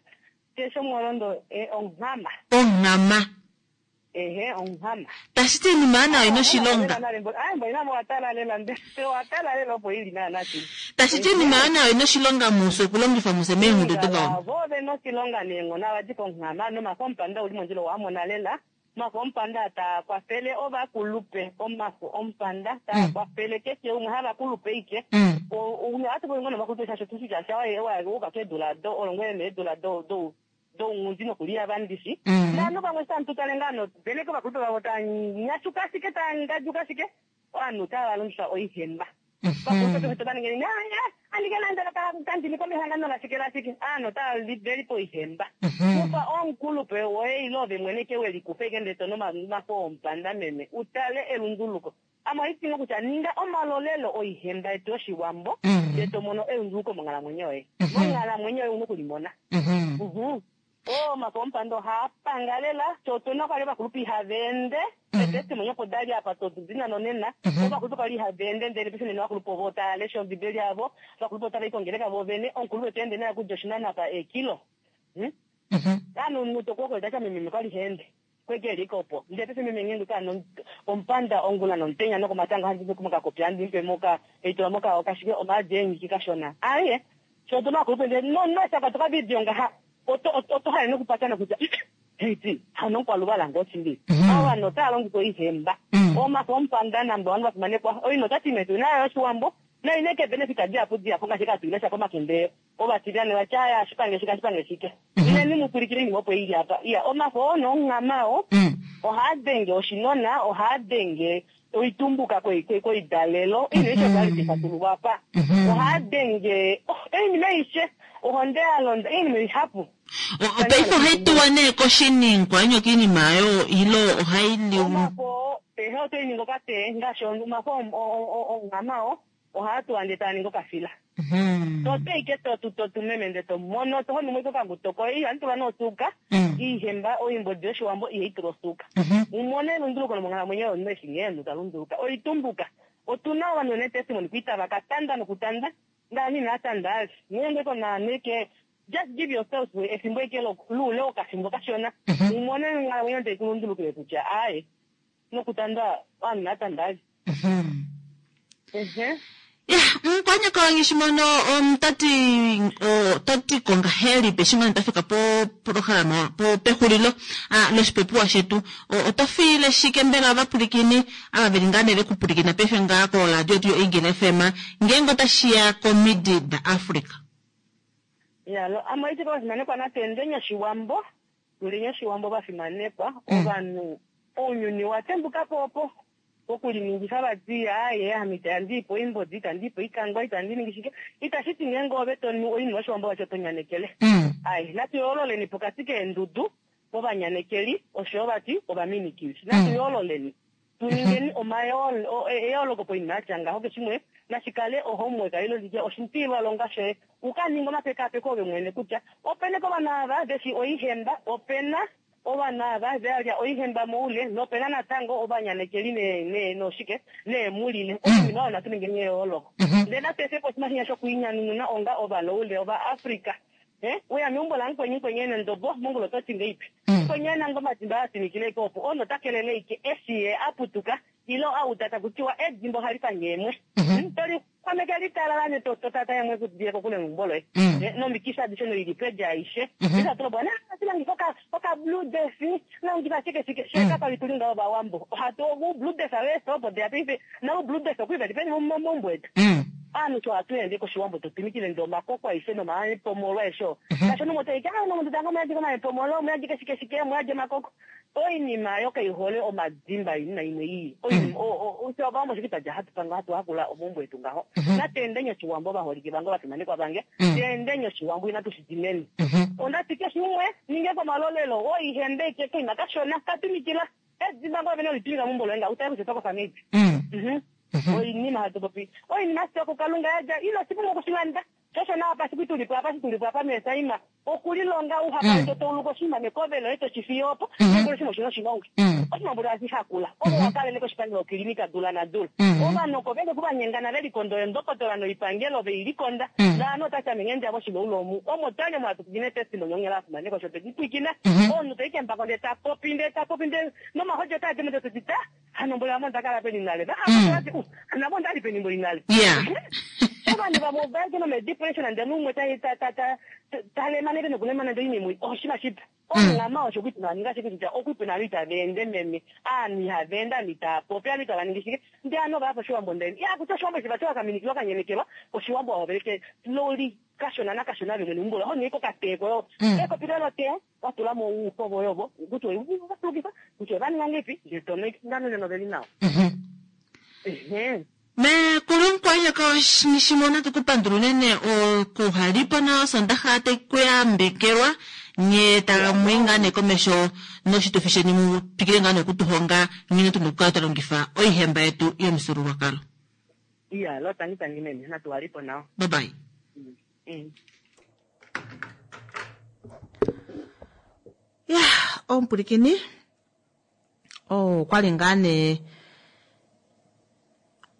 Keshe omwoolo eh, onghama. Onghama. Ehe, onghama. Tashi ti iinima nayo ina oshilonga. Tashi ti iinima nayo ina oshilonga muse okulongifa muse meengudu dovawambo. Vo vena oshilonga neenghono avadi konghama nomafo omupanda uli mondjila owamona lela. Omafo omupanda taa kwafele ovakulupe, omafo omupanda taa kwafele keshe umwe havakulupe ike. Mm. Ohatu popi ngoo novakulupe shaashi otushi kutya sha keedula do olongwele needula do do dounghundi nokuliya vandishi. Mm. Naanhu vamwe shantu tale ngaa noveneke ovakulupe vavo taa nyashuka ashike taa ngadjuka ashike ovanhu tava longifa oihemba. Vakulupe peshe tova ninge andike landela kandini komehangano lashike lashike aanhu otava velipo oihemba. Kufa omukulupe woye ile ove mwene ke welikufa ike ndele tono omafo omupanda meme utale elunduluko. Ame ohandi ti kutya ninga omalolelo oihemba yetu yoshiwambo Mm. ndele to mono elunduluko monghalamwenyo yoye. Mhm. Monghalamwenyo yoye una okulimona. Mhm. Mhm. Omafo omupanda ohaa panga lela sho otuna kwali ovakulupe ihava ende etestimony opo dali apa todina nonena Mhm. ovakulupe kwali ihava ende ndele paife nena ovakulupe ovo tava lesha ombibeli yavo ovakulupe otava i kongeleka vo vene omukulupe to ende naye okudja oshinano apa eekilo Hmm? Mhm. anu mutokuokoetacha meme kwali haende kweke liko opo ndele paife meme ngeenge kaano omupanda ongula nomutenya nokomatango handi mokakopi handi mupe moka eitula moka okashike omaadi eenyiki kashona aye sho otuna ovakulupe ndele nosaka tokavidio ngaha oto oto hale nokupatana kutya heiti hano nkwaluvala ngoo shili Mhm. ovanhu otava longifa oihemba Mm. omafo omupanda namba ovanhu vafimanekwa oino otati metu nayo yoshiwambo naineke benefit dihapu dihapu ngaashi katuilesha komakende ovatiliyane vatya aya shipange shike ashipange shike Mhm. ileni mupulikile inima opo ili apa iya omafo oo nonghama oo Mm. ohaa denge oshinona ohaa denge oitumbuka koi- koi- koidalelo ino isho kwali tifatululwa apa Mhm. ohaa denge oh, oinima aishe ohonde ya londa oinima ihapu O- Paife ohayi tuwa nee koshiningwa inyoka iinima ayo ilo ohayi liwa. omafo ehe otoyi ningi okatee ngaashi omafo onghama oo ohaa tuwa ndee taa ningi okafila Mhm. tote ike totu totu meme ndee tomono tohonumo ike okanguto koye ihandi tulwa noosuuka Mm. iihemba oimbodi yoshiwambo ihai tulwa osuuka Mhm. umone elunduluko lomonghalamwenyo yomunhu eshi nghee omunhu ta lunduluka oitumbuka otuna ovanhu vene testimony kuita vakatanda nokutanda ndaani inatanda ali ngeenge konaaneke just give yourself efimbo eke luule wokafimbo kashona Mhm. umone onghalamwenyo ndee kulundulukile kutya aye nokutanda ovanhu inatanda ali Mhm. ehe Ya, mukwanyaka wange shimono omutati otati kongahelipi eshi ngoo tafika po programa po pexulilo ah, loshipopiwa shetu O- oto fiile shike mbela ovapulikini ava veli ngaa nee vekupulikina paife ngaa koradio yetu yo-Eagle F M ngeenge otashiya komidi da Africa. Yalo ame oiti vafimanekwa natendeni oshiwambo tuleni oshiwambo vafimanekwa Mm. ovanhu ounyuni watembukapo opo okuliningifa vati aye ame itandiipo oimbodi itandiipo oikangwa itandi ningi shike itashi ti ngeenge ove tonu oinima yoshiwambo vacho tonyanekele Mm. ai natu yoololeni pokati keendudu ovanyanekeli oshoyo vati ovaminikili natu Mm. yoololeni tuningeni omayoolo o- e- eyooloko poinima yatya ngaho keshimwe nashikale ohomework ilo litye oshintilwalonga shoye ukaninga omapekapeko ove mwene kutya opena kovanhu ava veshi oihemba opena ovanhu ava valya oihemba moule nopena natango ovanyanekeli ne- ne- noshike neemulile oinima oyo natu ningeni eyooloko Mhm. ndele natu efe po oshinima shinya shokwiinyanununa onga ovaloule ovaafrika Eh, uya meumbo lamukweni mukweni ene ndobo mongula ototi ngeipi Mm. mukweni ena ngo omadimba atimikile ike opo ono takelele ike eshi ye aputuka ilo auta takutiwa edimba ohali pange emwe Mhm. Mm, toli kwameke litalala ne totata yamwe kudile kokule neumbo loye Mm. Eh, nomikifi adishe noilipedi aishe Mhm. isatulobwa silangifa oka oka blue death langifa shike shike Mm. shekapali tuli ngaho vawambo ohatu u blue death aweso opo deya paife na u blue death okuiva tipeni momaumbo etu Mm. aanhu sho hatu ende koshiwambo totumikile nde omakoko aishe nomaepomolo aishe Mhm. kasho nomo taike ah nomuntu tanga muyadike omaepomolo muyadike shike shike muyadje omakoko oinima yo kaihole omadimba inima imwe ii ovawambo shike tadja hatu panga hatu hakula omaumbo etu ngaho Mhm. natendeni oshiwambo vaholike vange vafimanekwa vange Mm. tendeni oshiwambo inatu shidineni Mhm. ondati keshe umwe ninge komalolelo oihembe ike koima kashona katumikila edimba ngoo vene olitumika meumbo loye nga utaye kutya otokofa meipi Mm. Mhm. Mhm. oinima hatu popi oinima sio kukalunga yadja ilo sipunga okushilanda Shosho nawa pasiku tulipo apa shi tulipo apa meesaima okulilonga uhakale Mm. to tauluka oshinima mekove loye toshifiye opo Mhm. nengolo oshinima oshina oshilonga Mm. oshinima mboli ohashi hakula ovo wakalele koshipangelo kilinika dula nadula Mhm. ovanhu oko veke kuvanyengana velikonda oyendokotola noipangelo veilikonda Mm. naanhu otati ame ngende voshiloulo omu omo twali omo hatu pwikine testi nonyongela afimaneko sho twedipwikina Mhm. omunhu toikembako ndee tapopi ndee tapopi ndee nomahojo otaadimo ndee toti ta hano mboli amo ndakala peni nale Mm. namo ndali peni mboli nale Yeah. ovanhu vamwe ovaike nomedepression ndele umwe talemaneke nokulemana ndee oinima oshima shipa omungama osho kuti naninga shike kutya okwipe naanhu itava ende meme aanhu ihava ende aanhu itava popi aanhu itava ningi shike ndee aanhu ovaya poshiwambo ndeni ya kutya oshiwambo eshi vati wakaminikilwa kanyenekelwa oshiwambo wahoveleke loli kashona nakashona vemwe neumbo ho niko kateeko yo Mm. ekopi lelo tea watulamo uukovo yovo kutya oivatulukifa kutya ovaninga ngepi ndee tono ndano noveli nawa Mhm. ehe mekulunkwanyaka shimona tukupandula unene okuhalipo na osondaxa tekuyambekelwa nye tamu ngaa nee komesho noshitufi sheni mu twikile ngaa nokutuhonga nghene tuna okukala twa longifa oihemba yetu yomufyuululwakalo. Iya lo tangi tangi meme natuwalipo nawa. Bye bye. Mm. Ya omupulikini okwali ngaa nee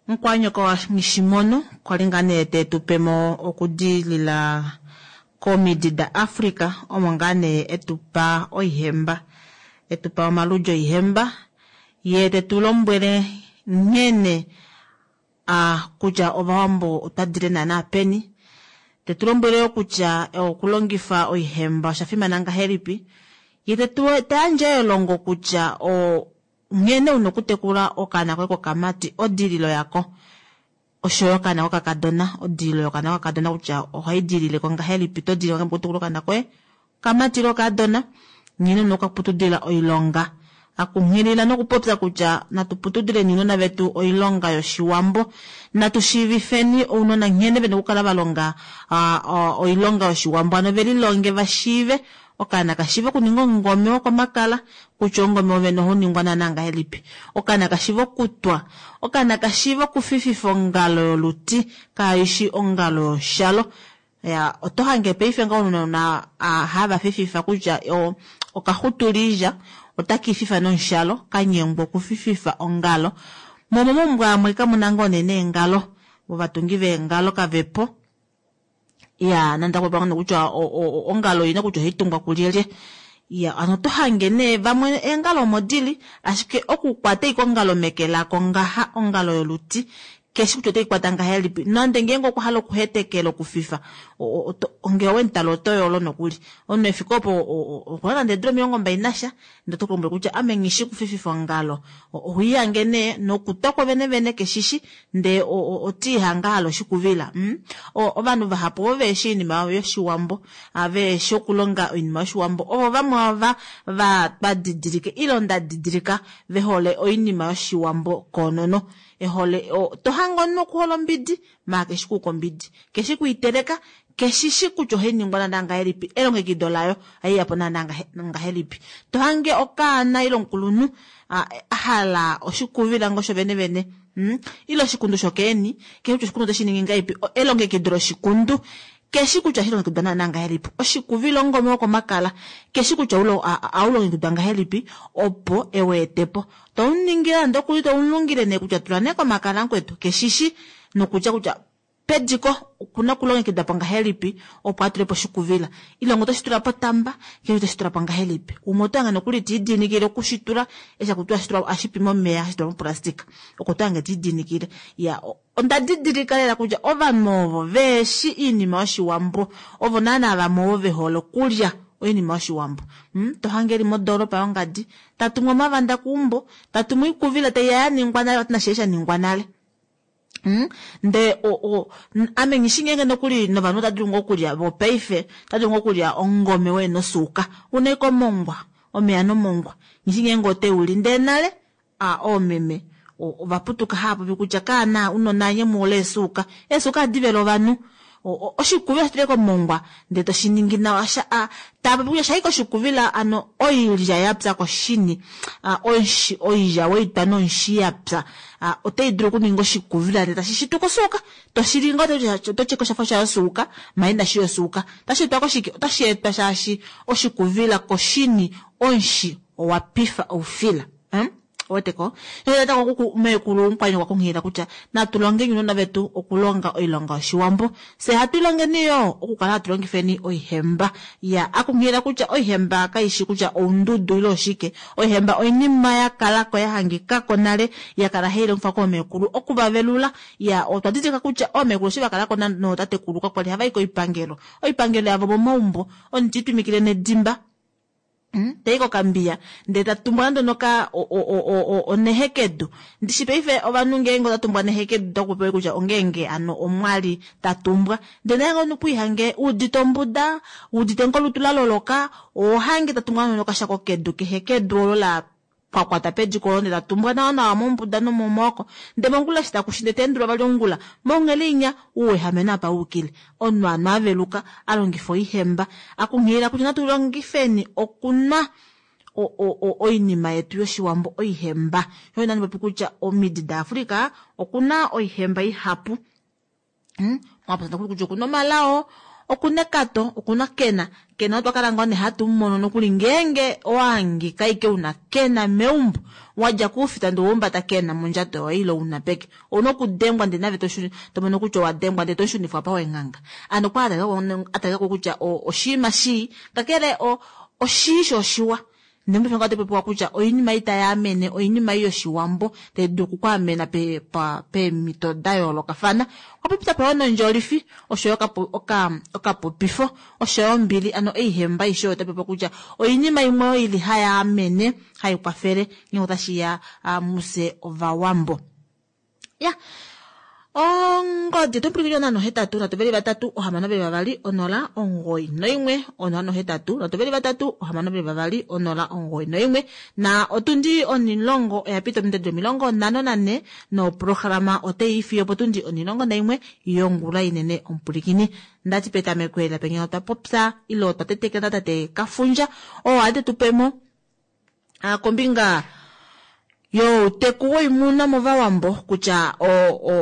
mukwanyoko wa Nghishimono kwali ngaa nee tetupemo okudilila komidi da Africa omo ngaa nee etupa oihemba etupa omaludi oihemba ye tetulombwele nghene a kutya ovawambo otwadile naana peni tetulombwele yo kutya okulongifa oihemba osha fimana ngahelipi ye tayandje elongo kutya o nghene una okutekula okaana koye kokamati odililo yako oshoyo okaana kokakadona odililo yokaana kokakadona kutya ohaidilileko ngahelipi to dilile okutekula okaana koye kamati ile okaadona nghene una okaputudila oilonga akunghilila nokupopya kutya natu putudileni ounona vetu oilonga yoshiwambo natu shiivifeni ounona nghene vena okukala valonga oilonga yoshiwambo ano velilonge vashiive okaana kashiive okuninga omungome wokomakala kutya omungome wovene ohauningwa naana ngahelipi okaana kashiive okutwa okaana kashiive okufififa ongalo yoluti kaishi ongalo yoshalo ya oto hange paife nga ounona hava fififa kutya okaxutulilya otakiififa nomushalo kanyengwa okufififa ongalo momo momaumbo amwe kamuna ngoo nee neengalo ovatungi veengalo kavepo ya nande akupopya ngoo kutya ongalo oina kutya ohaitungwa kulyelye ya ano oto hange nee vamwe eengalo omo dili ashike okukwata ashike ongalo meke lako ngaha ongalo yoluti keshi kutya oteikwata ngahelipi nande ngeenge okwa hala okuhetekela okufifa ngee owemutala oto yolo nokuli omunhu efike opo okuna nande eedula omilongo mbali nasha ndee oto kulombwele kutya ame nghishi okufififa ongalo ohiihange nee nokutwa kwovene vene keshishi ndee otiihanga ahala oshikuvila mm? ovanhu vahapu ovo veeshi oinima yoshiwambo veeshi okulonga oinima yoshiwambo ovo vamwe ava va twadidilike ile onda didilika vehole oinima yoshiwambo koonono ehole to hange omunhu okuhola ombidi maa keshi kuuka ombidi keshi kuiteleka keshishi kutya ohainingwa naana ngahelipi elongekido layo haiyapo naana ngahelipi to hange okaana ile omukulunhu a hala oshikuvila ngoo shovene vene hmm? ile oshikundu shokeeni keshi kutya oshikundu otashi ningi ngahelipi elongekido loshikundu keshi kutya ohashi naana ngahelipi oshikuvila omungome wokomakala keshi kutya aulongekidwa ngahelipi opo eweetepo tomuningile nande okuli tomulungile nee kutya tula nee komakala mukwetu keshishi nokutya kutya pediko okuna okulongekidwa po ngahelipi opo atulepo oshikuvila ile ngo otoshi tula potamba keshe otoshi tula po ngahelipi umwe oto hange nokuli tiidinikile okushitula eshi akutiwa ashitula ashipi momeya hashitulwa moplastika oko to hange tiidinikile ya onda didilika lela kutya ovanhu ovo veeshi oinima yoshiwambo ovo naana vamwe ovo vehole okulya oinima yoshiwambo hmm? to hange eli modoolopa yongadi tatumwa omavanda keumbo tatumwa oikuvila taiya yaningwa nale vati nashe shaningwa nale Hmm? Ndee ame nghishi ngeenge nokuli novanhu ota dulu ngoo okulya vopaife ota dulu ngoo okulya omungome woye nosuuka una ashike omongwa omeya nomongwa nghishi ngeenge oteuli ndee nale a oomeme ovaputuka haapopi kutya kaana unona anye muhole eesuuka eesuuka ohadi vele ovanhu Oshikuvila oshi teleke omongwa ndele toshiningi nawa taapopi kutya shaike oshikuvila ano oilya yapya koshini onshi oilya weitwa nonshi yapya otai dulu okuninga oshikuvila ndele tashi shituka osuuka toshili ngoo oto tyeko shafa sha yosuuka maala inashi yosuuka otashi etwa koshike otashi etwa shaashi oshikuvila koshini onshi owapifa oufila hmm? Oweteko meekulu omukwaini kwakunghilila kutya natu longeni ounona vetu okulonga oilonga yoshiwambo fye hatu ilongeni yoo okukala hatu longifeni oihemba ya akunghilila kutya oihemba kaishi kutya oundudu ile oshike oihemba oinima yakalako yahangikako nale yakala hailongifwa koomeekulu okuvavelula ya otwa didilika kutya oomeekulu eshi vakalako nootatekulu kakwali havayi koipangelo oipangelo yavo momaumbo omuti itwimikile nedimba tayi kokambiya ndele tatumbwa nande onoka onehekedu ndishi paife ovanhu ngeenge otatumbwa nehekedu otakupopiwa kutya ongeenge ano omwali tatumbwa ndele naye ngoo kwiihange udite ombuda udite ngolutu laloloka ohange tatumbwa nande onokashako kedu kehekedu olo la kwakwata pediko olo ndele tatumbwa nawa nawa mombuda nomomaoko ndele mongula eshi takushi ndele taendulwa vali ongula monghele inya ouwehame napa wukile omunhu ano aveluka alongifa oihemba akunghilila kutya natu longifeni okunwa oinima yetu yoshiwambo oihemba sho nandi popi kutya omidi daAfrika okuna oihemba ihapu mwapopya kutya okuna omalao okuna ekato okuna kena kena otwa kala ngoo nee hatu mumono nokuli ngeenge owahangika ike una kena meumbo wadja kuufita ndee owaumbata kena mondjato yoye ile una peke ouna okudengwa ndee nave tomono kutya owadengwa ndee toshunifwa apa wenghanga ano okwa atalikako kutya oshinima shii kakele oshii sho oshiwa ndee mopaife otapopiwa kutya oinima ei tayaamene oinima ei yoshiwambo tai dulu okukwaamena peemhito dayoolokafana okwa popya nondjolifi oshoyo okapopifo oshoyo ombili ano oihemba aishe oyo otapopiwa kutya oinima imwe oyo ili hayaamene haikwafele ngenge otashiya mufye ovawambo ya ongodi oto pwilikine onhano hetatu nhatu veli vatatu ohamano veli vavali onola omugoyi noimwe onhano hetatu nhatu veli vatatu ohamano veli vavali onola omugoyi noimwe na otundi onilongo oya pita ominute omilongo nhano nanhe noprograma otai fiyo potundi onilongo naimwe yongula inene omupwilikini ndati petameko ela penya otwa popya ile otwa tetekela tate Kafundja oo ali tetupemo kombinga youteku woimuna movawambo kutya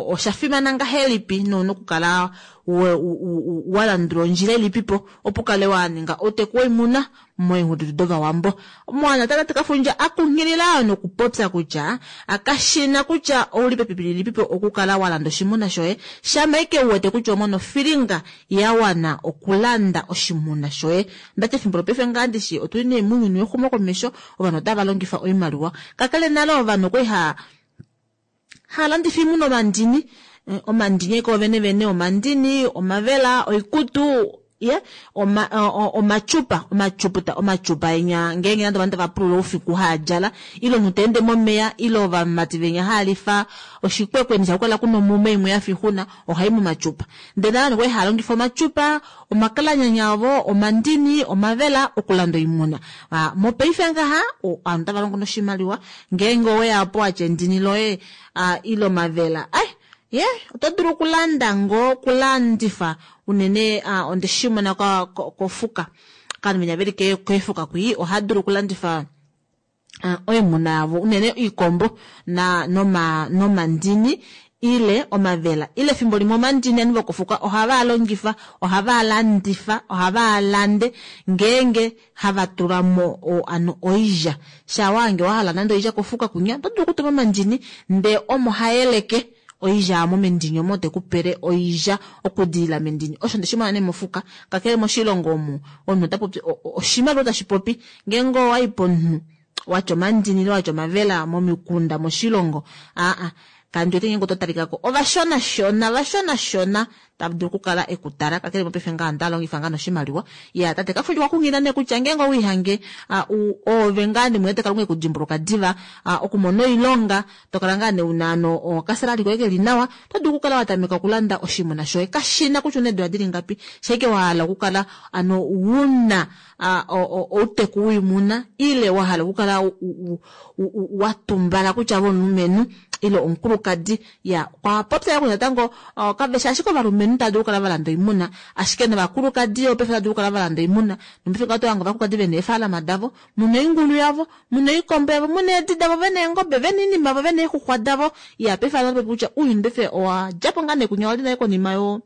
oshafimana ngahelipi nouna okukala walandula ondjila ilipipo opo ukale waninga outeku woimuna moingudu dovawambo. Omwana tate Kafundja akunghilila nokupopya kutya kashina kutya ouli pepipi lilipipo okukala walanda oshimuna shoye shama ike uwete kutya omona ofilinga yawana okulanda oshimuna shoye. Ndati efimbo lopaife ngaa ndishi otuli nee mounyuni wexumokomesho ovanhu otava longifa oimaliwa kakele nale ovanhu okwali haalandifa oimuna omandini omandini eke ovene vene omandini omavela oikutu ye oma omachupa omachuputa omachupa enya ngeenge nande ovanhu tava pulula oufiku haadjala ile omunhu taende momeya ile ovamati venya haalifa oshikwekweni shakukala kuna omume imwe yafa ixuna ohai momachupa ndele nale okwali haalongifa omachupa omakalanyanya avo omandini omavela okulanda oimuna mopaife ngaha ovanhu otava longo noshimaliwa ngeenge oweyapo watya endini loye ile omavela ai ye oto dulu okulanda ngoo okulandifa unene ondeshimona kofuka ovanhu venya veli keefuka kwii ohadulu okulandifa oimuna yavo unene oikombo nomandini ile omavela ile efimbo limwe omandini ovanhu vokofuka ohava longifa ohava landifa ohava lande ngeenge hava tulamo ano oilya shawange wahala nande oilya kofuka kunya oto dulu okutuma omandini ndee omo hayeleke oilya amo mendini omo tekupele oilya okudilila mendini osho ndeshimona nee mofuka kakele moshilongo omu omunhu otapopi oshimaliwa tashipopi ngeenge owayi pomunhu watya omandini ile watya omavela momikunda moshilongo aa kandi wete ngeenge oto talikako ovashonashona vashonashona tava dulu okukala ekutala kakele mopaife ngaa ovanhu otava longifa ngaa noshimaliwa ya tate Kafundja okwa kunghilila nee kutya ngeenge owiihange oove ngaa nemwene Kalunga ekudimbuluka diva okumona oilonga tokala ngaa nee una ano okasalali koye keli nawa oto dulu okukala watameka okulanda oshimuna shoye kashina kutya una eedula dili ngapi shaike wahala okukala ano una outeku woimuna ile wahala okukala watumbala kutya ove omulumenhu Ile omukulukadi. Ya, okwa popya yo kutya natango kaveshi ashike ovalumenhu tava dulu okukala va landa oimuna, ashike novakulukadi yo paife otava dulu okukala va landa oimuna. Nopaife ngaho oto hange ovakulukadi vena eefaalama davo, muna oingulu yavo, muna oikombo yavo, muna eedi davo, vena eengobe, vena oinima yavo, vena eexuxwa davo. Ya, paife hano otapopi kutya ounyuni paife owa djapo ngaa nee kunya wali nale konima yo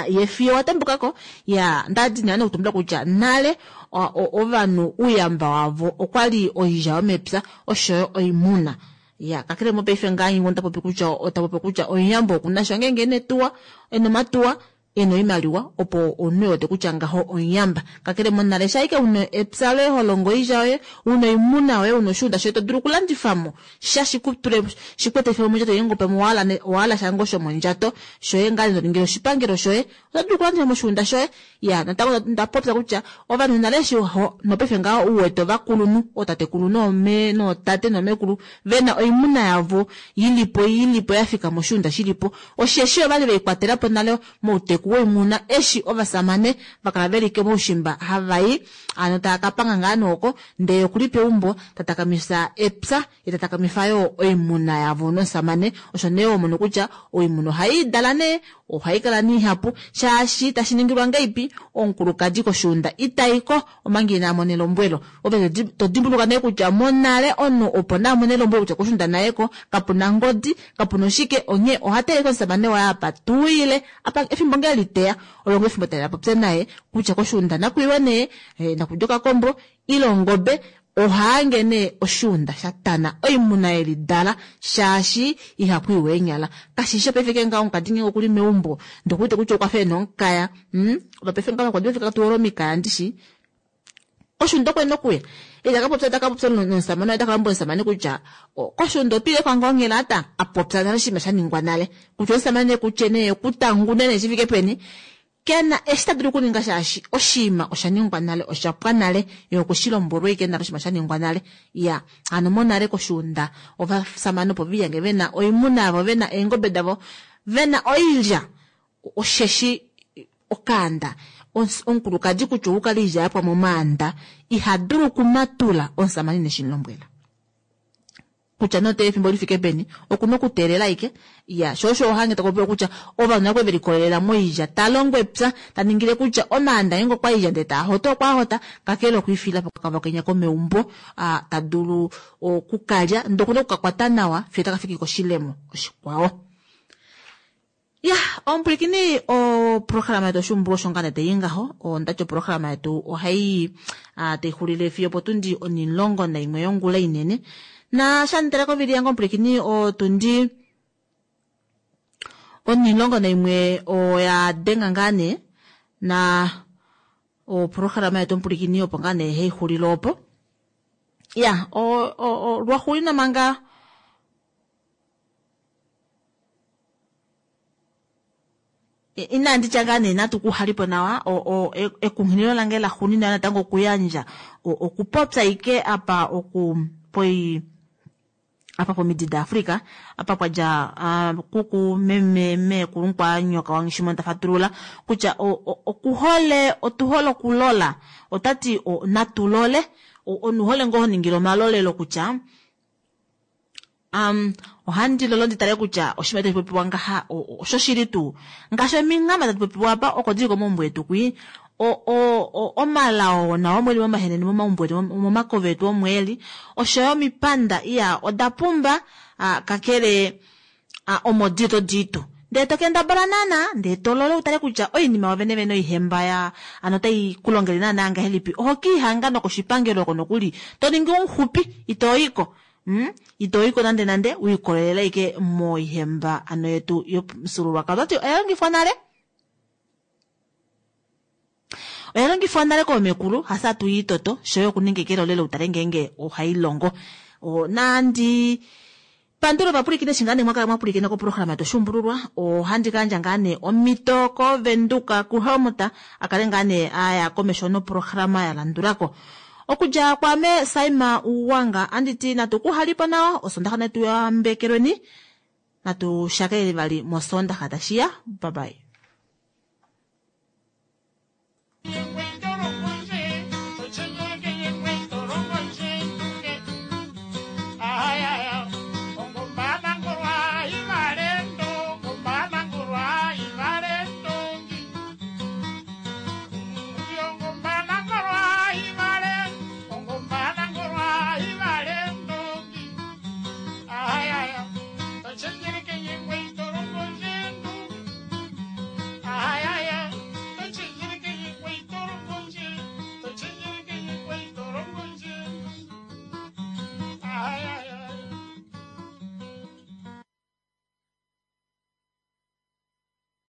yefiyo wa tembukako. Ya, ndadi nee nokutumbula kutya nale ovanhu ouyamba wavo okwali oilya yomepya oshoyo oimuna. Ya, kakele mopaife ngaa nyingo ota popi kutya ota popi kutya omuyambo okuna sha ngeenge ena etuwa, ena omatuwa, ena oimaliwa opo omunhu e wete kutya ngaho omuyamba. Kakele monale shaike una epya loye ho longo oilya yoye, una oimuna yoye, una oshuunda shoye to dulu okulandifamo sha shikutule shikuetife mondjato yoye pamwe owahala sha ngoo shomondjato shoye ngaa to ningile oshipangelo shoye, oto dulu okulandifa moshuunda shoye. Ya, natango nda popya kutya ovanhu nale eshi nopaife ngaho uwete ovakulunhu, ootatekulu noome nootate noomekulu vena oimuna yavo ilipo ilipo yafika moshuunda shilipo, osheshi ovali veikwatelapo nale mouteku woimuna eshi ovasamane vakala veli komaushimba havai ano tava kapanga ngaa nooko ndee okuli peumbo tatakamifa epya ye tatakamifa yo oimuna yavo nomusamane. Osho nee omono kutya oimuna ohai dala nee, ohai kala niihapu shaashi tashi ningilwa ngeipi omukulukadi koshuunda itaiko omanga ina mona elombwelo. Ove to dimbuluka nee kutya monale omunhu opo na mone elombwelo kutya koshuunda nayeko kapuna ngodi kapuna oshike, onghee oha teleke omusamane waye apa tuile apa efimbo ngee liteya olongo efimbo tali popye naye kutya koshuunda nakuiwe nee nakudja okakombo ile ongobe. Ohaange nee oshuunda shatana oimuna yelidala shaashi ihakuiwe eenyala. Kashisho paife ke ngaho omukadi ngenge okuli meumbo ndokuwete kutya okwa fa ena omukaya, ovapaife ngaho vakwadi vafika tuwole omikaya ndishi koshuunda okwe nokuya ita kapopya ta kapopya nomusamane waye, ta kalombwela omusamane kutya koshuunda otwiile kwa ngoo onghela ata apopya nale oshinima sha ningwa nale kutya omusamane kutye nee okutangune nee shifike peni kena eshi ta dulu okuninga shaashi oshinima osha ningwa nale, osha pwa nale, ye okweshilombwelwa ashike nale oshinima sha ningwa nale. Ya, hano monale koshuunda ovasamane opo viyange vena oimuna yavo, vena eengobe davo, vena oilya, osheshi okaanda omukulukadi kutya okukala oilya yapwa momaanda iha dulu okumatula omusamane ineshi mulombwela. Kutya note efimbo lifike peni okuna okuteelela ike. Ya, sho osho ohange takupopiwa kutya ovanhu nakwe velikolelela moilya ta longo epya ta ningile kutya omaanda ngeenge okwa ilya ndee taa hota okwa hota kakele okwiifila pokavakenya komeumbo ta dulu okukalya ndee okuna okukakwata nawa fiyo taka fiki koshilemo oshikwao. Ya, omupwilikini oprograma yetu oshuumbululwa osho ngaa nee tayi ngaho. Ondati oprograma yetu ohai taixulile fiyo potundi onimulongo naimwe yongula inene. Na shanditala kovili yange omupwilikini otundi onimulongo naimwe oya denga ngaa nee na oprograma yetu omupwilikini opo ngaa nee haixulile opo. Ya, lwaxuulina manga inandi tya ngaa nee natu kuhalipo nawa ekunghililo lange laxuuninwa natango okuyandja okupopya ike apa oku poi apa pomidi daAfrika apa pwadja kuku meme meekulu nkwanyoka wanghishimo tafatulula kutya okuhole otuhole okulola otati natulole onuhole ngoo honingile omalolelo kutya Um, ohandi lolo nditale kutya oshinima tashi popiwa ngaha oshoshili tuu ngaashi ominghama tadi popiwa apa oko dili komaumbo etu kwii omalao nao omweli momahenene momaumbo etu momakove etu omweli oshoyo omipanda iya oda pumba kakele omo dili todiitu ndee tokendabala naana ndee tolole utale kutya oinima yovene vene oihemba ya ano otai kulongele naana ngahelipi oho kiihanga nokoshipangelo oko nokuli toningi omuxupi itoyiko. Mm? Itoyiko nande nande uikolelela ike moihemba ano yetu yomufyuululwakalo. Otati oya longifwa nale, oya longifwa nale koomekulu hasa tuyiitoto shoye okuninga ekelolelo utale ngeenge ohai longo. Nandi pandula ovapwilikini eshi ngaa nee mwakala mwapwilikina koprograma yetu oshuumbululwa. Ohandi kayandja ngaa nee omhito koVenduka kuHelmut akale ngaa nee aya komesho noprograma ya landulako. Okudja kwame Saima Uwanga anditi natu kuhalipo nawa osondaxa netu yambekelweni natu shakelele vali mosondaxa tashiya. Bye bye.